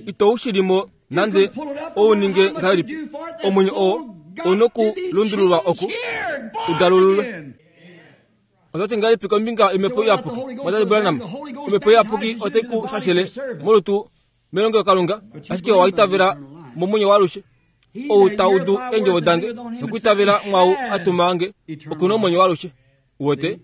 ito ushilimo nande ouninge ngahelipi. Omwenyo oo onokulundululwa oku udalululwe. Otati ngahelipi kombinga yomhepo iyapuki mwatati Branham? Omhepo iyapuki otai ku shashele molutu melongelokalunga, ashike owa itavela momwenyo waalushe. Ou taudu eendjovo dange nokwiitavela mwaau a tuma nge okuna omwenyo waalushe. Uwete?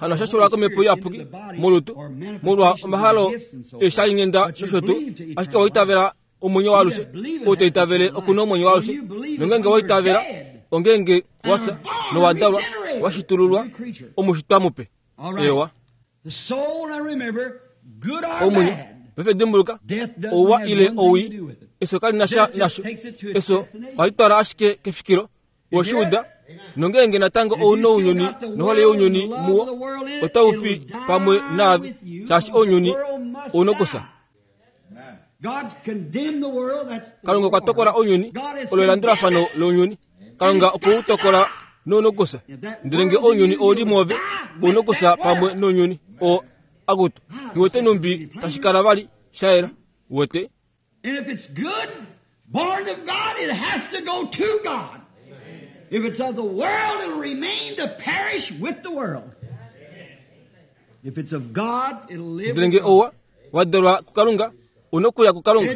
Hano shashulwa komhepo iyapuki molutu molwa omahalo eeshalinghenda nosho tuu, ashike owa itavela omwenyo waalushe. Ou taitavele okuna omwenyo waalushe. Nongenge wa itavela ongenge wafya nowadalwa washitululwa omushitwa mupe. Ewa. Omwenyo paife dimbuluka, ouwa ile owii efyo kali na sha nasho. Efyo ohali twala ashike kefikilo. Woshiuda nongenge natango ouna ounyuni nohole younyuni muwo otau fi pamwe naave, shaashi ounyuni ounokusa. Kalunga okwa tokola ounyuni, olo elandulafano lounyuni. Kalunga okwe u tokola nounokusa. Ndele nge ounyuni ouli mwoove, ounokusa pamwe nounyuni oo akutu. Nghiwete numbi tashi kala vali shayela. Uwete? And if it's good, born of God, it has to go to God. If it's of the world, it'll remain to perish with the world. If it's of God, it'll live Ndele nge with God. ouwa wadalwa kuKalunga, unokuya kuKalunga.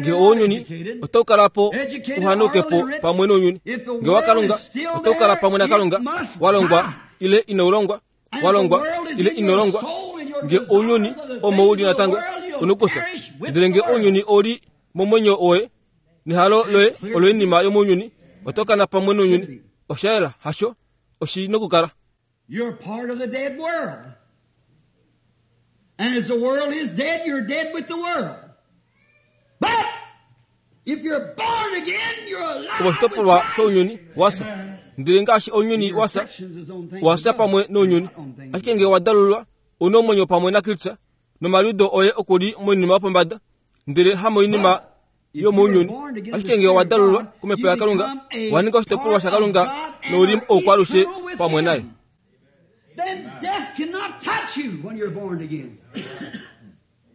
Nge ounyuni otau kala po uhanauke po pamwe nounyuni. Nge waKalunga otau kala pamwe naKalunga, walongwa ile ino longwa, walongwa ile ino longwa. Nge ounyuni omo uli natango unokusa. Ndele nge ounyuni ouli momwenyo woye nehalo loye oloinima yomounyuni, oto kana pamwe nounyuni. Osha yela hasho oshi nokukala. You're part of the dead world. And as the world is dead, you're dead with the world. But if you're born again, you're alive with Oshitopolwa Christ. shounyuni wasa. Ndele ngaashi ounyuni wasa, wasa pamwe nounyuni. Ashike nge wadalulwa, una omwenyo pamwe naKristus, nomaliudo oye okuli moinima yopombada, ndele hamoinima yomounyuni. Ashike nge wadalulwa komhepo yaKalunga, wa ninga oshitopolwa shaKalunga nouli oukwaalushe pamwe naye. Then death cannot touch you when you're born again.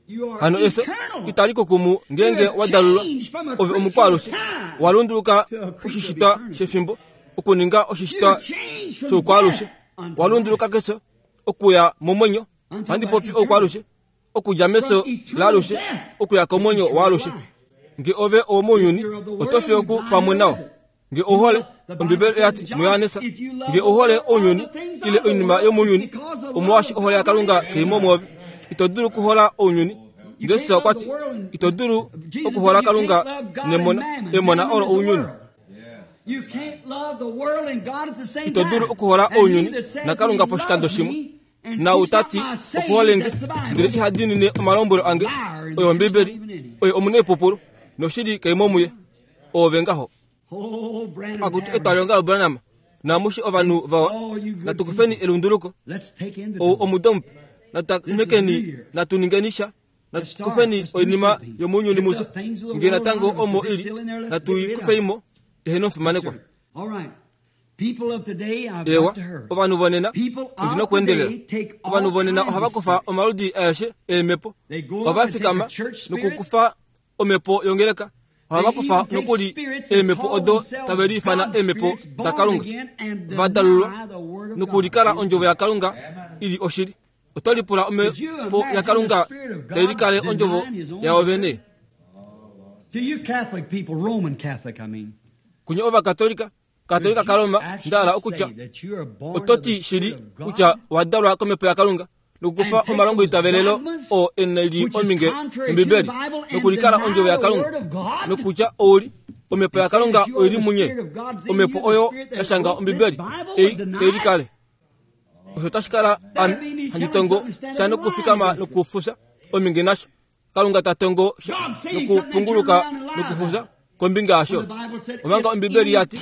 You are Hano efyo eternal. itali kukumu ngenge wadalulwa ove omukwaalushe, walunduluka oshishitwa shefimbo okuninga oshishitwa You change from shoukwaalushe, death unto walunduluka kesho okuya momwenyo. Handi popi oukwaalushe, okudja mefyo laalushe okuya komwenyo waalushe. Nge ove owomounyuni, oto fi oku pamwe nao. Nge ouhole, Ombibeli oyati muYohanesa, nge ouhole ounyuni ile oinima yomounyuni, omolwaashi ohole yaKalunga kei mo mwoove. Ito dulu okuhola ounyuni. Jesus okwa ti, ito dulu okuhola Kalunga nemona, emona olo ounyuni. You can't love the world and God at the same Ito dulu time. okuhola And he ounyuni that says naKalunga he poshikando loves shimwe. me and Na keeps utati not my sayings, okuhole nge, that's the Bible. ndele iha diinine omalombwelo ange, oyo Ombibeli, oyo omunaipupulu, noshili kei mo muye. Oove ngaho. Oh, Branham Akutu Tavern. etwalionga loBranham, namushi ovanhu vawa, Oh, you good natukufeni people. elunduluko. Let's take Ou inventory. omudo mupe, natutamekeni, natuningeni sha, natukufeni oinima yomounyuni musha, nge natango omo ili, natuikufeimo, eheno omufimanekwa. All right. People of today, I've Ewa, got to hurry. ovanhu vonena, People of ondina okuendelela. today take all Ovanhu vonena kinds ohava of kufa spirits. omaludi aeshe eemhepo. They go up Ohava and take fikama a church spirit. nokukufa omhepo yongeleka. Ohava They kufa even take nokuli spirits and eemhepo call odo themselves tave liifana God eemhepo spirits born daKalunga. again and deny Vadalulwa the word of nokulikala God. ondjovo yaKalunga ili oshili. Oto lipula Could you omhepo imagine yaKalunga the Spirit of God tai likale ondjovo denying his own yawo vene. To you Catholic people, Roman Catholic, I mean. Kunye Ovakatolika, Katolika kaRoma ndahala okutya ototi shili kutya wadalwa komhepo yaKalunga nokukufa omalongo itavelelo oo ena li ominge Ombibeli nokulikala ondjovo yaKalunga nokutya ouli omhepo yaKalunga oili munye omhepo oyo yashanga Ombibeli ei teilikale osho tashi kala ame handi tongo sha nokufikama nokufusa ominge nasho Kalunga ta tongo sha nokupunguluka nokufusa kombinga yasho omanga Ombibeli yati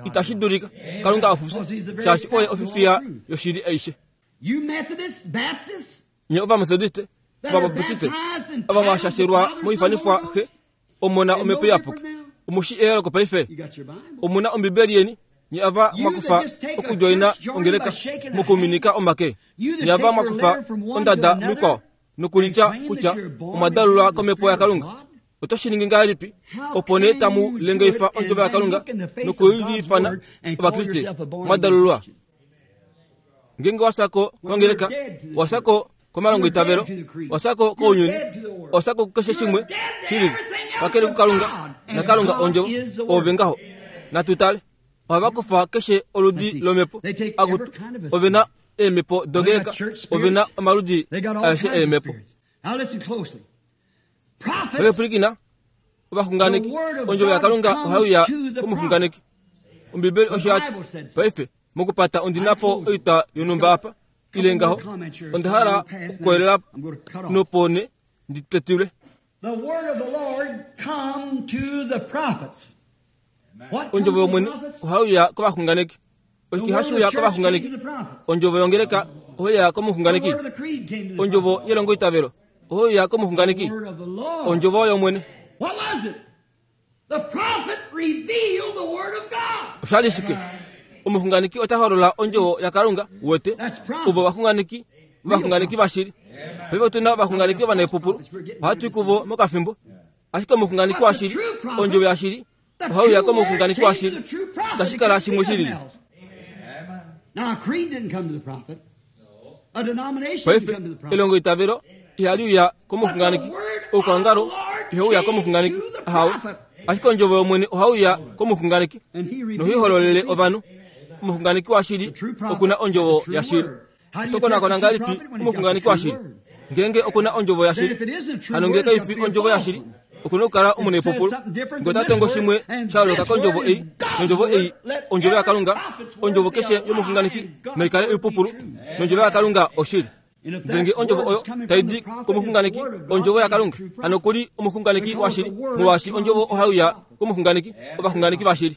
itashi dulika Kalunga afuse shaashi oye ofifiya yoshili aishe. Nye Ovamethodiste, Ovabaptiste, ava mwashashelwa moifanifwa xe omona omhepo iyapuki omushi eyooloko paife omuna Ombibeli yeni nye ava mwakufa okujoina ongeleka mukuminika omake nye ava mwakufa ondada mikwao nokulitya kutya omwadalulwa komhepo yaKalunga oto shi ningi ngahelipi opo nee tamu lengeifa ondjovo yaKalunga nokuliifana Ovakriste mwadalulwa. Ngenge wasako kongeleka wasako komalongo itavelo wasako kounyuni wasako kukeshe shimwe shilili kakele kuKalunga naKalunga ondjovo ove ngaho natutale ohava kufa keshe oludi lomhepo akutu ove na eemhepo dongeleka ove na omaludi aeshe eemhepo. Pwilikina ovaxunganeki ondjovo yaKalunga ohaiuya komuxunganeki. Ombibeli osho yati paife mokupata ondinapo oitwa yonhumba apa ile ngaho onda hala okukoyelela nopone nditetilwe. Ondjovo yOmwene ohaiuya kovaxunganeki. Oshike hashiuya kovaxunganeki? Ondjovo yongeleka ohaiuya komuxunganeki. Ondjovo yelongo itavelo ohaiuya komuxunganeki. Ondjovo yOmwene. Oshali shike? Omuxunganeki ota holola ondjovo yaKalunga wete ovo vaxunganeki vaxunganeki vashili. Paife otuna ovaxunganeki ovanepupulu ohatu i kuvo mokafimbo. Ashike omuxunganeki washili ondjovo yashili ohaiuya komuxunganeki washili itashi kala shimwe shilili. Paife elongo itavelo ihaliuya komuxunganeki oukwaongalo ihauya komuxunganeki ahawe. Ashike ondjovo yOmwene ohauya komuxunganeki nohihololele ovanhu. Omuxunganeki washili okuna ondjovo yashili. Otokonakona ngahelipi omuxunganeki washili ngenge okuna ondjovo yashili? Hano ngee kaifi ondjovo yashili okuna okukala omunepupulu ngee ota tongo shimwe sha yooloka kondjovo ei nondjovo ei ondjovo yaKalunga ondjovo keshe yomuxunganeki naikale oipupulu nondjovo yaKalunga oshili. Ndele ngee ondjovo oyo taidi komuxunganeki ondjovo yaKalunga hano okuli omuxunganeki washili molwaashi ondjovo ohaiuya komuxunganeki ovaxunganeki vashili.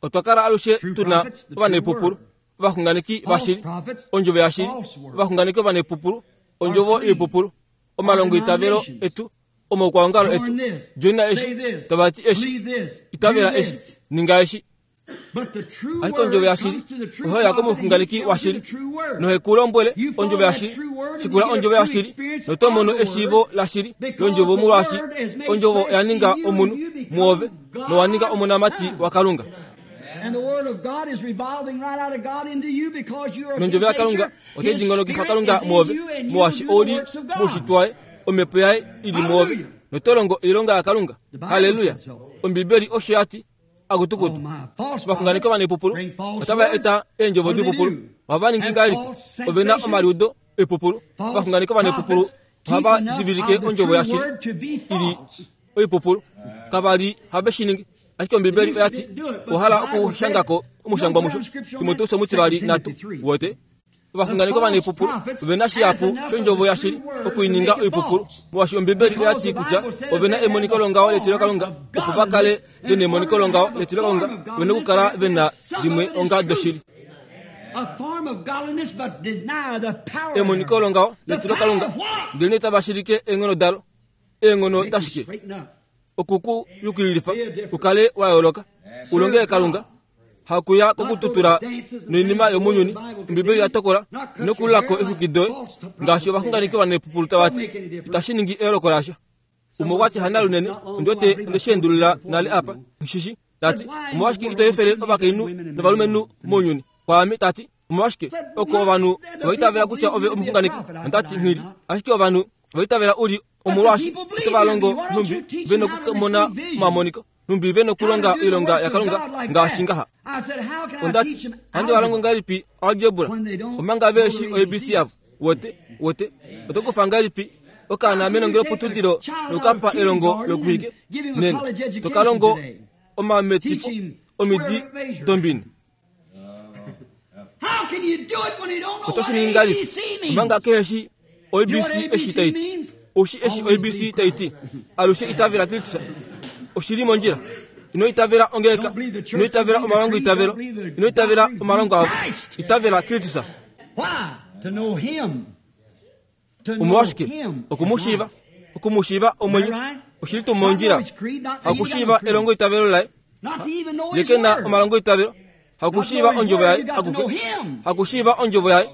Otwa kala alushe tuna ovanepupulu ovaxunganeki vashili ondjovo yashili ovaxunganeki ovanepupulu ondjovo yoipupulu omalongo itavelo etu omaukwaongalo etu joina eshi tavati eshi itavela eshi ninga eshi. Ashike ondjovo yashili ohaiya komuxunganeki washili nohekulombwele ondjovo yashili shikula ondjovo yashili noto mono eshiivo lashili londjovo molwaashi ondjovo yaninga omunhu muove nowaninga omonamati waKalunga. Nondjovo yaKalunga otai dingolokifa Kalunga muove molwaashi ouli muushitwa omhepo yaye ili muove notolongo oilonga yaKalunga. Haleluya! Ombibeli osho yati akutukutu ovaxunganeki ovanepupulu otava eta eendjovo dipupulu ohava ningi ngahelipi ove na omaliudo oipupulu. Ovaxunganeki ovanepupulu ohava divilike ondjovo yashili ili oipupulu kavali have shi ningi. Ashike Ombibeli oyati ohala okushangako omushangwa musho Timoteus omutivali nhatu wote ovaxunganeki ovanepupulu ove na shihapu shondjovo yashili okuininga oipupulu molwaashi Ombibeli oyati kutya ove na emoniko longaho letilokalunga opo va kale vena emoniko longaho letilokalunga ove na okukala vena limwe onga doshili. Emoniko longaho letilokalunga ndele nee tava shilike eenghono dalo eenghono dashike okuku yukililifa ukale wa yooloka ulongele Kalunga hakuya kokututula noinima yomunyuni. Ombibeli yatokola nokululako exwiki doye ngaashi ovaxunganeki ovanepupulu tavati itashi ningi eyooloko lasha. Umwe okwati hana lunene ondiwete ondeshiendulula nale apa shishi tati omolwashike ito efele ovakainhu novalumenhu mounyuni kwaame tati omolwashike oko ovanhu ovaitavela kutya ove omuxunganeki ondati nghili ashike ovanhu ovaitavela uli omolwaashi oto va longo nhumbi ve nokumona omamoniko Nhumbi ve nokulonga oilonga yaKalunga ngaashi ngaha. Ondati, handi va longo ngahelipi algebra omanga ve shi o A B C yavo? Wote, wote, oto kufa ngahelipi okaana menongeloputudilo nokukapa elongo lokuhike? Nena, toka longo omametifo omidi dombini. Oto shi ningi ngahelipi omanga kehe shi O A B C eshi tai ti? Oushi eshi O A B C tai ti? Alushe itavela Kristus. Oshili mondjila. Ino itavela ongeleka, ino itavela omalongo itavelo, ino itavela omalongo avo. Itavela Kristus. Omolwashike? Okumushiiva, okumushiiva omwenyo. Oshili tuu mondjila. Hakushiiva elongo itavelo laye. Ye ke na omalongo itavelo. Hakushiiva ondjovo yaye akuke. Hakushiiva ondjovo yaye.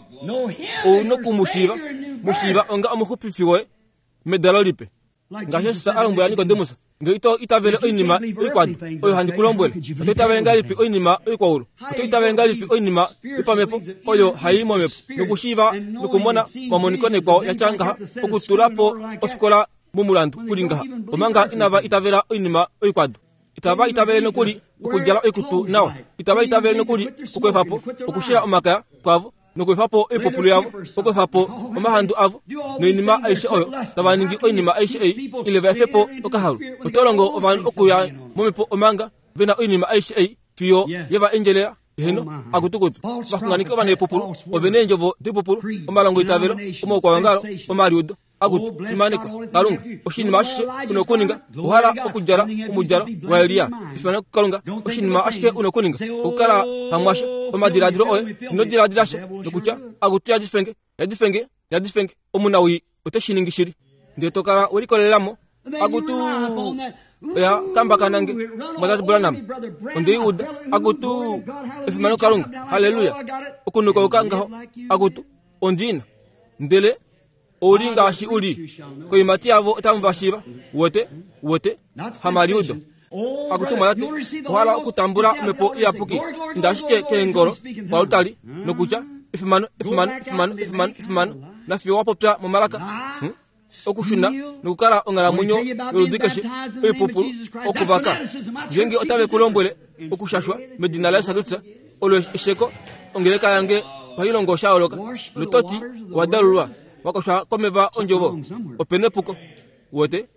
Ou nokumushiiva, mushiiva onga omuxupifi woye medalo lipe. Ngaashi Jesus a lombwela Nikodemus, nge ito itavele oinima oikwadu oyo handi ku lombwele, oto itavele ngahelipi oinima oikwaulu? Oto itavele ngahelipi oinima yopamhepo oyo hai momhepo nokushiiva nokumona omamoniko nekwao ya tya ngaha, okutula po ofikola momulandu uli ngaha, omanga inava itavela oinima oikwadu? Itava itavele nokuli okudjala oikutu nawa, itava itavele nokuli okweefa po okushila omakaya kwavo nokweefa po oipupulu yavo, okweefa po omahandu avo noinima aishe oyo tava ningi oinima aishe ei, ile va efe po okahalu. Oto longo ovanhu okuya momhepo omanga ve na oinima aishe ei fiyo ye va endjelela. Heno, akutukutu. Ovaxunganeki ovanepupulu ove neendjovo doipupulu, omalongo itavelo, omaukwaongalo, omaliudo. Akutu, fimanekwa Kalunga. Oshinima ashishe una okuninga, ohala okudjala omudjalo waElia. Fimanekwa Kalunga. Oshinima ashike una okuninga, okukala pamwasha omadiladilo oye, ino diladila sha nokutya akutu yadifenge, yadifenge, yadifenge. Omunawii ote shi ningi shili. Ndele to kala we likolelamo. Akutu oya kambakana nge Mwatate Branham. Onde uda. Akutu efimano Kalunga. Haleluya. Okunukauka ngaho. Akutu ondina. Ndele ouli ngaashi uli. Koimati yavo otamu va shiiva. Wote, wote, hamaliudo. Akutu Mwatate, ohala okutambula omhepo iyapuki. Inda ashike keengolo kwalutali nokutya efimano, efimano, efimano, efimano, efimano. Nafiyo wa popya momalaka. Hmm? Okushuna nokukala onghalamwenyo yoludi keshe oipupulu okuvaka. Ngeenge otave ku lombwele okushashwa medina laJesus Kristus, olo esheko ongeleka yange ohai longo sha yooloka. Nototi owa dalulwa wakoshwa komeva ondjovo. Ope nepuko. Wote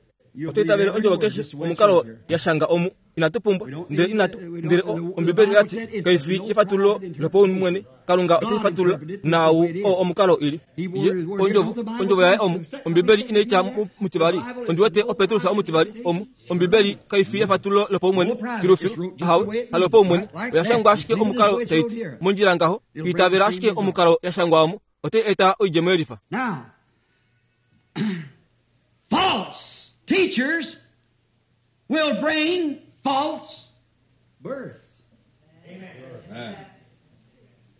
oto itavele ondjovo keshe omukalo ya shanga omu. Inatu pumbwa ndele inatu ndele Ombibeli oyati kai fi efatululo lopaumwene. Kalunga ote fatulula nau o omukalo ili ye ondjovo ondjovo yaye omu. Ombibeli inaitya mutivali. Ondi wete oPetrus omutivali omu. Ombibeli kai fi efatululo lopaumwene filufilu. Ahawe halopaumwene oya shangwa ashike omukalo taiti mondjila ngaho. Itavela ashike omukalo ya shangwa omu. Ote eta oidjemo yelifa. Now, false teachers will bring false births. Amen.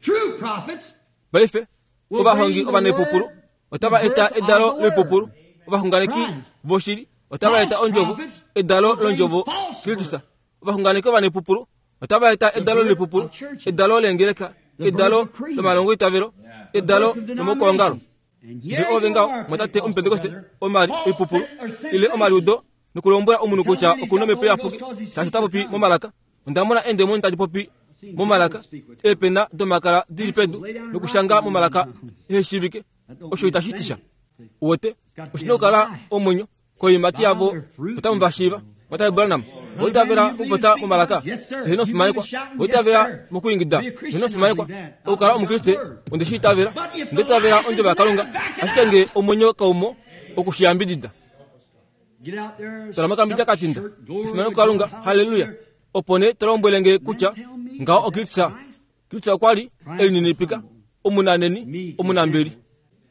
True prophets Paife ovahongi ovanepupulu otava eta edalo loipupulu. Ovaxunganeki voshili otava eta ondjovo, edalo londjovo Kristus. Ovaxunganeki ovanepupulu otava eta edalo loipupulu, edalo leengeleka, edalo lomalongo itavelo, edalo lomaukwaongalo. Ndele ove ngaho mwatate omupentekoste omali oipupulu ile omaliudo nokulombwela omunhu kutya okuna omhepo iyapuki shaashi ota popi momalaka. Onda mona eendemoni tadi popi momalaka, eepena domakala dili pedu nokushanga momalaka eheshivike. Osho itashi ti sha. Wote oshina okukala omwenyo koimati yavo otamu va shiiva. Mwatate Branham, oitavela mokupopya momalaka, eheno fimanekwa. Oitavela mokuingida, eheno fimanekwa. Okukala omukriste onde shi itavela, onde itavela ondjovo yaKalunga, ashike nge omwenyo kaumo okushiyambidida. Tola mokambidja katinda, efimano kuKalunga, haleluya. Opo nee to lombwele nge kutya ngaho oKristus. Kristus okwa li elininipika, omunaneni, omunambeli.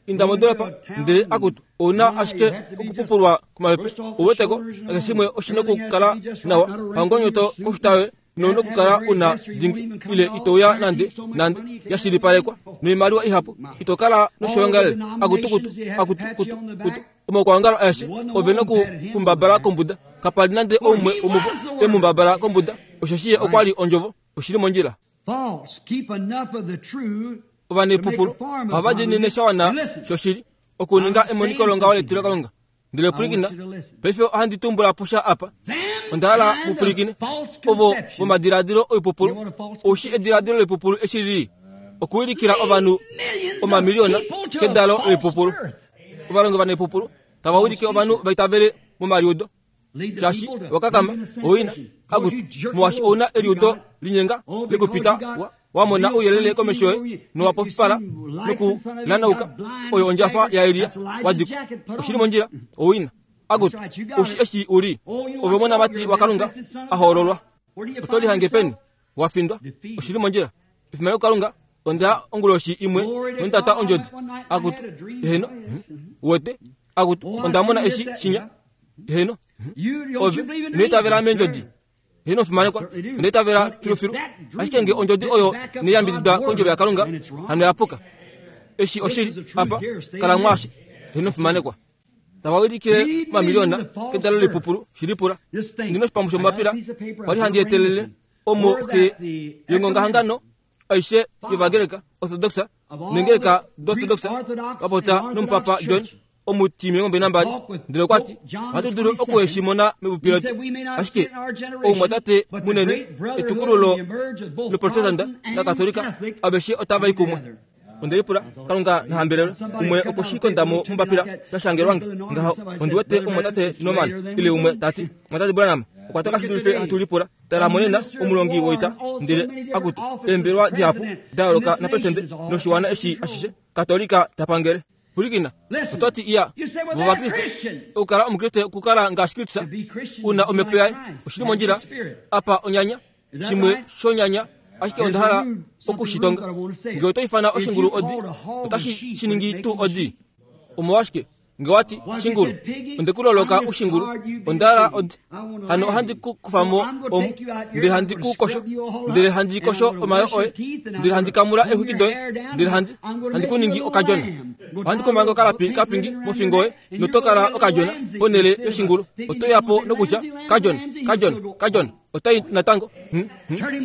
Inda modolopa ndele akutu ouna ashike okupupulwa komapepe. Ouweteko keshe shimwe oshina okukala nawa. Hangonyoto koshitawe nouna okukala una dingi ile itouya nande nande ya shilipalekwa noimaliwa ihapu. Ito kala noshoongalele. Akutukutu, akutukutu, kutu. Omaukwaongalo aeshe ove nokukumbabala kombuda. Kapali nande oumwe womuvo emumbabala kombuda. Osheshi ye okwa li ondjovo. Oshili mondjila. False, keep enough of the true Ovanepupulu ohava diinine sha wana shoshili okuninga emoniko longaho letilo Kalunga. Ndele pwilikina, paife ohandi tumbula po sha apa. Onda hala mupulikine ovo vomadiladilo oipupulu oushi ediladilo loipupulu eshi lili okuwilikila ovanhu omamiliyona kedalo loipupulu. Ovalongi vanoipupulu tava wilike ovanhu vaitavele momaliudo shaashi wakakama owina akutu molwaashi ouna eliudo linyenga lekupita wamona ouyelele komesho yoye nowapofipala nokulanauka oyo ondjafa yaEliya wadikwa oshili mondjila owina akutu oushi eshi uli ove omonamati waKalunga a hoololwa oto lihange peni wafindwa oshili mondjila efimano kuKalunga onda onguloshi imwe nondata ondjodi akutu eheno wete akutu onda mona eshi shinya eheno ove inoitavela meendjodi eheno fimanekwa inoitavela filufilu ashike nge ondjodi oyo neyambididwa kondjovo yaKalunga hano yapuka eshi oshili apa kala mwaashi eheno fimanekwa tava wilikile omamiliyona kedalo lipupulu shilipula ndina oshipambu shomapila kwali handi etelele omo xe yongongahangano aishe yovagreka orthodoxa nengeleka dorthodoxa vapota nomupapa John omuti milongo mbali nambali ndele okwati ohatu dulu okuheshimona mepupi letu ashike oumwatate munene etukululo loprotestanta lakatolika aveshe otava i kumwe. Ondelipula Kalunga nahambelelwe umwe okushikondamo mombapila tashangelwange ngaho ondiwete omwatate Norman ile umwe tati mwatate Branham okwa toka shidulife hatu lipula tala monena omulongi woita ndele akutu eembelwa dihapu da yooloka napresidente noshiwana eshi ashishe katolika tapangele. Pulikina ototi iya vovakriste okukala omukriste okukala ngaashi Kristus una omhepo yaye oshili mondjila apa onyanya shimwe shonyanya ashike onda hala okushitonga nge oto ifana oshingulu odi otashi shiningi tuu odi omolwashike nge wati shingulu ondekuloloka ushingulu ondala odi hano ohandi ku kufamo omu ndele handi ku kosho ndele handi kosho omayo oye ndele handi kamula exwiki doye ndele handi handi ku ningi okadjona ohandi kumanga okalapi kapingi mofingo yoye notokala okadjona ponele yoshingulu oto yapo nokutya kadjona kadjona kadjona otai natango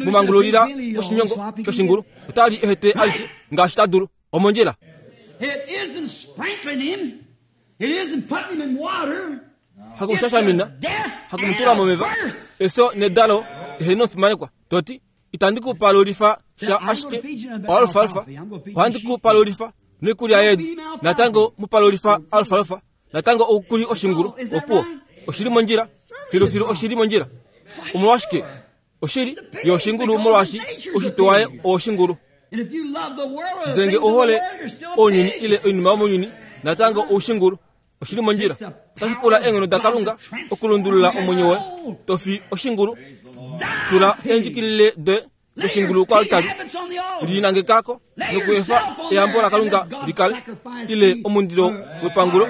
mumangululila moshinyongo shoshingulu otali ehete alishe ngaashi ta dulu omondjila. Hakumushashamina hakumutula momeva eso nedalo eheno fimanekwa toti itandi kupalulifa sha ashike alfalfa ohandi kupalulifa noikulya yeedi natango mupalulifa alfalfa natango okuli oshingulu opuwo oshili mondjila filufilu oshili mondjila omolwashike oshili yoshingulu molwaashi oshito waye oshingulu ndele nge ohole ounyuni ile oinima yomounyuni natango oushingulu oshili mondjila otashi pula eenghono daKalunga okulundulula omwenyo woye tofi oshingulu tula eendjikilile doye doshingulu koaltari linangekako nokuefa eyambo laKalunga likale ile omundilo wepangulo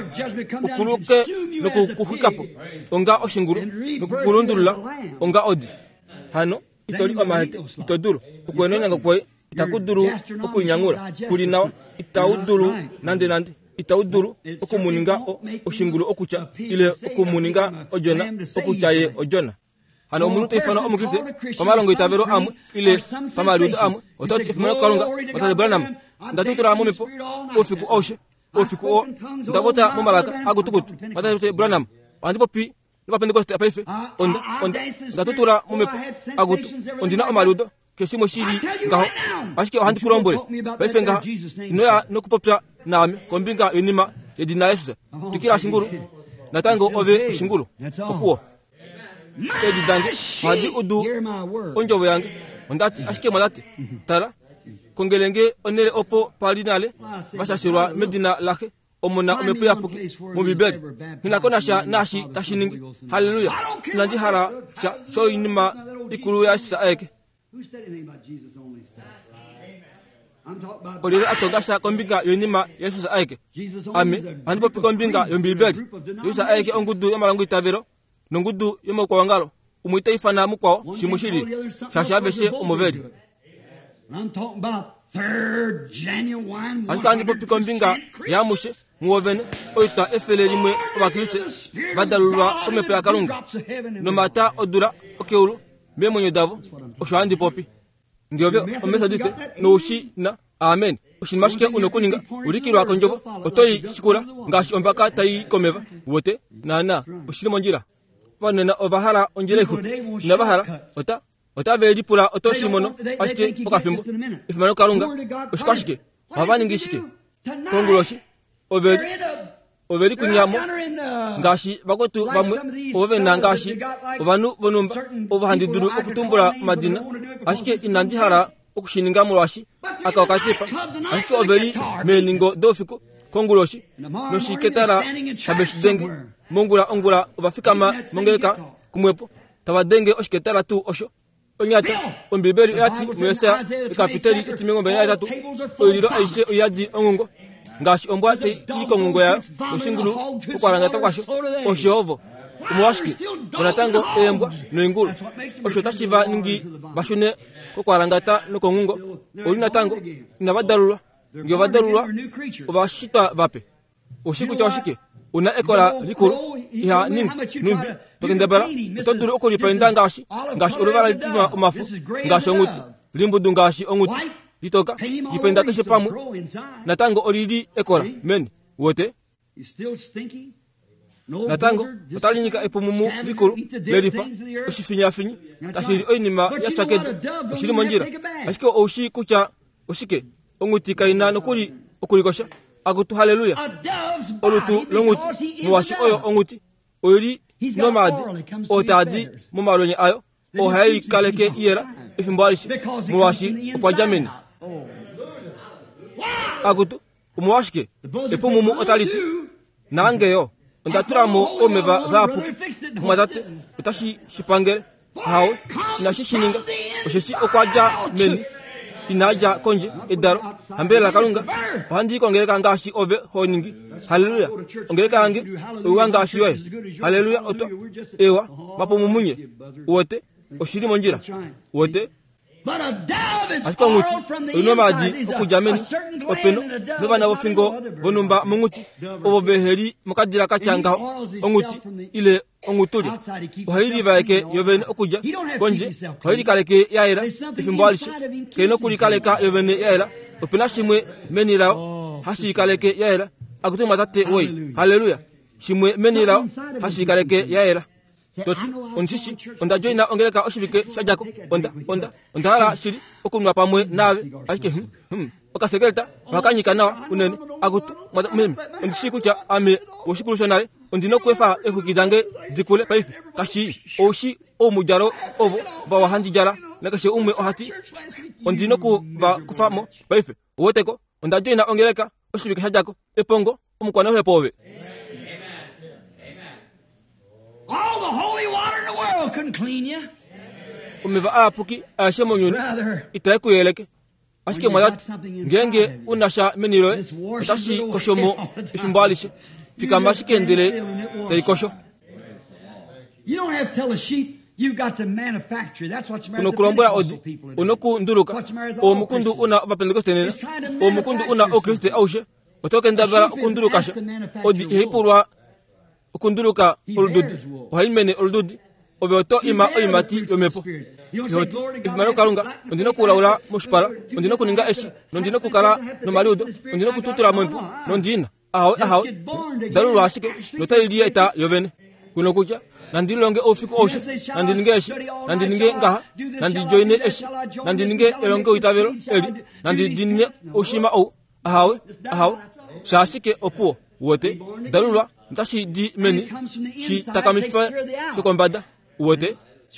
ukuluke nokukuxwikapo onga oshingulu nokukulundulula onga odi hano itoli omahete ito dulu okuenonyango kwoye itaku dulu okuinyangula kuli nawa itau dulu nande nande itau dulu okumuninga oshingulu okutya ile okumuninga odjona okutya ye odjona. Hano omunhu ta ifana omukriste pamalongo itavelo amwe ile pamaliudo amwe otati efimano kuKalunga mwatate Branham ndatutula momhepo oufiku aushe oufiku oo ndavota momalaka akutukutu mwatate Branham ohandi popi novapentekoste paife onda onda ndatutula momhepo akutu ondina omaliudo keshe shimwe shili ngaho ashike ohandi ku lombwele paife ngaha inoya nokupopya naame kombinga yoinima yedina Jesus twikila shingulu natango ove oshingulu opuwo edi dange ohadi udu ondjovo yange ondati ashike mwatate tala kongelenge onele opo pali nale vashashelwa medina laxe omona omhepo yapuki mOmbibeli nghinako nasha naashi tashi ningi haleluya inandi hala sha shoinima ikulu yaJesus aeke. Olyelye a tonga sha kombinga yoinima yaJesus aeke? Ame ohandi popi kombinga yOmbibeli. Jesus aeke ongudu yomalongo itavelo nongudu yomaukwaongalo umwe ita ifana mukwao shimwe shili shaashi aveshe omo veli. Ashike ohandi popi kombinga yaamushe muwovene oitwa efele limwe ovakriste vadalulwa komhepo yaKalunga nomata odula okeulu meemwenyo davo osho handi popi. Nge ove omethodiste noushi na amen oshinima ashike una okuninga ulikilwa kondjovo otoi shikula ngaashi ombaka tai komeva wote naana oshili mondjila. vanena ova hala ondjila ixupi inava hala ota otave lipula oto shi mono ashike pokafimbo efimano Kalunga oshikwashike ohava ningi shike konguloshi oveli oveli kunyamo ngaashi vakwetu vamwe ovo vena ngaashi ovanhu vonumba ovo handi dulu okutumbula omadina ashike inandi hala okushininga molwaashi aka okatipa ashike oveli meeningo doufiku konguloshi noshiketala have shi denge mongula ongula ovafikama mongeleka kumwepo tava denge oshiketala tuu osho onyata ombibeli oyati muYesaya ekapiteli etimilongo mbali nahetatu oililo aishe oyadi onghungo ngaashi ombwa tai i konghungo yayo noshingulu okwalangata kwasho osho omolwashike onatango eembwa noingulu osho otashi va ningi vashune kokwalangata nokonghungo oli natango inava dalulwa ngee ova dalulwa ovashitwa vape oshi kutya oshike una ekola likulu iha ningi numbi tokendabala oto dulu okulipainda ngaashi ngaashi oluvala litima omafo ngaashi onghuti limbudu ngaashi onghuti litoka lipainda keshe pamwe natango olili ekola meni wote natango otalinyika epumumu likulu lelifa oshifinyafinyi tashili oinima ya tya kedu oshili mondjila ashike oushi kutya oshike onghuti kaina nokuli okulikosha akutu haleluya olutu longhuti molwaashi oyo onghuti oili nomaadi otaadi momalwenye ayo ohai kaleke iyela efimbo alishe molwaashi okwa dja meni akutu omolwashike epumumu otaliti naangeyo onda tulamo omeva vaapuki mwatate otashi shipangele hawe inashi shininga osheshi okwa dja meni inadja kondje edalo hambelela Kalunga ohandi kongeleka ngaashi ove ho ningi haleluya ongeleka yange oiwa ngaashi yoye haleluya oto ewa mapumumunye wote oshili mondjila wote ashike onghuti oina omaadi okudja meni openo novana vofingo vonumba monghuti ovo veheli mokadila katya ngaho onghuti ile onghutulya ohai livaeke yovene okudja kondje ohai likaleke ya yela efimbo alishe kena okulikaleka yovene ya yela opena shimwe meni layo hashi ikaleke ya yela akuti mwatate woi haleluya shimwe meni layo hashi ikaleke ya yela toti ondishishi onda joina ongeleka oshivike shadjako onda onda onda hala shili okunwa pamwe naave ashike hmm, hmm. okasekeleta ohakanyika nawa unene akutu meme ondishi kutya ame woshikulu shonale ondina okuefa exwiki dange dikule paife kashi oushi oumudjalo ovo vawa handi djala nakeshe umwe ohati ondina okuva kufamo paife oweteko onda joina ongeleka oshivike shadjako epongo omukwanauhepo ove. All the holy water in the world couldn't clean you. Omeva aapuki aeshe mounyuni itae ku yeleke ashike mwatati ngenge unasha meni loye otashi koshomo efimbo alishe fikama ashike ndele tai kosho. You don't have to tell a sheep you've got to manufacture. That's what's the matter with the unokulombwela odi Pentecostal people today. unokunduluka omukundu una ovapentekoste nena omukundu una oukriste aushe otokendabala okundulukasha odi ihaipulwa okunduluka olududi ohai mene olududi ove oto ima oimati yomepo ihoti efimano Kalunga ondina okulaula moshipala ondina okuninga eshi nondina okukala nomaliudo ondina okututula mompu nondina ahawe ahawe dalulwa ashike notai lieta yovene kuno kutya nandilonge oufiku aushe nandi ninge eshi nandi ninge ngaha nandi joine eshi nandi ninge elonge oitavelo eli nandi dinine oushima ou ahawe ahawe shaashike opuwo wote dalulwa ntashi di meni shi takamifa shokombada wote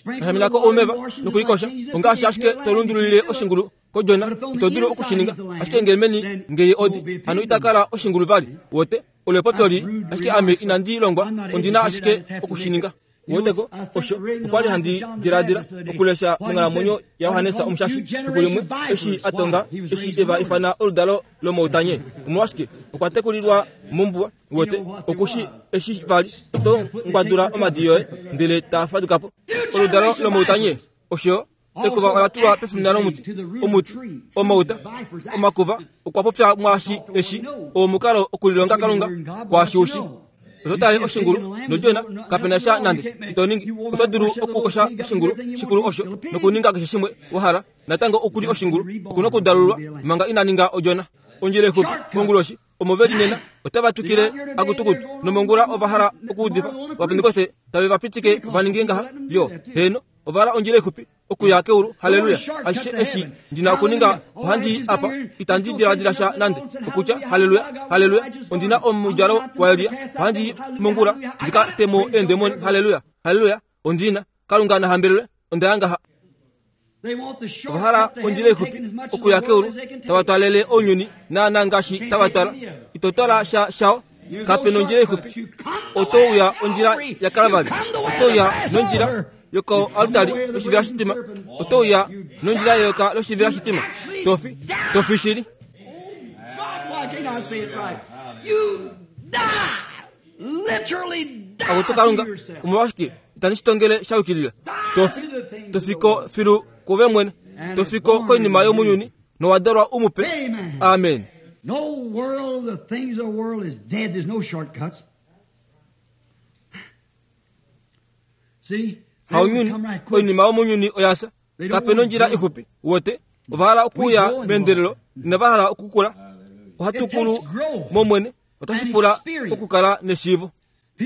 nashaminako oumeva nokulikosha ongaashi ashike tolundululile oshingulu kojona ito dulu okushininga ashike ngee meni ngeye odi hano itakala oshingulu vali wote olepotoli ashike ame inandi longwa ondina ashike okushininga woteko osho okwali handi diladila okulesha monghalamwenyo yaYohanesa omushashi efiku limwe eshi atonga eshi eva ifana oludalo lomoutanye omolwashike okwa tekulilwa mombuwa wote okushi eshi vali oto ngwadula omadi yoye ndele taa fadukapo oludalo lomoutanye osho ekuva ola tulwa pefina lomuti omuti omauta omakuva okwa popya mwaashi eshi omukalo okulilonga Kalunga kwaashi ushi ototale oshingulu nodjona kapena sha nande ito ningi oto dulu okukosha oshingulu shikulu osho nokuninga keshe shimwe wahala natango okuli oshingulu okuna okudalulwa manga ina ninga odjona ondjila ixupi monguloshi Omo ve li nena otava twikile akutukutu nomongula ova hala okuudifa Ovapentekoste tave va pitike va ninge ngaha yo heno ova hala ondjila ixupi okuya keulu. Haleluya! Ashishe eshi ndina okuninga ohandi apa itandi diladila sha nande okutya haleluya haleluya ondina omudjalo waElia ohandi mongula ndika temo eendemoni. Haleluya haleluya ondina Kalunga na hambelelwe onda ngaha. Ova hala ondjila ixupi okuya keulu tava twalele ounyuni naana ngaashi tava twala ito twala sha shao kape nondjila ixupi oto uya ondjila yaKalvari oto uya nondjila yokoaltari loshivela shitima oto uya nondjila yeyoka loshivela shitima tofi tofi shili. Akutu Kalunga omolwashike itandi shitongele sha yukilila tofi tofiko filu kuve mwene tofiko koinima yomunyuni nowadalwa umupe. Amen. No world, the things of the world is dead. There's no shortcuts. See? Haunyuni oinima yomunyuni oyasa kape nondjila ixupi wote ova hala okuya meendelelo inava hala okukula ohatukulu momwene otashi pula okukala neshiivo.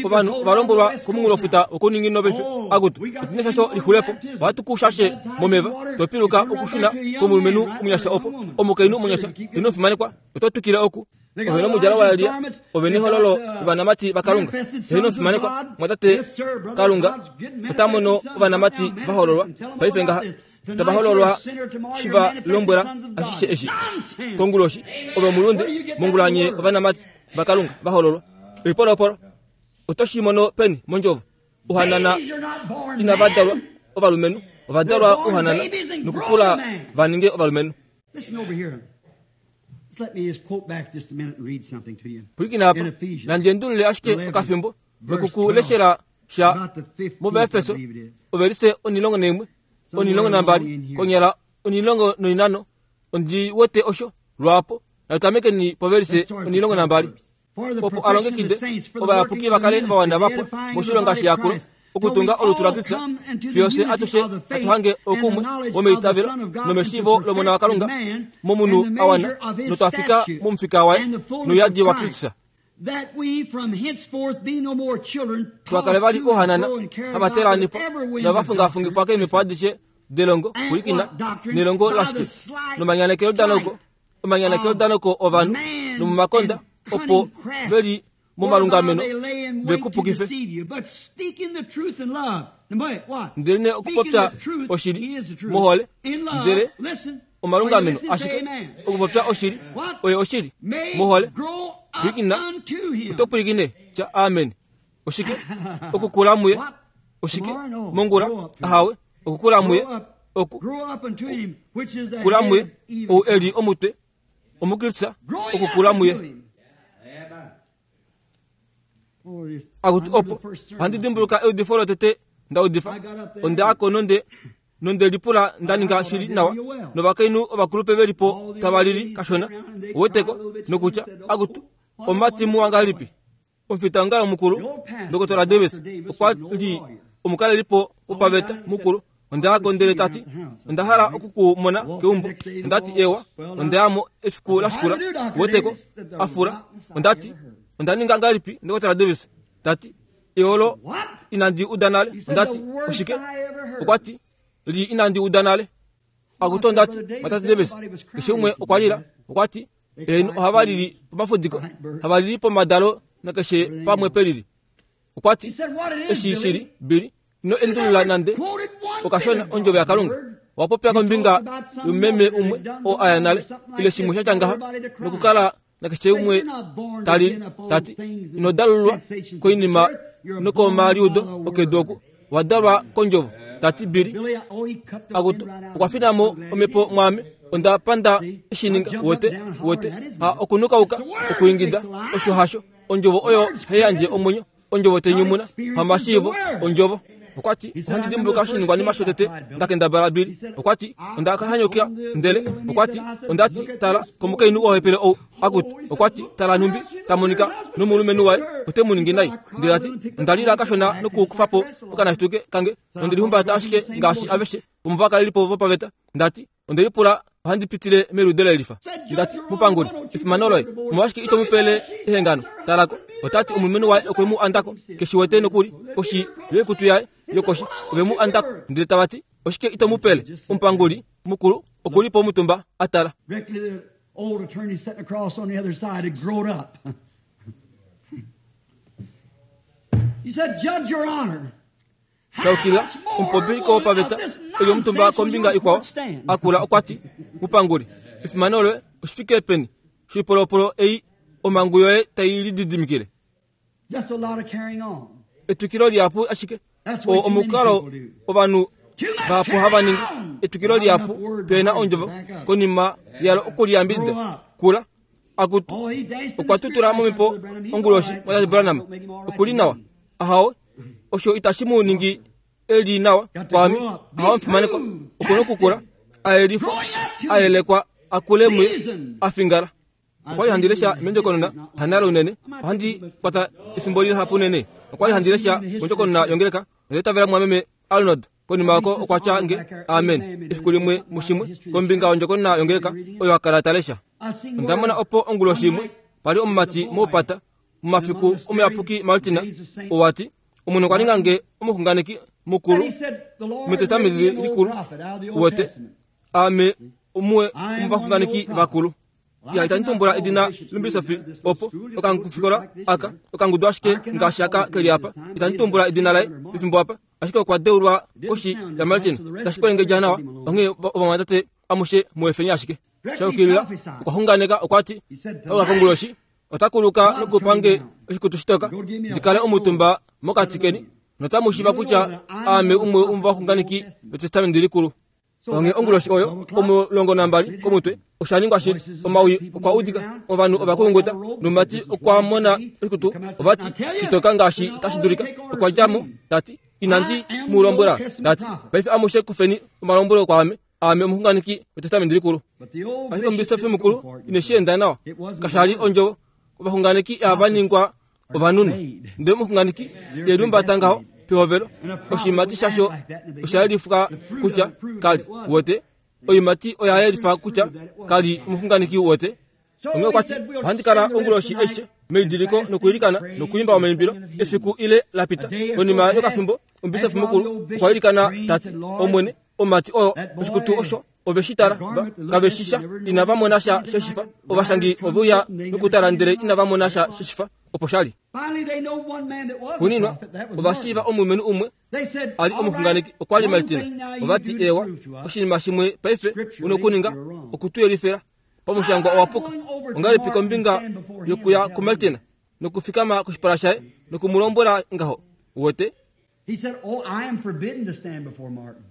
Ovanhu ova lombwelwa komunghulofuta wokuninginino paife akutu otuna shasho lixulepo ohatu ku shashe momeva topiluka okushuna komulumenhu omunyasha opo omukainhu omunyasha ino fimanekwa oto twikile oku ove nomudjalo waElia ove nehololo ovanamati vaKalunga ino fimanekwa mwatate Kalunga ota mono ovanamati vahololwa paife ngaha tava hololwa shiva lombwela ashishe eshi konguloshi ove mulunde mongulanye ovanamati vaKalunga vahololwa oipolopolo otoshi mono peni mondjovo uhanana inava dalwa ovalumenhu ova dalwa uhanana nokukula va ninge ovalumenhu. Pwilikina apa nandi endulule ashike okafimbo nokukuleshela sha muvaefeso ovelise onilongo naimwe onilongo nambali konyala onilongo noinano ondi wete osho lwapo natutamekeni povelise onilongo nambali opo alongekide ovayapuki vakale vawana vapo moshilonga shiyakulo okutunga olutu lwa Kristo fiyo atushe atuhange okumwe womeitavelo nomeshiivo lomona waKalunga momunhu awana notwafika momufika waye nouyadi wa Kristo. Twakale vali ohanana havatelanifwa novafungafungifwa keemhepo adishe delongo pwilikina nelongo lashike nomanyanekelo danoko omanyanekelo danoko ovanhu nomomakonda opo veli momalungameno vekupukife. Ndele okupopya oshili mohole ndele omalungameno ashike okupopya oshili oye oshili mohole pwilikina oto pwilikine tya amen. Oshike okukula muye oshike mongula ahawe okukula muye oku kula muye ou eli omutwe omukristo okukula muye. Akutu opo ohandi dimbuluka eudifo lotete ndaudifa onda nonde nonde lipula ndaninga shili nawa novakainhu ovakulupe velipo tava lili kashona oweteko nokutya akutu omati muwanga lipi omufita mukulu Dr Davis okwa li omukalelipo wopaveta mukulu onda ndele tati onda hala okukumona keumbo ondati ewa ondayamo efiku lashikula weteko afura ondati onda ninga ngalipi Dr Davis tati eolo inandi uda nale ondati oshike okwati li inandi uda nale akuto ondati matati Davis keshe umwe okwa lila okwati eno ohava lili pomafudiko hava lili pomadalo nakeshe pamwe pelili okwati eshi shili bili ino endulula nande okashona ondjovo yaKalunga wapopya kombinga yomeme umwe o aya nale ile shimwe sha tya ngaha nokukala nakeshe umwe talili tati ino dalulwa koinima nokomaliudo okedu oku wadalwa kondjovo tati bili akutu okwafinamo omhepo mwame onda panda eshininga wote wote ha okunukauka okuingida osho hasho ondjovo oyo heyandje omwenyo ondjovo tenyumuna hamashiivo ondjovo okwati ohandi dimbuluka oshiningwanima shotete ndakendabala bili okwati ondakahanyukila ndele okwati ondati tala komukainhu wohepele ou akutu okwati tala numbi tamonika nomulumenhu waye ote mu ningi nai ndele ati ondalila kashona nokukufapo okanashituke kange nondelihumbata ashike ngaashi aveshe vomuvakalelipo vopaveta ndati ondelipula Ohandi pitile melude lelifa. Ndati mupanguli efimano loye omolwashike ito mupele ehengano? Talako otati omulumenhu waye okwe mu andako keshiwete nokuli koshi yoikutu yaye yokoshi ove mu andako ndele tavati oshike ito mupele? Omupanguli mukulu okuli po omutumba atala. Directly the old attorney sitting across on the other side had grown up. He said, Judge, Your Honor, Shaukila omupopiliko wopaveta eli omutumba kombinga ikwao akula okwati mupanguli efimano loye oshifike peni shipolopolo ei omangu yoye tai lididimikile. Just a lot of carrying on. Etwikilo lihapu ashike o omukalo ovanhu vahapu hava ningi etwikilo lihapu pena ondjovo konima yalo okuliyambidida kula akutu Oh, he danced in the okwa tutula spirit momhepo like Brother Branham. He's onguloshi all right. mwatate Branham Don't make him all right okuli to nawa me. ahawe osho itashi mu ningi eli nawa kwami ahawe mfimaneko okuna okukula aelifwa aelekwa akule muye afingala. Okwali handi lesha mondjokonona hanalo unene ohandi kwata efimbo lihapu unene. Okwali handi lesha mondjokonona yongeleka ndeitavela mwameme Arnold konima yako okwa tya nge amen efiku limwe mushimwe kombinga yondjokonona yongeleka oyo akala ta lesha. I seen Onda mona opo onguloshi imwe pali omumati moupata mumafiku omuyapuki Martina owati omunhu okwa ninga nge omuxunganeki mukulu And he said, The Lord metestamenti raised me an old likulu prophet out of the Old wete Testament. ame umwe omuvaxunganeki vakulu. Ya itandi tumbula edina lombisofi opo okangufikola aka okangudu ashike ngaashi aka keli apa. Itandi tumbula edina laye pefimbo apa ashike okwa deulwa koshi ya Martin tashi kolengedja nawa onghee ovamwatate amushe muefeni ashike. Shaukilila okwa xunganeka okwati okakonguloshi otakuluka nokupange oshikutu shitoka ndikale omutumba mokati keni notamu shiva kutya aame umwe womovaxunganeki vetestamenti likulu. Onghee onguloshi oyo omulongo nambali komutwe osha shili omawi okwa udika ovanhu ovakulunguta nomumati okwa mona oshikutu ovati shitoka ngaashi tashi dulika okwa djamo tati inandi mu lombwela tati paife amushe kufeni omalombwelo kwaame aame omuxunganeki wetestamenti likulu. But the old Ashike bishop omubisofi didn't mukulu go for it. ineshi enda nawa kashali ondjovo ovaxunganeki ava ningwa ovanunu ndele omuxunganeki yelumbata ngaho pehovelo oshimati shasho osha yelifwa kutya kali wote oimati oya yelifa kutya kali omuxunganeki wote. So Onghee they okwati said, we'll ohandi kala spend the rest onguloshi of the night aishe meidiliko nokuilikana nokuimba omaimbilo efiku ile lapita. Konima yokafimbo omubisofi mukulu okwa ilikana tati omwene omumati oyo oshikutu osho ove shi tala va kave shisha inava mona sha sheshifa ovashangi ove uya nokutala ndele inava mona sha sheshifa opo shali. Finally, they know one man that was a Xuuninwa prophet. That was ovashiiva Martin. omulumenhu umwe They said, ali all omuxunganeki right, okwa li one Martina. thing now you Ovati do to ewa prove to us. oshinima shimwe paife una okuninga okutuyelifela pamushangwa owapuka ongahelipi kombinga yokuya kuMartina nokufikama koshipala shaye nokumulombwela ngaho wote. He said, oh, I am forbidden to stand before Martin.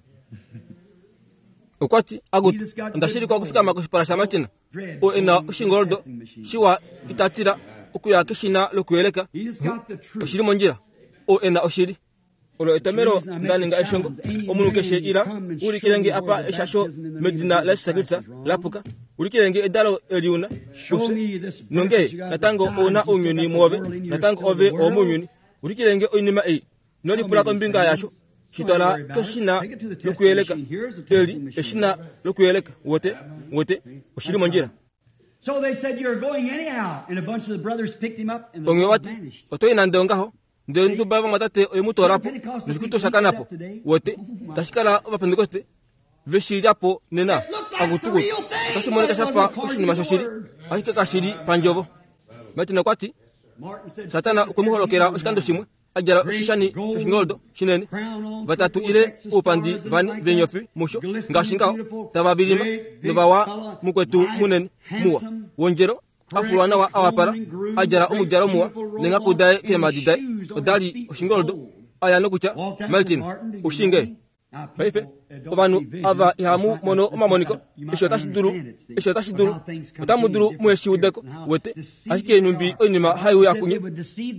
Okwati akutu ondashilikwa okufikama koshipala sha Martina oo ena oshingoldo shiwa itatila okuya keshina lokuyeleka He just got the truth. oshili mondjila oo ena oshili. Olo etomelo ndaninga eshongo omunhu keshe ila ulikilenge apa eshasho medina laJesus Kristus lapuka ulikilenge edalo eliuna ufye nonge natango ouna ounyuni muove natango ove owomounyuni ulikilenge oinima ei nolipula kombinga yasho shitwala keshina lokuyeleka eli eshina lokuyeleka wote wote oshili mondjila. So they said, you're going anyhow. And a bunch of the brothers picked him up and the Onghee Lord vati vanished. otoyi nande ongaho ndele nduba vamwatate oye mu toolapo noshikutu osha kanapo wote tashi kala ovapentekoste veshilyapo nena akutukutu otashi monika shafa oshinima shoshili ashike kashili pandjovo. Martin okwati Martin said, Satana okwe mu holokela oshikando shimwe adjala oshishani shoshingoldo shinene vatatu ile oupandi vane veenyofi musho ngaashi ngaho tava vilima novawa mukwetu munene muwa wondjelo afulwa nawa awapala adjala omudjalo muwa nenghaku daye keemadi daye odali oshingoldo aya nokutya Martin ushinge. Paife ovanhu ava ihamu mono omamoniko eshi otashi dulu eshi otashi dulu otamu dulu muheshi udeko wete ashike numbi oinima haiuya kunye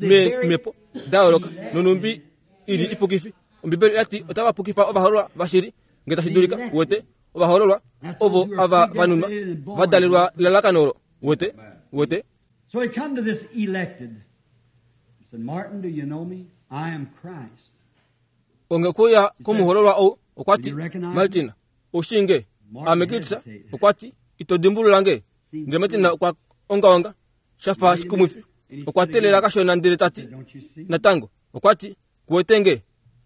meemhepo da yooloka nonumbi ili ipukifi. Ombibeli oyati otava pukifa ovahoololwa vashili ngee tashi dulika wete ovahoololwa ovo ava vanunwa vadalelwa elalakano olo wete wete. So he come to this elected. He said, Martin, do you know me? I am Christ. Onge kuya komuhoololwa ou okwati Martin ushinge Ame Kristus okwa ti ito dimbulula nge. Ndele Martin okwa ongaonga shafa shikumwifi. Okwa teelela kashona ndele ta ti natango okwa ti kuwete nge.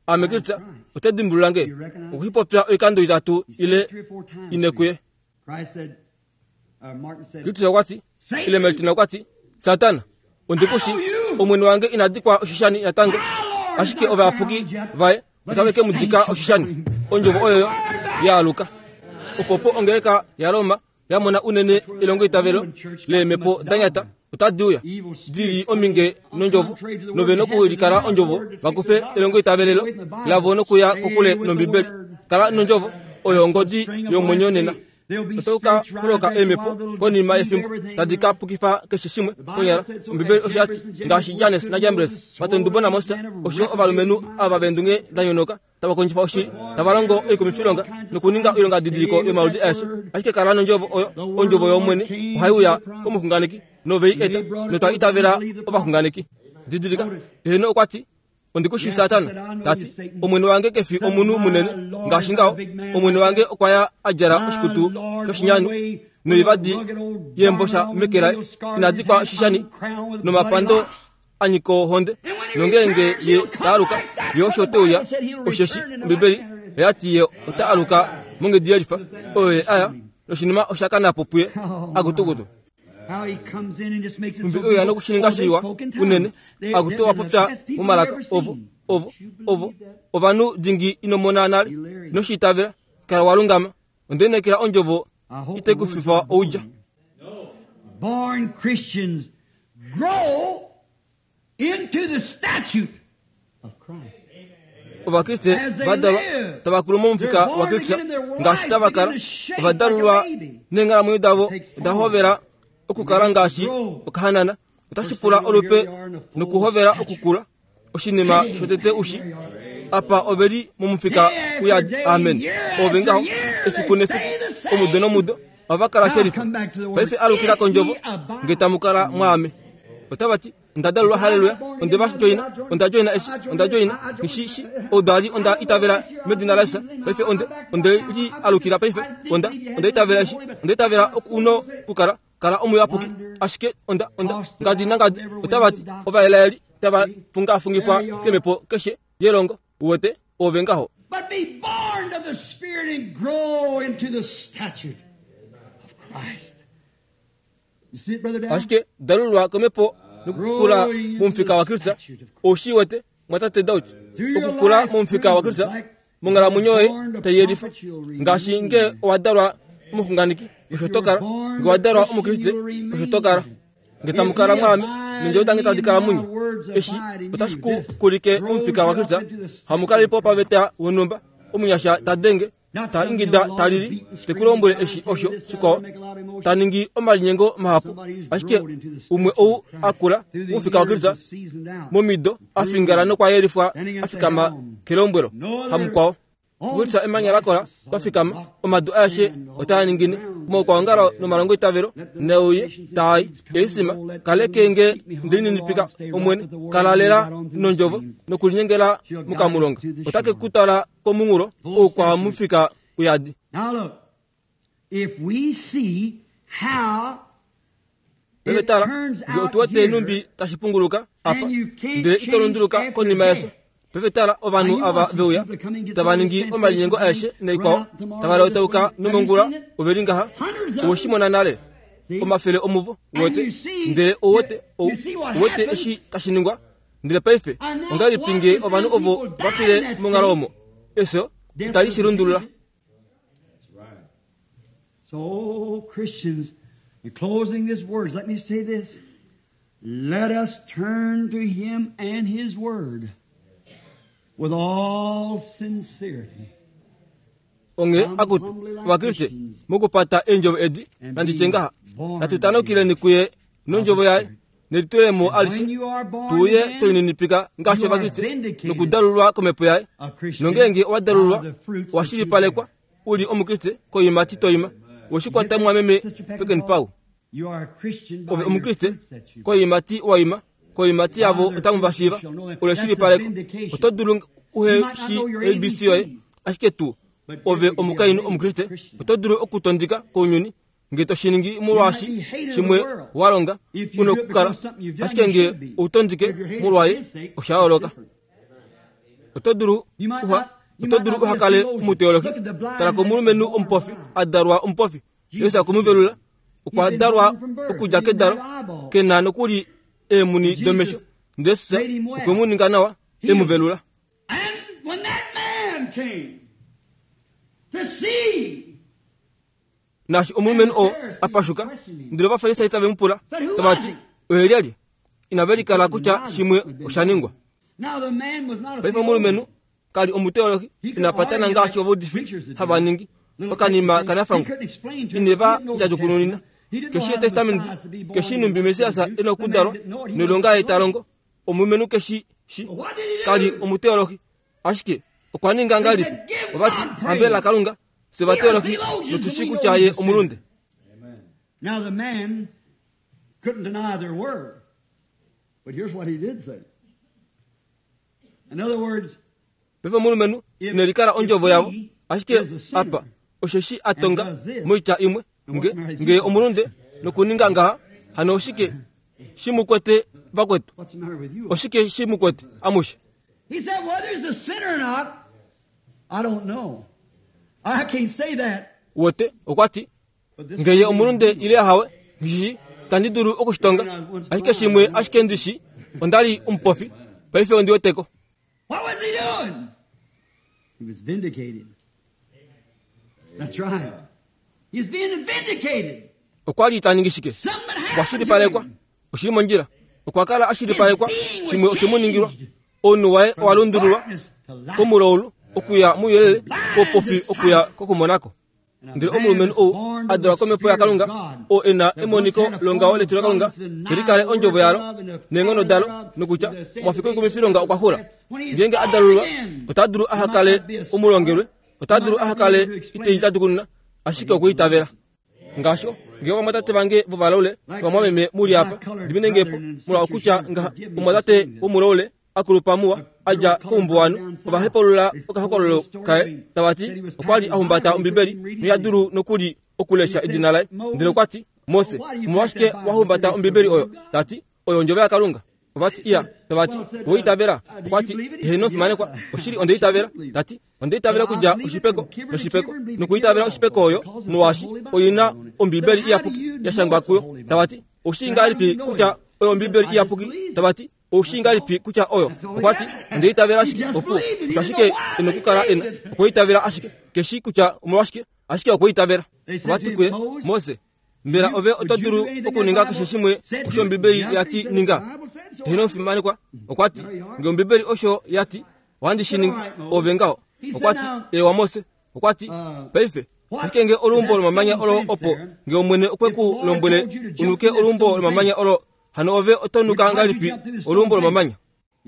Ame Kristus ote dimbulula nge. Okuhipopya oikando itatu ile ine kuye. Kristus okwa ti ile Martin okwa ti Satana ondikushi omwene wange inadikwa oshishani natango ashike ovayapuki vaye otave ke mudika oshishani. Ondjovo oyoyo yaaluka. Opopo ongeleka yaRoma yamona unene elongo itavelo leemhepo danyata otadi uya dili ominge nondjovo nove nokulikala ondjovo vakufe elongo itavelelo lavo nokuya kokule nombibeli. Kala nondjovo oyo ongodi yomwenyo nena. Otauka holoka eemhepo konima yefimbo tadi ka pukifa keshe shimwe konyala. Ombibeli osho yati ngaashi Jannes naJambres vatondubo naMoses osho ovalumenhu ava veendunge da nyonoka tava kondjifa oshili tava longo oikumifilonga nokuninga oilonga didiliko yomaludi aeshe. Ashike kala nondjovo oyo ondjovo yOmwene ohai uya komuxunganeki novei eta notwa itavela ovaxunganeki. Didilika eheno okwa ti ondikushi Satana tati omwene wange kefi omunhu munene ngaashi ngaho. Omwene wange okwa ya a djala oshikutu shoshinyanu noivadi yeembosha meke laye inadikwa oshishani nomapando anyika ohonde. Nongeenge ye ta aluka ye osho te uya osheshi Ombibeli oya ti ye ota aluka monghedi yelifa oyo ye aya noshinima osha kana po puye akutukutu. Mbi oyo nokushininga shiwa unene akutu wapopya momalaka ovo ovo ovo ovanhu dingi inomona nale noshiitavela kala walungama ondenekela ondjovo itekufifa oudja. Born Christians grow into the statute of Christ. Ovakriste vadalwa tavakulu momufika wa Kristus ngaashi tavakala ovadalulwa neenghalamwenyo davo oda hovela okukala ngaashi okahanana. Otashi pula olupe nokuhovela okukula oshinima shotete ushi apa oveli momufika uyadi. Amen. Ove ngaho efiku nefiku omudo nomudo ovakala sherifa. Paife alukila kondjovo nge tamukala mwaame. Otavati ondadalulwa haleluya ondeva joina onda joina eshi onda joina nishishi odali onda itavela medina laJesus. Paife onde onde li alukila paife onda onda itavela eshi onda itavela okuno kukala kala omuyapuki ashike onda onda ngadi nangadi. Otavati ovaelaeli tava fungafungifwa kemhepo keshe yelongo uwete ove ngaho. But be born of the Spirit and grow into the statute of Christ. You see it, Brother Dan? Ashike dalulwa komhepo nokukula momufika wa Kristus. Oshiwete mwatate Daud okukula momufika wa Kristus monghalamwenyo yoye tayelifa ngaashi nge owadalwa omuxunganeki osho tokala nge owadalwa omukriste osho tokala nge tamukala mwaame nendjovo dange tadi kala munye. Eshi otashi ku kulike momufika wa Kristus. Hamukalipo paveta wonhumba omunyasha tadenge ta ingida talili tekulombwele eshi osho shikwao ta ningi omalinyengo mahapu. Ashike umwe ou akula momufika wa Kristus momido afingala nokwayelifwa afikama kelombwelo hamukwao. Kulisa emanya lakola twafikama omadu aeshe otaa ningine mokwaongalo nomalongo itavelo neuye tai eisima kalekenge ndilinipika omwene kalalela nondjovo nokulinyengela mukamulonga otake kutala komunghulo oukwa mufika uyadi. Now look, if we see how Peve tala nge otuwete enumbi tashi punguluka apa ndele itolunduluka konima yeso. Peve tala ovanhu ava veuya tava ningi omalinyengo aeshe naikwao tava lautauka nomongula oveli ngaha owoshimona nale omafele omuvo wete ndele owete owete eshi tashi ningwa. Ndele paife ongahelipi nge ovanhu ovo vafile monghalo omo efyo itali shi lundulula. So Christians, in closing these words, let me say this. Let us turn to Him and His Word with all sincerity. Onge akutu vakriste mokupata eendjovo edi nanditye ngaha natutanukileni kuye nondjovo yaye nelitulemo alishe tuye tolinipika ngaashi ovakriste nokudalulwa komhepo yaye. Nongeenge owadalulwa owashilipalekwa uli omukriste koimati toima woshikwata mwameme pekenipau. Ove omukriste koimati waima koimati yavo otamu vashiiva oleshilipaleko. Oto dulu uhe shi A B C yoye ashike tu Ove omukainhu Omukriste oto dulu okutondika kounyuni nge to shi ningi molwaashi shimwe wa longa una okukala, ashike nge outondike molwaye osha yooloka. Oto dulu uha oto dulu uha kale omuteologi. Tala komulumenhu omupofi a dalwa omupofi, Jesus okwe mu velula, okwa dalwa okudja kedalo, ke na nokuli eemuni domesho, ndele Jesus okwe mu ninga nawa, e mu velula. And when that man came to see, Naashi omulumenhu oo a pashuka, ndele Ovafarisai tave mu pula, tava ti, oye lyelye? Inave likala kutya shimwe osha ningwa. Now the man was not a Paife omulumenhu kali omuteologi, ina patana ngaashi ovaudifi hava ningi, okanima kanafangwa, ineva djadjukununina. Keshi etestamenti, keshi numbi Messias ena okudalwa, noilonga ye ta longo, omulumenhu keshi shi, kali omuteologi, ashike okwa ninga ngahelipi? Ovati, hambela Kalunga, fye ovateologi notushi kutya ye omulunde. Now the man couldn't deny their word. But here's what he did say. In other words, Paife omulumenhu ine likala ondjovo yavo, ashike apa osheshi a tonga moitya imwe, nge, nge omulunde nokuninga ngaha, hano oshike shi mu kwete vakwetu? what's the matter with you? Oshike shi mu kwete amushe? He said, whether he's a sinner or not, I don't know. I can't say that. Wote okwa ti, But this ngeye omulunde ile ahawe, ngishi tandi dulu okushitonga, ashike shimwe ashike ndishi, onda li omupofi, paife ondi weteko. What was he doing? He was vindicated. That's right. He was being vindicated. Okwa li ta ningi shike? Something Okwa happened to shilipalekwa, him. oshili mondjila. Okwa kala a shilipalekwa, shimwe oshe mu ningilwa. Ounhu waye owa lundululwa Darkness to light. komulaulu okuya muuyelele, koupofi okuya kokumonako. Ndele omulumenhu ou a dalwa komhepo yaKalunga, oo e na emoniko longaho letilo laKalunga, te likale ondjovo yalo neenghono dalo, nokutya omafiku oikumifilonga okwa xula. Ngeenge a dalululwa, ota dulu aha kale omulongelwe, ota dulu aha kale ite djadukununa, ashike okwa itavela. Ngaashi ngee ovamwatate vange vovalaule novamwameme muli apa, diminenge po molwa okutya ngaha omumwatate womulaule akulupa muwa a dja koumbuwanhu, ova hepalula okahokololo kaye tava ti okwa li a humbata Ombibeli noya dulu nokuli okulesha edina laye. Ndele okwa ti, Mose, omolwashike wa humbata Ombibeli oyo? Ta ti, oyo ondjovo yaKalunga. Ova ti, iya, tava ti, owe itavela? Okwa ti, eheno fimanekwa, oshili onde itavela. Ta ti, onde itavela okudja oshipeko noshipeko, nokuitavela oshipeko oyo, molwaashi oina Ombibeli iyapuki ya shangwa kuyo. Tava ti, oushii ngahelipi kutya oyo Ombibeli iyapuki? Tava ti, oushii ngahelipi kutya oyo? Okwa ti, onde itavela ashike, opuwo. Osho ashike ena okukala ena, okwa itavela ashike. Keshi kutya omolwashike, ashike okwa itavela. Ova ti kuye, Mose, mbela ove oto dulu okuninga keshe shimwe osho Ombibeli ya ti ninga? Eheno fimanekwa, okwa ti, nge Ombibeli osho ya ti, ohandi shi ningi, ove ngaho. Okwa ti, ewa Mose, okwa ti, paife, ashike nge olumbo lomamanya olo opo, nge Omwene okwe ku lombwele unuke olumbo lomamanya olo, hano ove oto nuka ngahelipi olumbo lomamanya?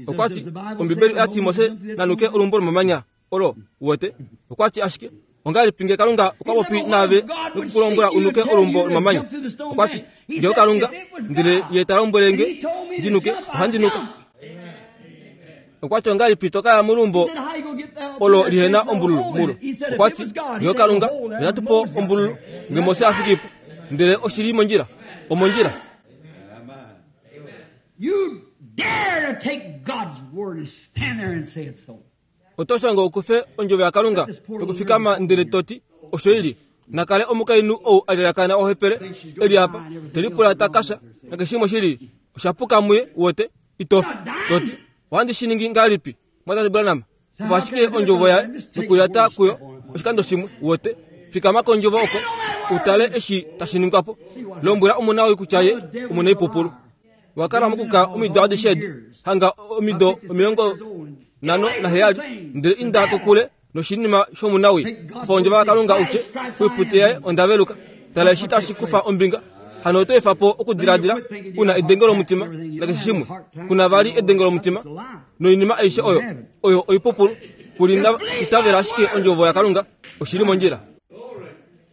Okwa ti, Ombibeli oya ti Mose nanuke olumbo lomamanya olo, uwete? Okwa ti ashike, ongahelipi nge Kalunga okwa popi naave nokukulombwela unuke olumbo lomamanya? Okwa ti, nge Kalunga, ndele ye ta lombwele nge ndinuke, ohandi nuka. Okwa ti ongahelipi to kaya molumbo olo lihena ombululu mulo? Okwa ti, nge Kalunga, ota tu po ombululu, nge Mose a fiki po, ndele oshili mondjila, omondjila. You dare to take God's word and stand there and say it's so. Oto shanga okufe ondjovo yaKalunga nokufikama ndele to ti osho ili. Nakale omukainhu ou a lyakana ohepele eli apa, te lipula ta kasha, nakeshimwe shili osha puka muye, wote itofi, to ti ohandi shi ningi ngahelipi? Mwatate Branham, kufa ashike ondjovo yaye nokulyata kuyo oshikando shimwe, wote fikama kondjovo oko utale eshi tashi ningwa po. Lombwela omona woye kutya ye omunaipupulu. Wakala mokuka omido adishe edi, hanga omido omilongo nhano naheyali, ndele inda kokule noshinima shomunawi. Kufa ondjovo yaKalunga utye, oipute yaye onda veluka. Tala eshi tashi kufa ombinga. Hano oto efa po okudiladila una edenge lomutima nakeshe shimwe. Kuna vali edenge lomutima noinima aishe oyo, oyo oipupulu. Kuli na itavela ashike ondjovo yaKalunga, oshili mondjila.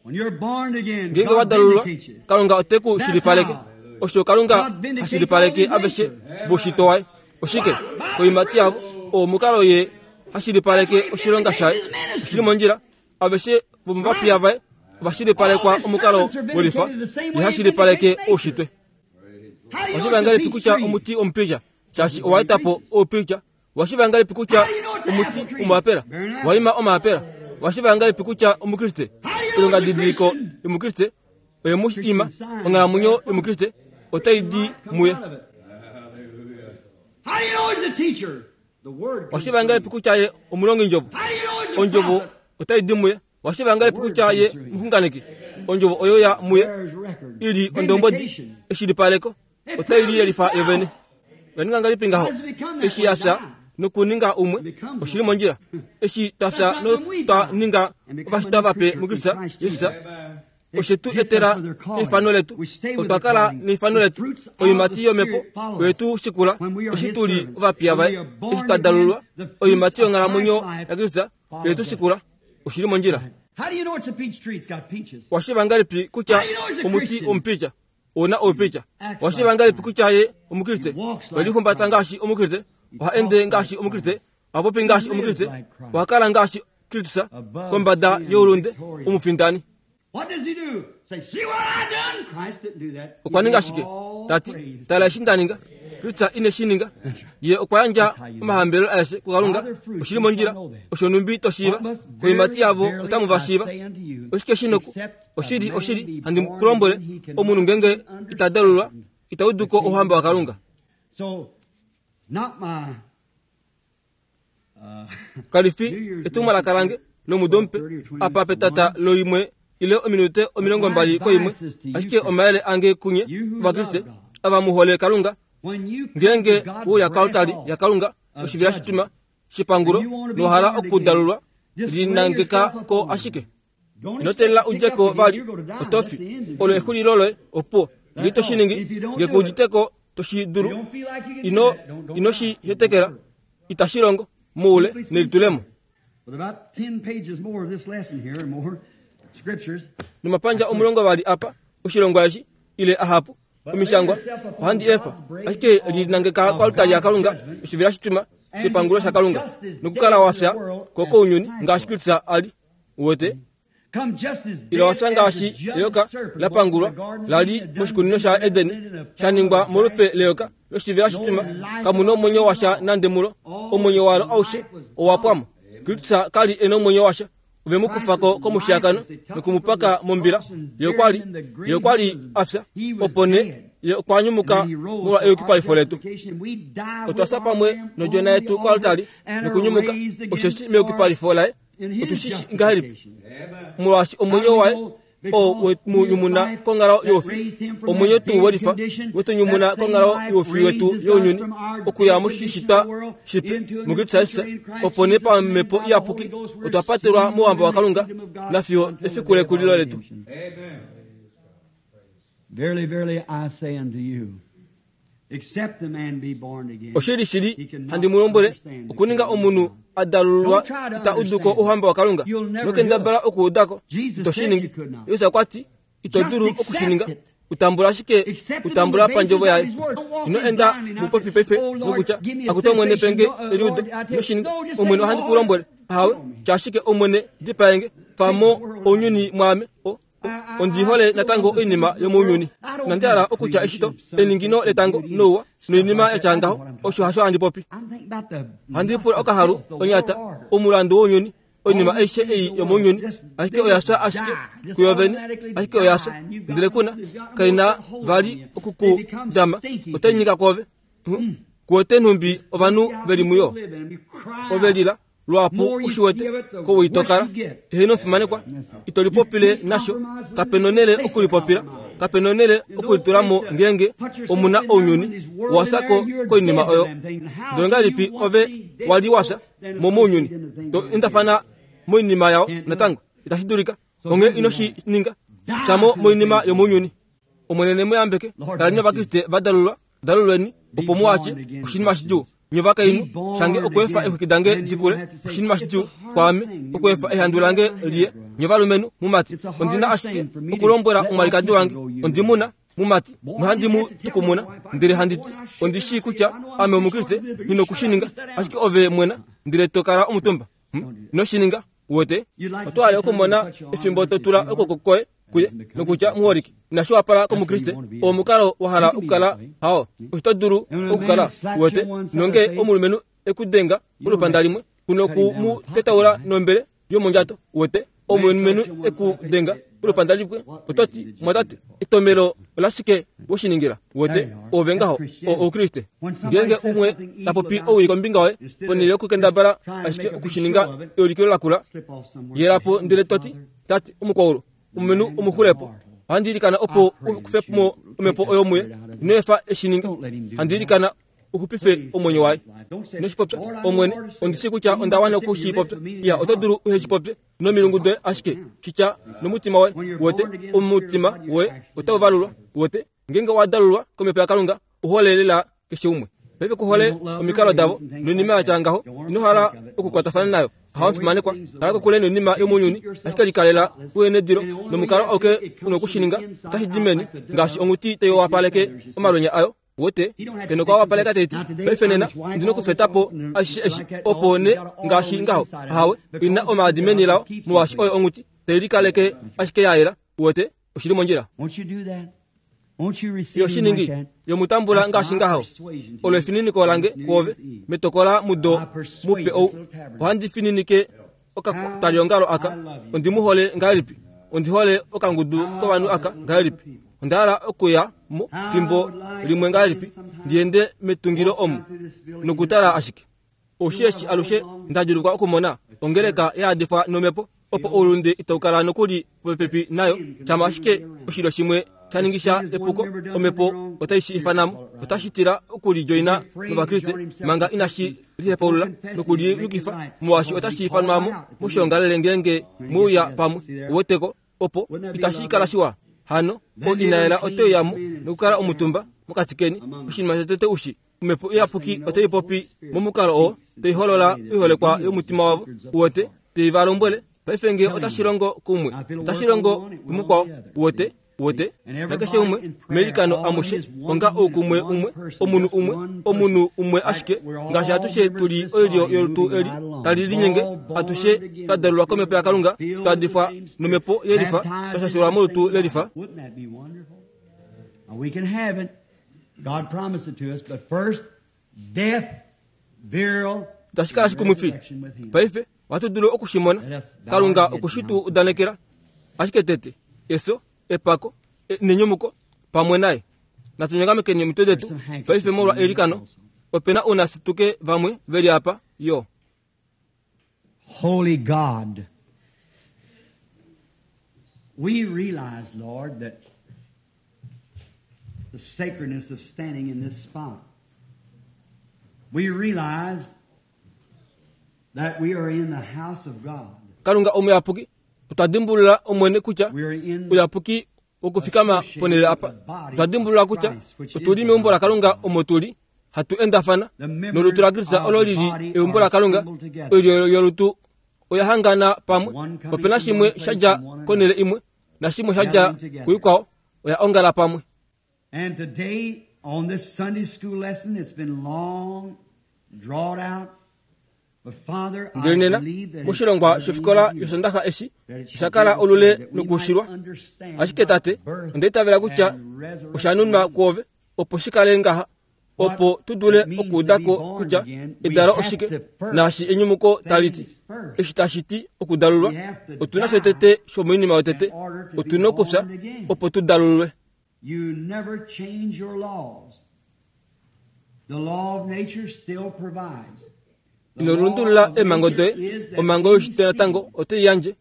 When you're born again, Ngeenge God wa dalululwa, vindicates you. Kalunga ote ku shilipaleke. Osho Kalunga ha shilipaleke aveshe voshito waye. Oshike? Koimati yavo, oo omukalo ye ha shilipaleke oshilonga shaye. Oshili mondjila. Aveshe vomovapiya vaye ovashilipalekwa omukalo welifa ihashilipaleke oushitwe. Washiva ngahelipi kutya omuti omupija shaashi owaeta po oupija? Washiva ngahelipi kutya omuti omaapela waima omaapela? Washiva ngahelipi kutya omukriste ilongadidiliko yomukriste oye mu ima onghalamwenyo yomukriste otai di muye? Washiva ngahelipi kutya ye omulongindjovo? Ondjovo otai di muye. Washiva ngahelipi kutya ye muxunganeki? Ondjovo oyo ya muye ili ondombodi eshilipaleko otai liyelifa yovene. Oya ngahelipi ngaho eshi ya fya nokuninga umwe oshili mondjila? Eshi twa fya notwa ninga ovashitwa vape muKristus Jesus, oshe tu etela eifano letu. Otwa kala neifano letu. Oiimati yomhepo oye tu shikula eshi tu li ovapiya vaye. Eshi twa dalulwa, oiimati yonghalamwenyo yaKristus oye tu shikula. Oshili mondjila. Washiva ngahelipi kutya omuti omupija ouna oupija? Washiva ngahelipi kutya ye omukriste? Okwe ngaashi omukriste, oha ende ngaashi omukriste, oha popi ngaashi omukriste, oha kala ngaashi Kristus kombada youlunde omufindani. Okwa ninga shike? Tati, tala eshi nda ninga. Kristus ine shi ninga. Ye okwa yandja omahambelelo aeshe kuKalunga. Oshili mondjila. Osho numbi to shiiva. Koimati yavo otamu va shiiva. Oshike shi noku? Oshili, oshili, handi ku lombwele, omunhu ngenge ita dalulwa, ita udu ko ouhamba waKalunga. Kalifi etumwalaka lange lomudo mupe apa petata loimwe ile ominute omilongo mbali koimwe, ashike omayele ange kunye Ovakriste ava mu hole Kalunga. Ngenge uya koaltari yaKalunga oshivila shituma shipangulo nohala okudalulwa, linangeka ko ashike. Ino teelela udje ko vali otofi olo exulilo loye opuwo. Ngee to shi ningi, ngee ku udite ko to shi dulu, ino ino shi hetekela, itashi longo moule nelitulemo. Nomapandja omulongo vali apa oshilongwa eshi ile ahapu omishangwa ohandi efa, ashike linangeka koaltari yaKalunga oshivila shituma shepangulo shaKalunga nokukala wafya ko kounyuni ngaashi Kristus ali. Uwete? Ile wafya ngaashi eyoka lapangulwa lali moshikunino sha Edeni, sha ningwa molupe leyoka loshivila shituma, kamuna omwenyo washa nande mulo, omwenyo walo aushe owapwamo. Kristus kali ena omwenyo washa. Ove mu kufa ko komushiyakano nokumupaka mombila. Ye okwa li ye okwa li afya, opo nee ye okwa nyumuka molwa eyukipalifo letu. Otwa fya pamwe nodjona yetu koaltari nokunyumuka, osheshi meyukipalifo laye otu shi shii ngahelipi? Molwaashi omwenyo waye oo we mu nyumuna konghalo youfi, omwenyo tuu welifa we tu nyumuna konghalo youfi wetu younyuni, okuya moshishitwa shipe muKristus Jesus, opo nee pamhepo iyapuki otwa patelwa mouhamba waKalunga nafiyo efiku lekulilo letu. Verily, verily, I say unto you, except the man be born again, Oshili shili handi mu lombwele, okuninga omunhu adalulwa ita udu ko ouhamba waKalunga. Nokendabala okuuda ko, ito shi ningi. Jesus okwa ti, ito dulu okushininga. Utambula ashike, utambula pandjovo yaye. Ino enda mupofi paife nokutya, akutu Omwene penge eliudo. Ino shi ninga. Omwene ohandi ku lombwele, ahawe, tya ashike Omwene dipaenge, famo ounyuni mwaame. O, ondi hole natango oinima yomounyuni. Inandi hala okutya eshito, eningino letango nouwa noinima yatya ngaho, osho hasho handi popi. Handi lipula okahalu, onyata, omulandu wounyuni, oinima aishe ei yomounyuni, ashike oya fya ashike kuyovene, ashike oya fya, ndele kuna kaina vali okukudama, otai nyika kwoove. Kuwete nhumbi ovanhu veli muyo, ove lila lwapu ushiwete kowitokala eheno fimanekwa, ito lipopile nasho, kapena onele okulipopila, kapena onele okulitulamo ngenge omuna ounyuni owasako koinima oyo. Ndele ngahelipi ove wali wafya mo mounyuni, to endafana moinima yao natango, itashi dulika. Onghee ino shi ninga, fyamo moinima yomounyuni. Omwene ne mu yambeke. Kaleni Ovakriste va dalulwa, dalulweni opo mu watye oshinima shidjuu. Nye ovakainhu, shange okweefa eexwiki dange dikule, oshinima shidjuu kwaame okweefa ehandu lange liye. Nye ovalumenhu mumati, ondina ashike okulombwela omwalikadi wange, ondimuna mumati, nohandi mu tukumuna, ndele handi ti, ondi shii kutya ame Omukriste, nghi nokushininga, ashike ove mwena, ndele to kala omutumba. Ino shi ninga, Uwete oto hale okumona efimbo to tula okwooko kwoye kuye nokutya muholike inashi wapala komukriste omukalo wa hala okukala hao osho to dulu okukala. Uwete nonge omulumenhu ekudenga olupanda limwe kuno ku mu tetaula nombele yomondjato. Uwete omulumenhu ekudenga olupanda limwe ototi mwatate etomelo olashike woshiningila. Uwete ove ngaho oukriste. Ngeenge umwe ta popi owii kombinga yoye ponhele yokukendabala ashike okushininga eulikilo lakula yelapo ndele toti tate omukwaulu omulumenhu omuxulepo ohandi ilikana opo u kufe mo omhepo oyo muye ino efa eshininge handi ilikana uxupife omwenyo waye. Inoshipopya omwene ondi shii kutya onda wana okushipopya iya oto dulu uheshipopye nomilungu doye ashike shitya nomutima woye. Uwete omutima woye otau valulwa. Uwete ngeenge owa dalulwa komhepo yaKalunga uhole lela keshe umwe. Paife kuhole omikalo davo noinima yatya ngaho ino hala okukwatafana nayo. Hawafimanekwa kala kokule noinima yomounyuni ashike likalela kuhenedilo nomukalo auke una okushininga otashi di meni ngaashi onghuti tai wapaleke omalwenya ayo. Uwete keno kwa wapaleka taiti paife nena ndina okufetapo ashishe eshi opo ne ngaashi ngaho ahawe ina omaadi meni lao molwaashi oyo onghuti tai likaleke ashike ya yela. Uwete oshili mondjila yoshiningi yomutambula ngaashi ngaho olo efininiko lange kwoove metokola mudo mupe ou ohandi fininike okataliongalo aka ondi mu hole ngahelipi ondi hole okangudu kovanhu aka ngahelipi onda hala okuya mo fimbo limwe ngahelipi ndiende metungilo omu nokutala ashike oushi eshi alushe ndadjulukwa okumona ongeleka yaadifwa nomhepo opo oulunde itau kala nokuli popepi nayo shama ashike oshilyo shimwe shaningisha epuko omhepo otai shi ifanamo otashi tila okulidjoina novakriste manga inashi lihepaulula nokuliyukifa molwaashi otashi ifanwamo moshiongalele ngeenge mweuya pamwe. Uweteko opo itashi kala shiwa hano o inayela otoiyamo nokukala omutumba mokati keni oshinima shotete ushi omhepo iyapuki otai popi momukalo oo taiholola oiholekwa yomutima wavo. Uwete tei va lombwele paife nge otashi longo kumwe otashi longo kumukwao. Uwete uwete nakeshe umwe meilikano amushe onga oukumwe umwe omunhu umwe omunhu umwe ashike ngaashi atushe tuli oilyo yolutu eli tali linyenge atushe twa dalulwa komhepo yaKalunga twa difwa nomhepo yelifa twa shashulwa molutu lelifa. Itashi kala shikumwifi. Paife ohatu dulu okushimona Kalunga okushitu udanekela ashike tete efyo epako nenyumuko pamwe naye. Natunyongamekeni omitwe detu paife molwa eilikano. Opena ounasituke vamwe veli apa yo. Holy God, we realize, Lord, that the sacredness of standing in this spot. We realize that we are in the house of God. Kalunga omuyapuki otwa dimbulula omwene kutya uyapuki wokufikama ponhele apa. Otwa dimbulula kutya otuli meumbo laKalunga omo tuli hatu endafana nolutu laKristus olo lili eumbo laKalunga. Oilyo yolutu oya hangana pamwe. Opena shimwe shadja konhele imwe nashimwe shadja kuikwao oya ongala pamwe. And today on this Sunday school lesson, it's been long drawn out. Ndele nena moshilongwa shofikola yosondaxa eshi osha kala olule nokushilwa ashike tate onda itavela kutya osha nunwa kwoove opo shikale ngaha opo tudule okuudako kutya edalo oshike naashi enyumuko taliti eshi tashi ti okudalulwa otuna shotete shomoinima yotete otuna okufya opo tudalulwe. You never change your laws. The law of nature still provides. Ino lundulula eemhango doye omhango yoshitwe natango otai yandje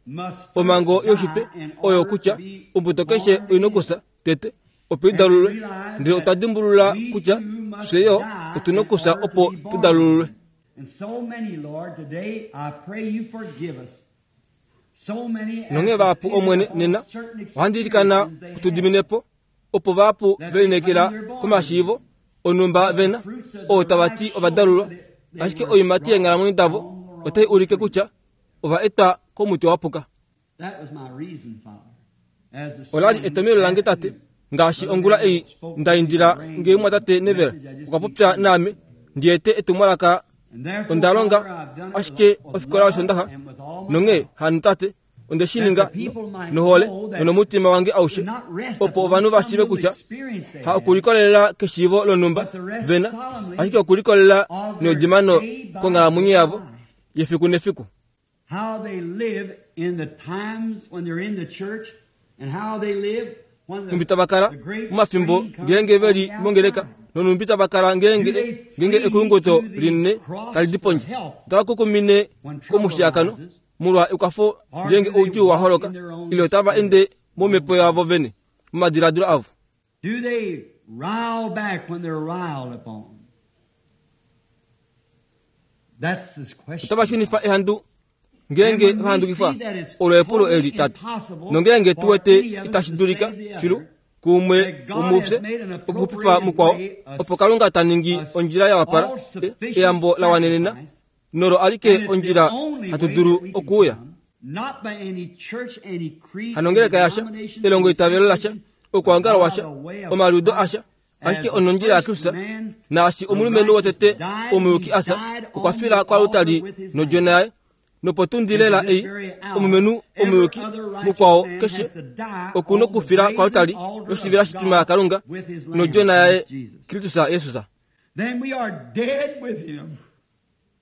omhango yoshitwe oyo kutya ombuto keshe oina okufya tete opo idalulwe. Ndele otwa dimbulula kutya fye yo otuna okufya opo tudalulwe. Nonghee vahapu omwene nena ohandi ilikana utudiminepo opo vahapu velinekela komashiivo onhumba vena oo tava ti ovadalulwa ashike oiimati yeenghalamwenyo davo otai ulike kutya ova etwa komuti wa puka. Olali etomelo lange tate ngaashi ongula ei nda indila ngee mwatate Neville okwa popya naame ndiete etumwalaka Onda longa ashike ofikola yOshondaxa nonghee hano tate onde shi ninga nohole nonomutima wange aushe opo ovanhu va shiive kutya ha okulikolelela keshiivo lonhumba vena ashike okulikolelela neudimano konghalamwenyo yavo yefiku nefiku. How they live in the times when they're in the church and how they live when Nhumbi tava kala momafimbo ngeenge veli mongeleka nonhumbi tava kala ngeenge ngeenge ekulunguto linene tali di pondje. Otava kukumine komushiakano molwa ekwafo ngeenge oudjuu wa holoka ile otava ende momhepo yavo vene momadiladilo avo. Do they rile back when they're riled upon? That's this question. Otava shunifa ehandu ngeenge vahandukifwa olo epulo eli tate nongeenge tuwete itashi dulika filu kuumwe womufye okuxupifa mukwao opo Kalunga ta ningi ondjila ya wapala eyambo la wanenena nolo alike ondjila hatu dulu okuuya. Hanongeleka yasha elongo itavelo lasha okwaongala washa omaliudo asha ashike onondjila yaKristus naashi omulumenhu wotete omuyuki asa okwa fila kwalutali nodjona yaye nopotundi lela ei omulumenhu omuyuki mukwao keshe okuna okufila kwalutali yoshivela shitima yaKalunga nodjona yaye Kristus Jesus.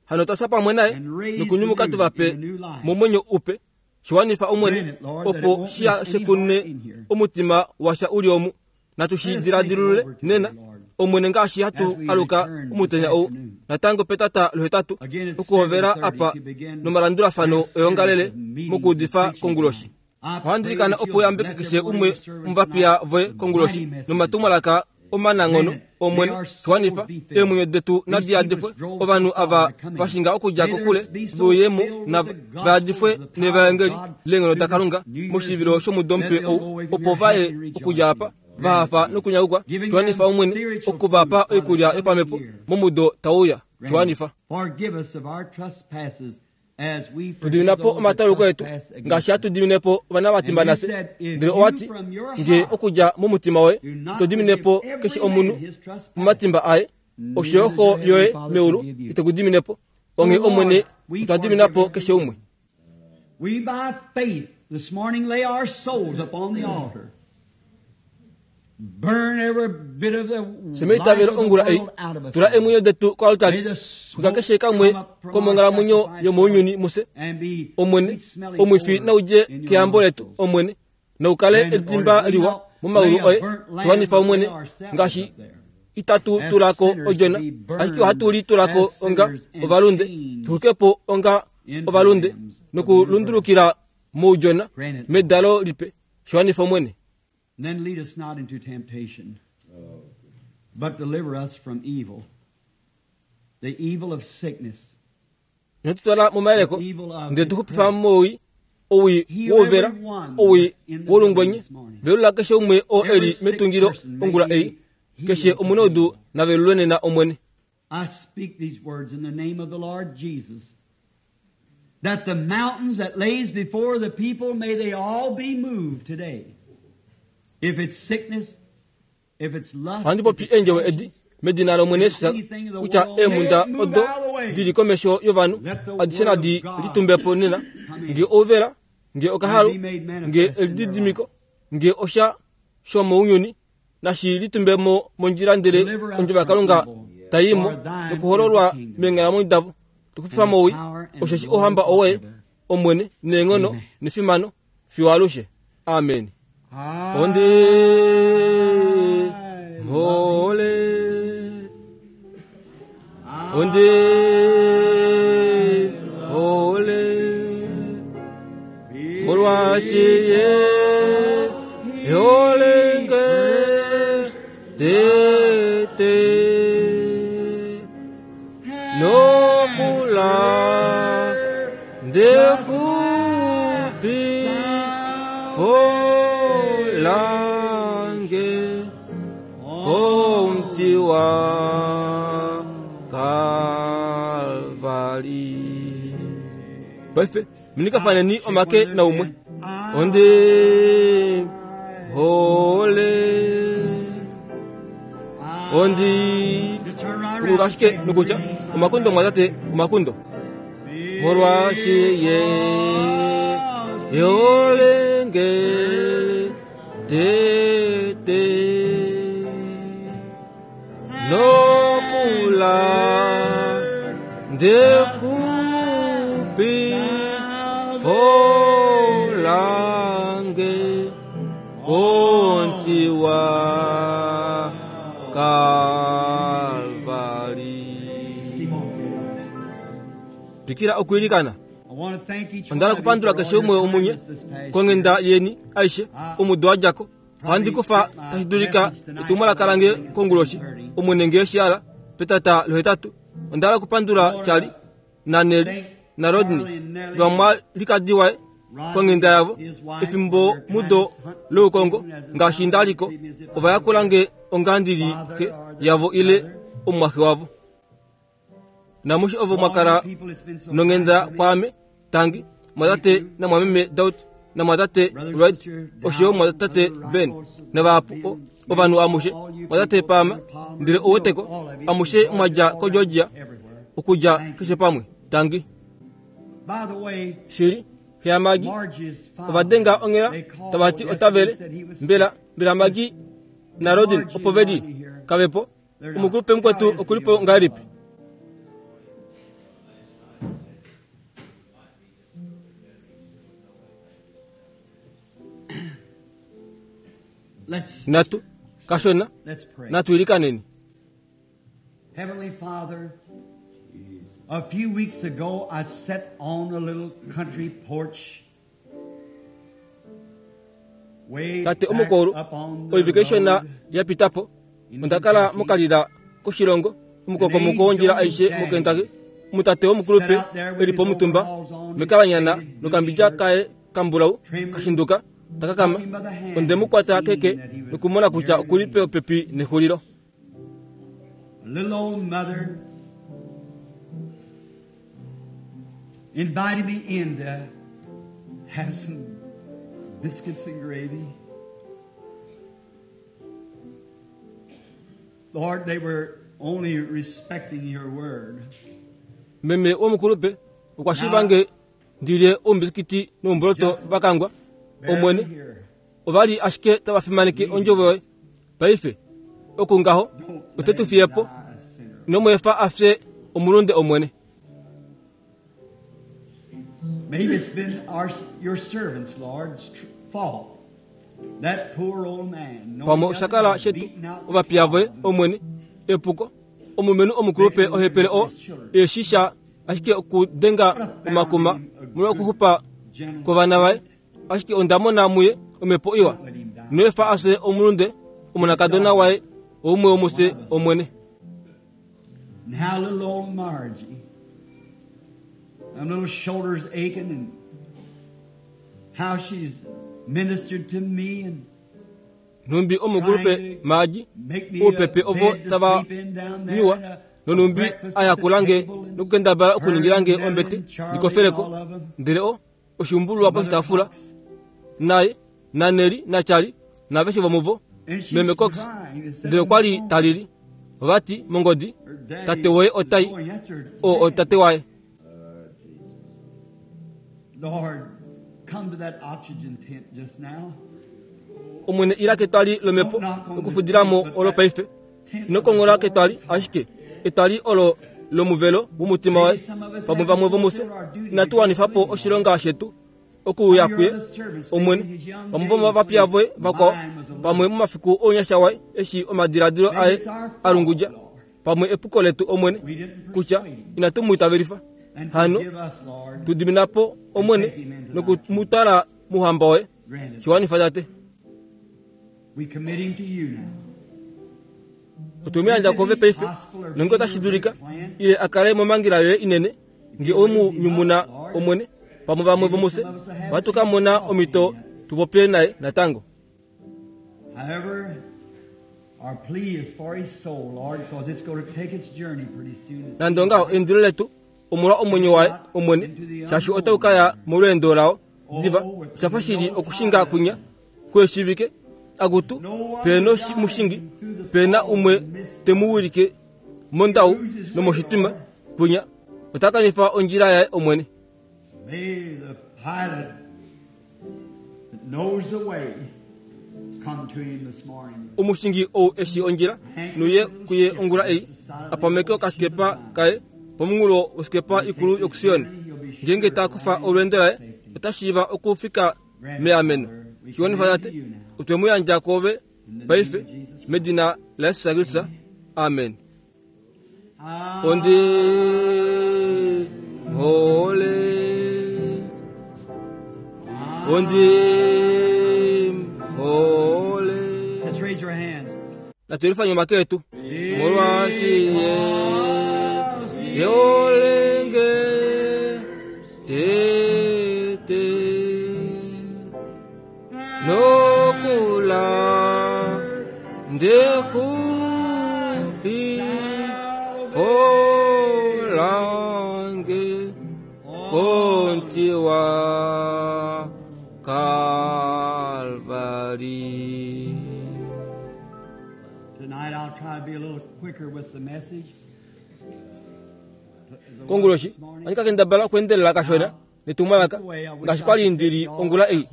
Hano twasa pamwe naye nokunyumuka tuvape momwenyo upe shiwanifa Omwene opo shiya shekune omutima washa uli omu natu shi diladilule nena Omwene ngaashi hatu aluka omutenya ou natango petata lohetatu okuhovela apa nomalandulafano eongalele mokuudifa konguloshi. Ohandi ilikana opo uyambeke keshe umwe omuvapiya voye konguloshi nomatumwalaka omananghono Omwene shiwanifa eemwenyo detu nadi yadifwe ovanhu ava vashinga okudja kokule vouyemo nava vayadifwe nevaengeli leenghono daKalunga moshivilo shomudo mupe ou opo vaye okudja apa vahafa nokunyakukwa shiwanifa Omwene okuvapa oikulya yopamhepo momudo tauya shiwanifa. Tudiminepo omatauluko etu ngaashi hatu diminepo ovana vatimba nafye ndele owati nge okudja momutima woye ito diminepo keshe omunhu momatimba aye osho Xo yoye meulu ite ku diminepo onghee Omwene otwa diminapo keshe umwe. We by faith this morning lay our souls upon the altar. Burn every bit of the Semeitavelo ongula ei tula emwenyo detu koaltari kuka keshe kamwe komonghalamwenyo yomounyuni muse Omwene omwifi naudje keyambo letu Omwene naukale edimba liwa momaulu oye shiwanifa Omwene ngaashi itatu tulako odjona ashike ohatu li tulako onga ovalunde tuxukepo onga ovalunde nokulundulukila moudjona medalo lipe shiwanifa Omwene. Then lead us not into temptation, but deliver us from evil, the evil of sickness. Inotutwala momayeleko ndele tuxupifa mowii owii wouvela owii wolungwenye velula keshe umwe oo eli metungilo ongula ei keshe omunaudu navelulwe nena Omwene. I speak these words in the name of the Lord Jesus, that the mountains that lays before the people, may they all be moved today. If it's sickness, if it's lust, Ohandi popi eendjovo edi medina lOmwene Jesus kutya eemhunda odo dili komesho yovanhu adishe nadi litumbepo nena nge ouvela nge okahalu nge elididimiko nge osha shomounyuni nashi litumbemo mondjila ndele ondjovo yaKalunga taimo nokuhololwa meenghalamwenyo davo tukufifa mowii osheshi ohamba owoye Omwene neenghono nefimano fiyo alushe. Amen. Onde hole onde hole molwashiye holenge tete nokula ndekupi folange komti wa Kalvari. Paife munikafaneni omake naumwe onde hole Ondi punguluka ashike nokutya omakundo mwatate omakundo. Molwaashi ye yolenge tete nokula ndekupi folange kontiwa Kalvari. Twikira okuilikana. Ondala kupandula keshe umwe omunye kongenda yeni aishe omudo wajako. Ohandi kufa tashi dulika etumwalaka lange konguloshi omwene ngee shiala petata lohetatu. Ondala kupandula Charlie na Nelly na Rodney vamwalikadi waye kongenda yavo efimbo mudo loukongo ngaashi ndaliko ovayakulange ongandili xe yavo ile omumwaxe wavo. Namushi ovo mwakala nongenda kwaame tangi mwatate namwameme Daud namwatate Red oshoyo mwatate Ben navahapu ovanhu amushe mwatate Pama ndele oweteko amushe mwadja ko Georgia okudja keshe pamwe tangi. Shili xeyamagi ovadenga onghela tavati otavele mbela mbela magi na Rodin opo veli kavepo omukulupe mukwetu okulipo ngahelipi. Natu kashona natuilikaneni. Heavenly Father, a few weeks ago I sat on a little country porch way Tate omukulu oivike shona yapitapo ondakala mokalila koshilongo omukokomoko wondjila aishe moKentucky. Omutate womukulupe elipo omutumba mekalanyana nokambidja kaye kambulau kashinduka takakama. Ondemukwata keke nokumona kutya okulipe opepi nexulilo. Little old mother invited me in to have some biscuits and gravy. Lord, they were only respecting your word. Meme womukulupe okwashivange ndilye oumbisikiti noumboloto vakangwa omwene ovali ashike tavafimaneke ondjovo yoye. Paife okungaho otetufiyepo nomweefa afye omulunde omwene. Maybe it's been our, your servants, Lord's fault. That poor old man. Pamwe oshakala shetu ovapiya voye omwene epuko omumenu omukulupe ohepele o eshisha ashike okudenga omakuma molwa okuxupa kovana vaye. Ashike ondamona muye omhepo iwa noefa afye omulunde omonakadona waye oumwe womufye omwene. Now little old Margie, them little shoulders aching, and how she's ministered to me and Nhumbi omukulupe Margie oupepe ovo tava nyuwa nonumbi ayakulange nokukendabala okuningilange ombete ndikofeleko ndele o oshiumbululwa poshitaafula naye naNeli naCharlie naveshe vomuvo Meme Cox ndele okwali talili vati mongodi tate woye otai o otate waye. Lord, come to that oxygen tent just now. Omwene ila ketwali lomhepo okufudilamo olo paife. Inokongola ketwali ashike etwali olo lomuvelo womutima waye. Pamwe vamwe vomufye inatu wanifapo oshilonga shetu okuuya kuye omwene. Vamwe vomovapiya voye vakwao pamwe momafiku ounyasha waye eshi omadiladilo aye alungudja. Pamwe epuko letu omwene kutya inatu mu itavelifa. Hano tudiminapo omwene nokumutwala muhamba waye. Shiwanifa tate. We commit him to you now. Otumuyandja kove paife nonge otashi dulika ile akale momangila yoye inene nge omu nyumuna omwene. Pamwe vamwe vomufye ohatu ka mona omhito tupopye naye natango. However, our plea is for his soul, Lord, because it's going to take its journey pretty soon. Nande ongaho eindilo letu omolwa omwenyo waye omwene shaashi otau kaya molweendo lao diva. Oshafa shili okushinga kunya kweshivike Akutu pena mushingi pena umwe temuwilike mondau nomoshitima kwinya otakanifa ondjila yaye omwene. May the pilot that knows the way come to him this morning. Omushingi ou eshi ondjila nuye kuye ongula ei apameke okasikepa kaye pomunghulo wosikepa ikulu yokuSion. Ngenge takufa olweendo laye otashiiva okufika meameno. Shiwanifa tate otwemuyandja kwoove paife medina la Yesu Kristu. Amen. Ondi hole ondi hole. Let's raise our hands. Natwelifa nyuma ketu molwashiye yeolenge tete nokula ndekupi folange kontiwa Calvary. Tonight I'll try to be a little quicker with the message. Konguloshi andika kendabala okwendelela kashona netumwalaka ngaashi kwali ndili ongula ei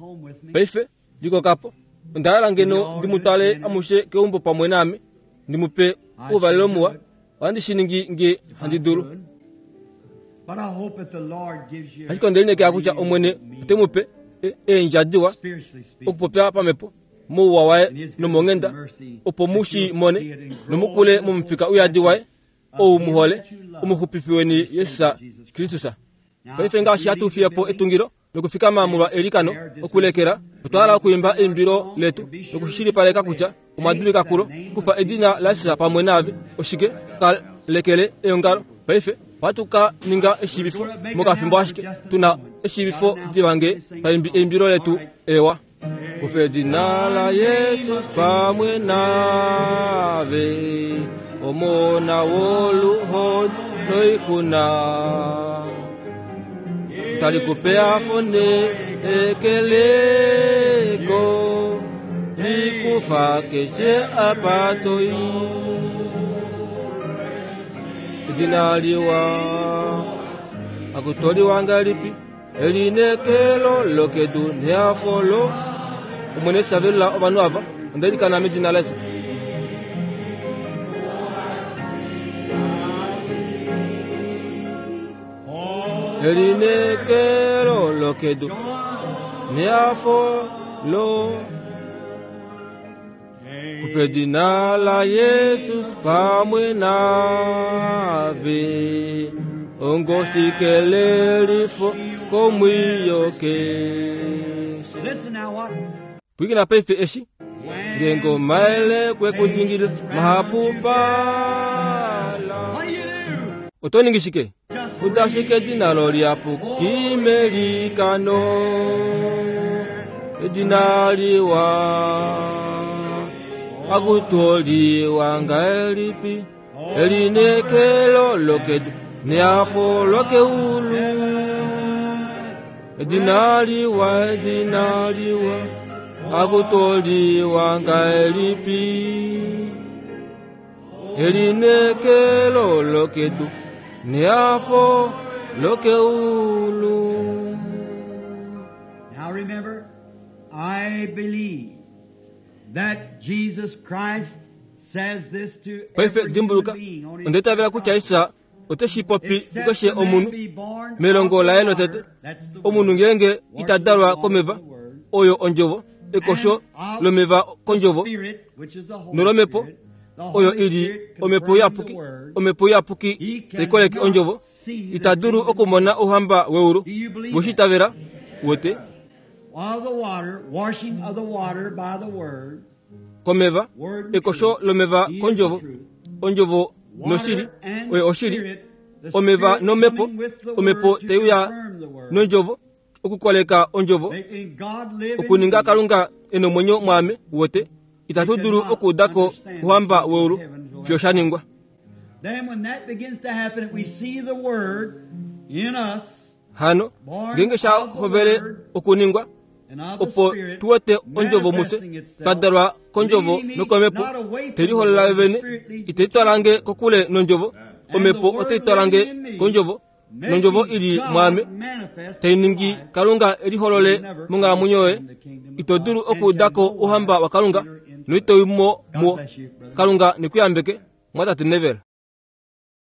paife likokapo ondahala ngeno ndimutwale amushe keumbo pamwe naame ndimupe uuvalelo muwa ohandi shi ningi nge handi dulu. But I hope that the Lord gives you Ashike ondelinekela kutya omwene otemupe eendja diwa spiritually speaking. okupopya pamhepo mouwa waye nomonghenda opo mushi mone nomukule momufika uyadi waye ou muhole omuxupifi weni Yesus Kristus. Paife ngaashi hatu fiya po etungilo nokufikama molwa elikano okulekela otwa hala okuimba eimbilo letu nokushilipaleka kutya omwa kulo kufa edina laYesus pamwe naave oshike ka lekele eongalo. Paife ohatu ka ninga eshiivifo mokafimbo ashike tuna eshiivifo divange paimbi eimbilo letu ewa. Kufa edina la Yesus pamwe naave omona woluhodi noikuna talikupea fone ekeleko likufa keshe apatoi edina liwa akutoliwa ngalipi elinekelo lokedu neafolo omwene savelula ovanhu ava ondelikana medina laYesu. Elinekelo lokedu neafolo kufa edina la Yesus pamwe naave ongoshikelelifo komwiyo keshe. Listen now what Pwikina paife eshi ngengo maele kwekudingila mahapupala. What do you do? Otoningishike futashike edina lolyapuki melikano edina liwa akutoliwa ngalipi elinekelo lokedu neafo lokeulu edina liwa edina liwa akutoliwa ngalipi elinekelo lokedu neafo lokeulu. Now remember, I believe that Jesus Christ says this to Paife every dimbuluka human being on his ondetavela kutya Yesus oteshi popi Except kukeshe a man omunhu be born melongo of laye the lotete water, that's the omunhu word. ngenge itadalwa komeva oyo ondjovo ekosho lomeva kondjovo Spirit, which is the Holy nolomepo Spirit, the oyo Holy ili Spirit omhepo confirming iyapuki the word. omhepo iyapuki taikoleke ondjovo itadulu okumona ouhamba weulu voshitavela wote Of the water, washing of the water by the word, komeva word and ekosho truth. lomeva He is kondjovo the truth. ondjovo noshili Water and oyo oshili Spirit, the omeva Spirit nomhepo coming with the omhepo word to teiuya confirm the word. nondjovo okukoleka ondjovo Making God live in okuninga you. Kalunga enomwenyo mwame wote itatu dulu okuudako ouhamba weulu fiyo sha ningwa. Then when that begins to happen, we see the word in us, Hano ngenge sha hovele okuningwa Opo tu wete ondjovo mufye, twa dalwa kondjovo nokomhepo, te liholola vene, ite twalange kokule nondjovo, omhepo otai twalange kondjovo, nondjovo ili mwaame, tai ningi Kalunga eliholole monghalamwenyo yoye. Ito dulu okuudako ouhamba waKalunga noito i mo muwo. Kalunga nekuyambeke, mwatate Neville.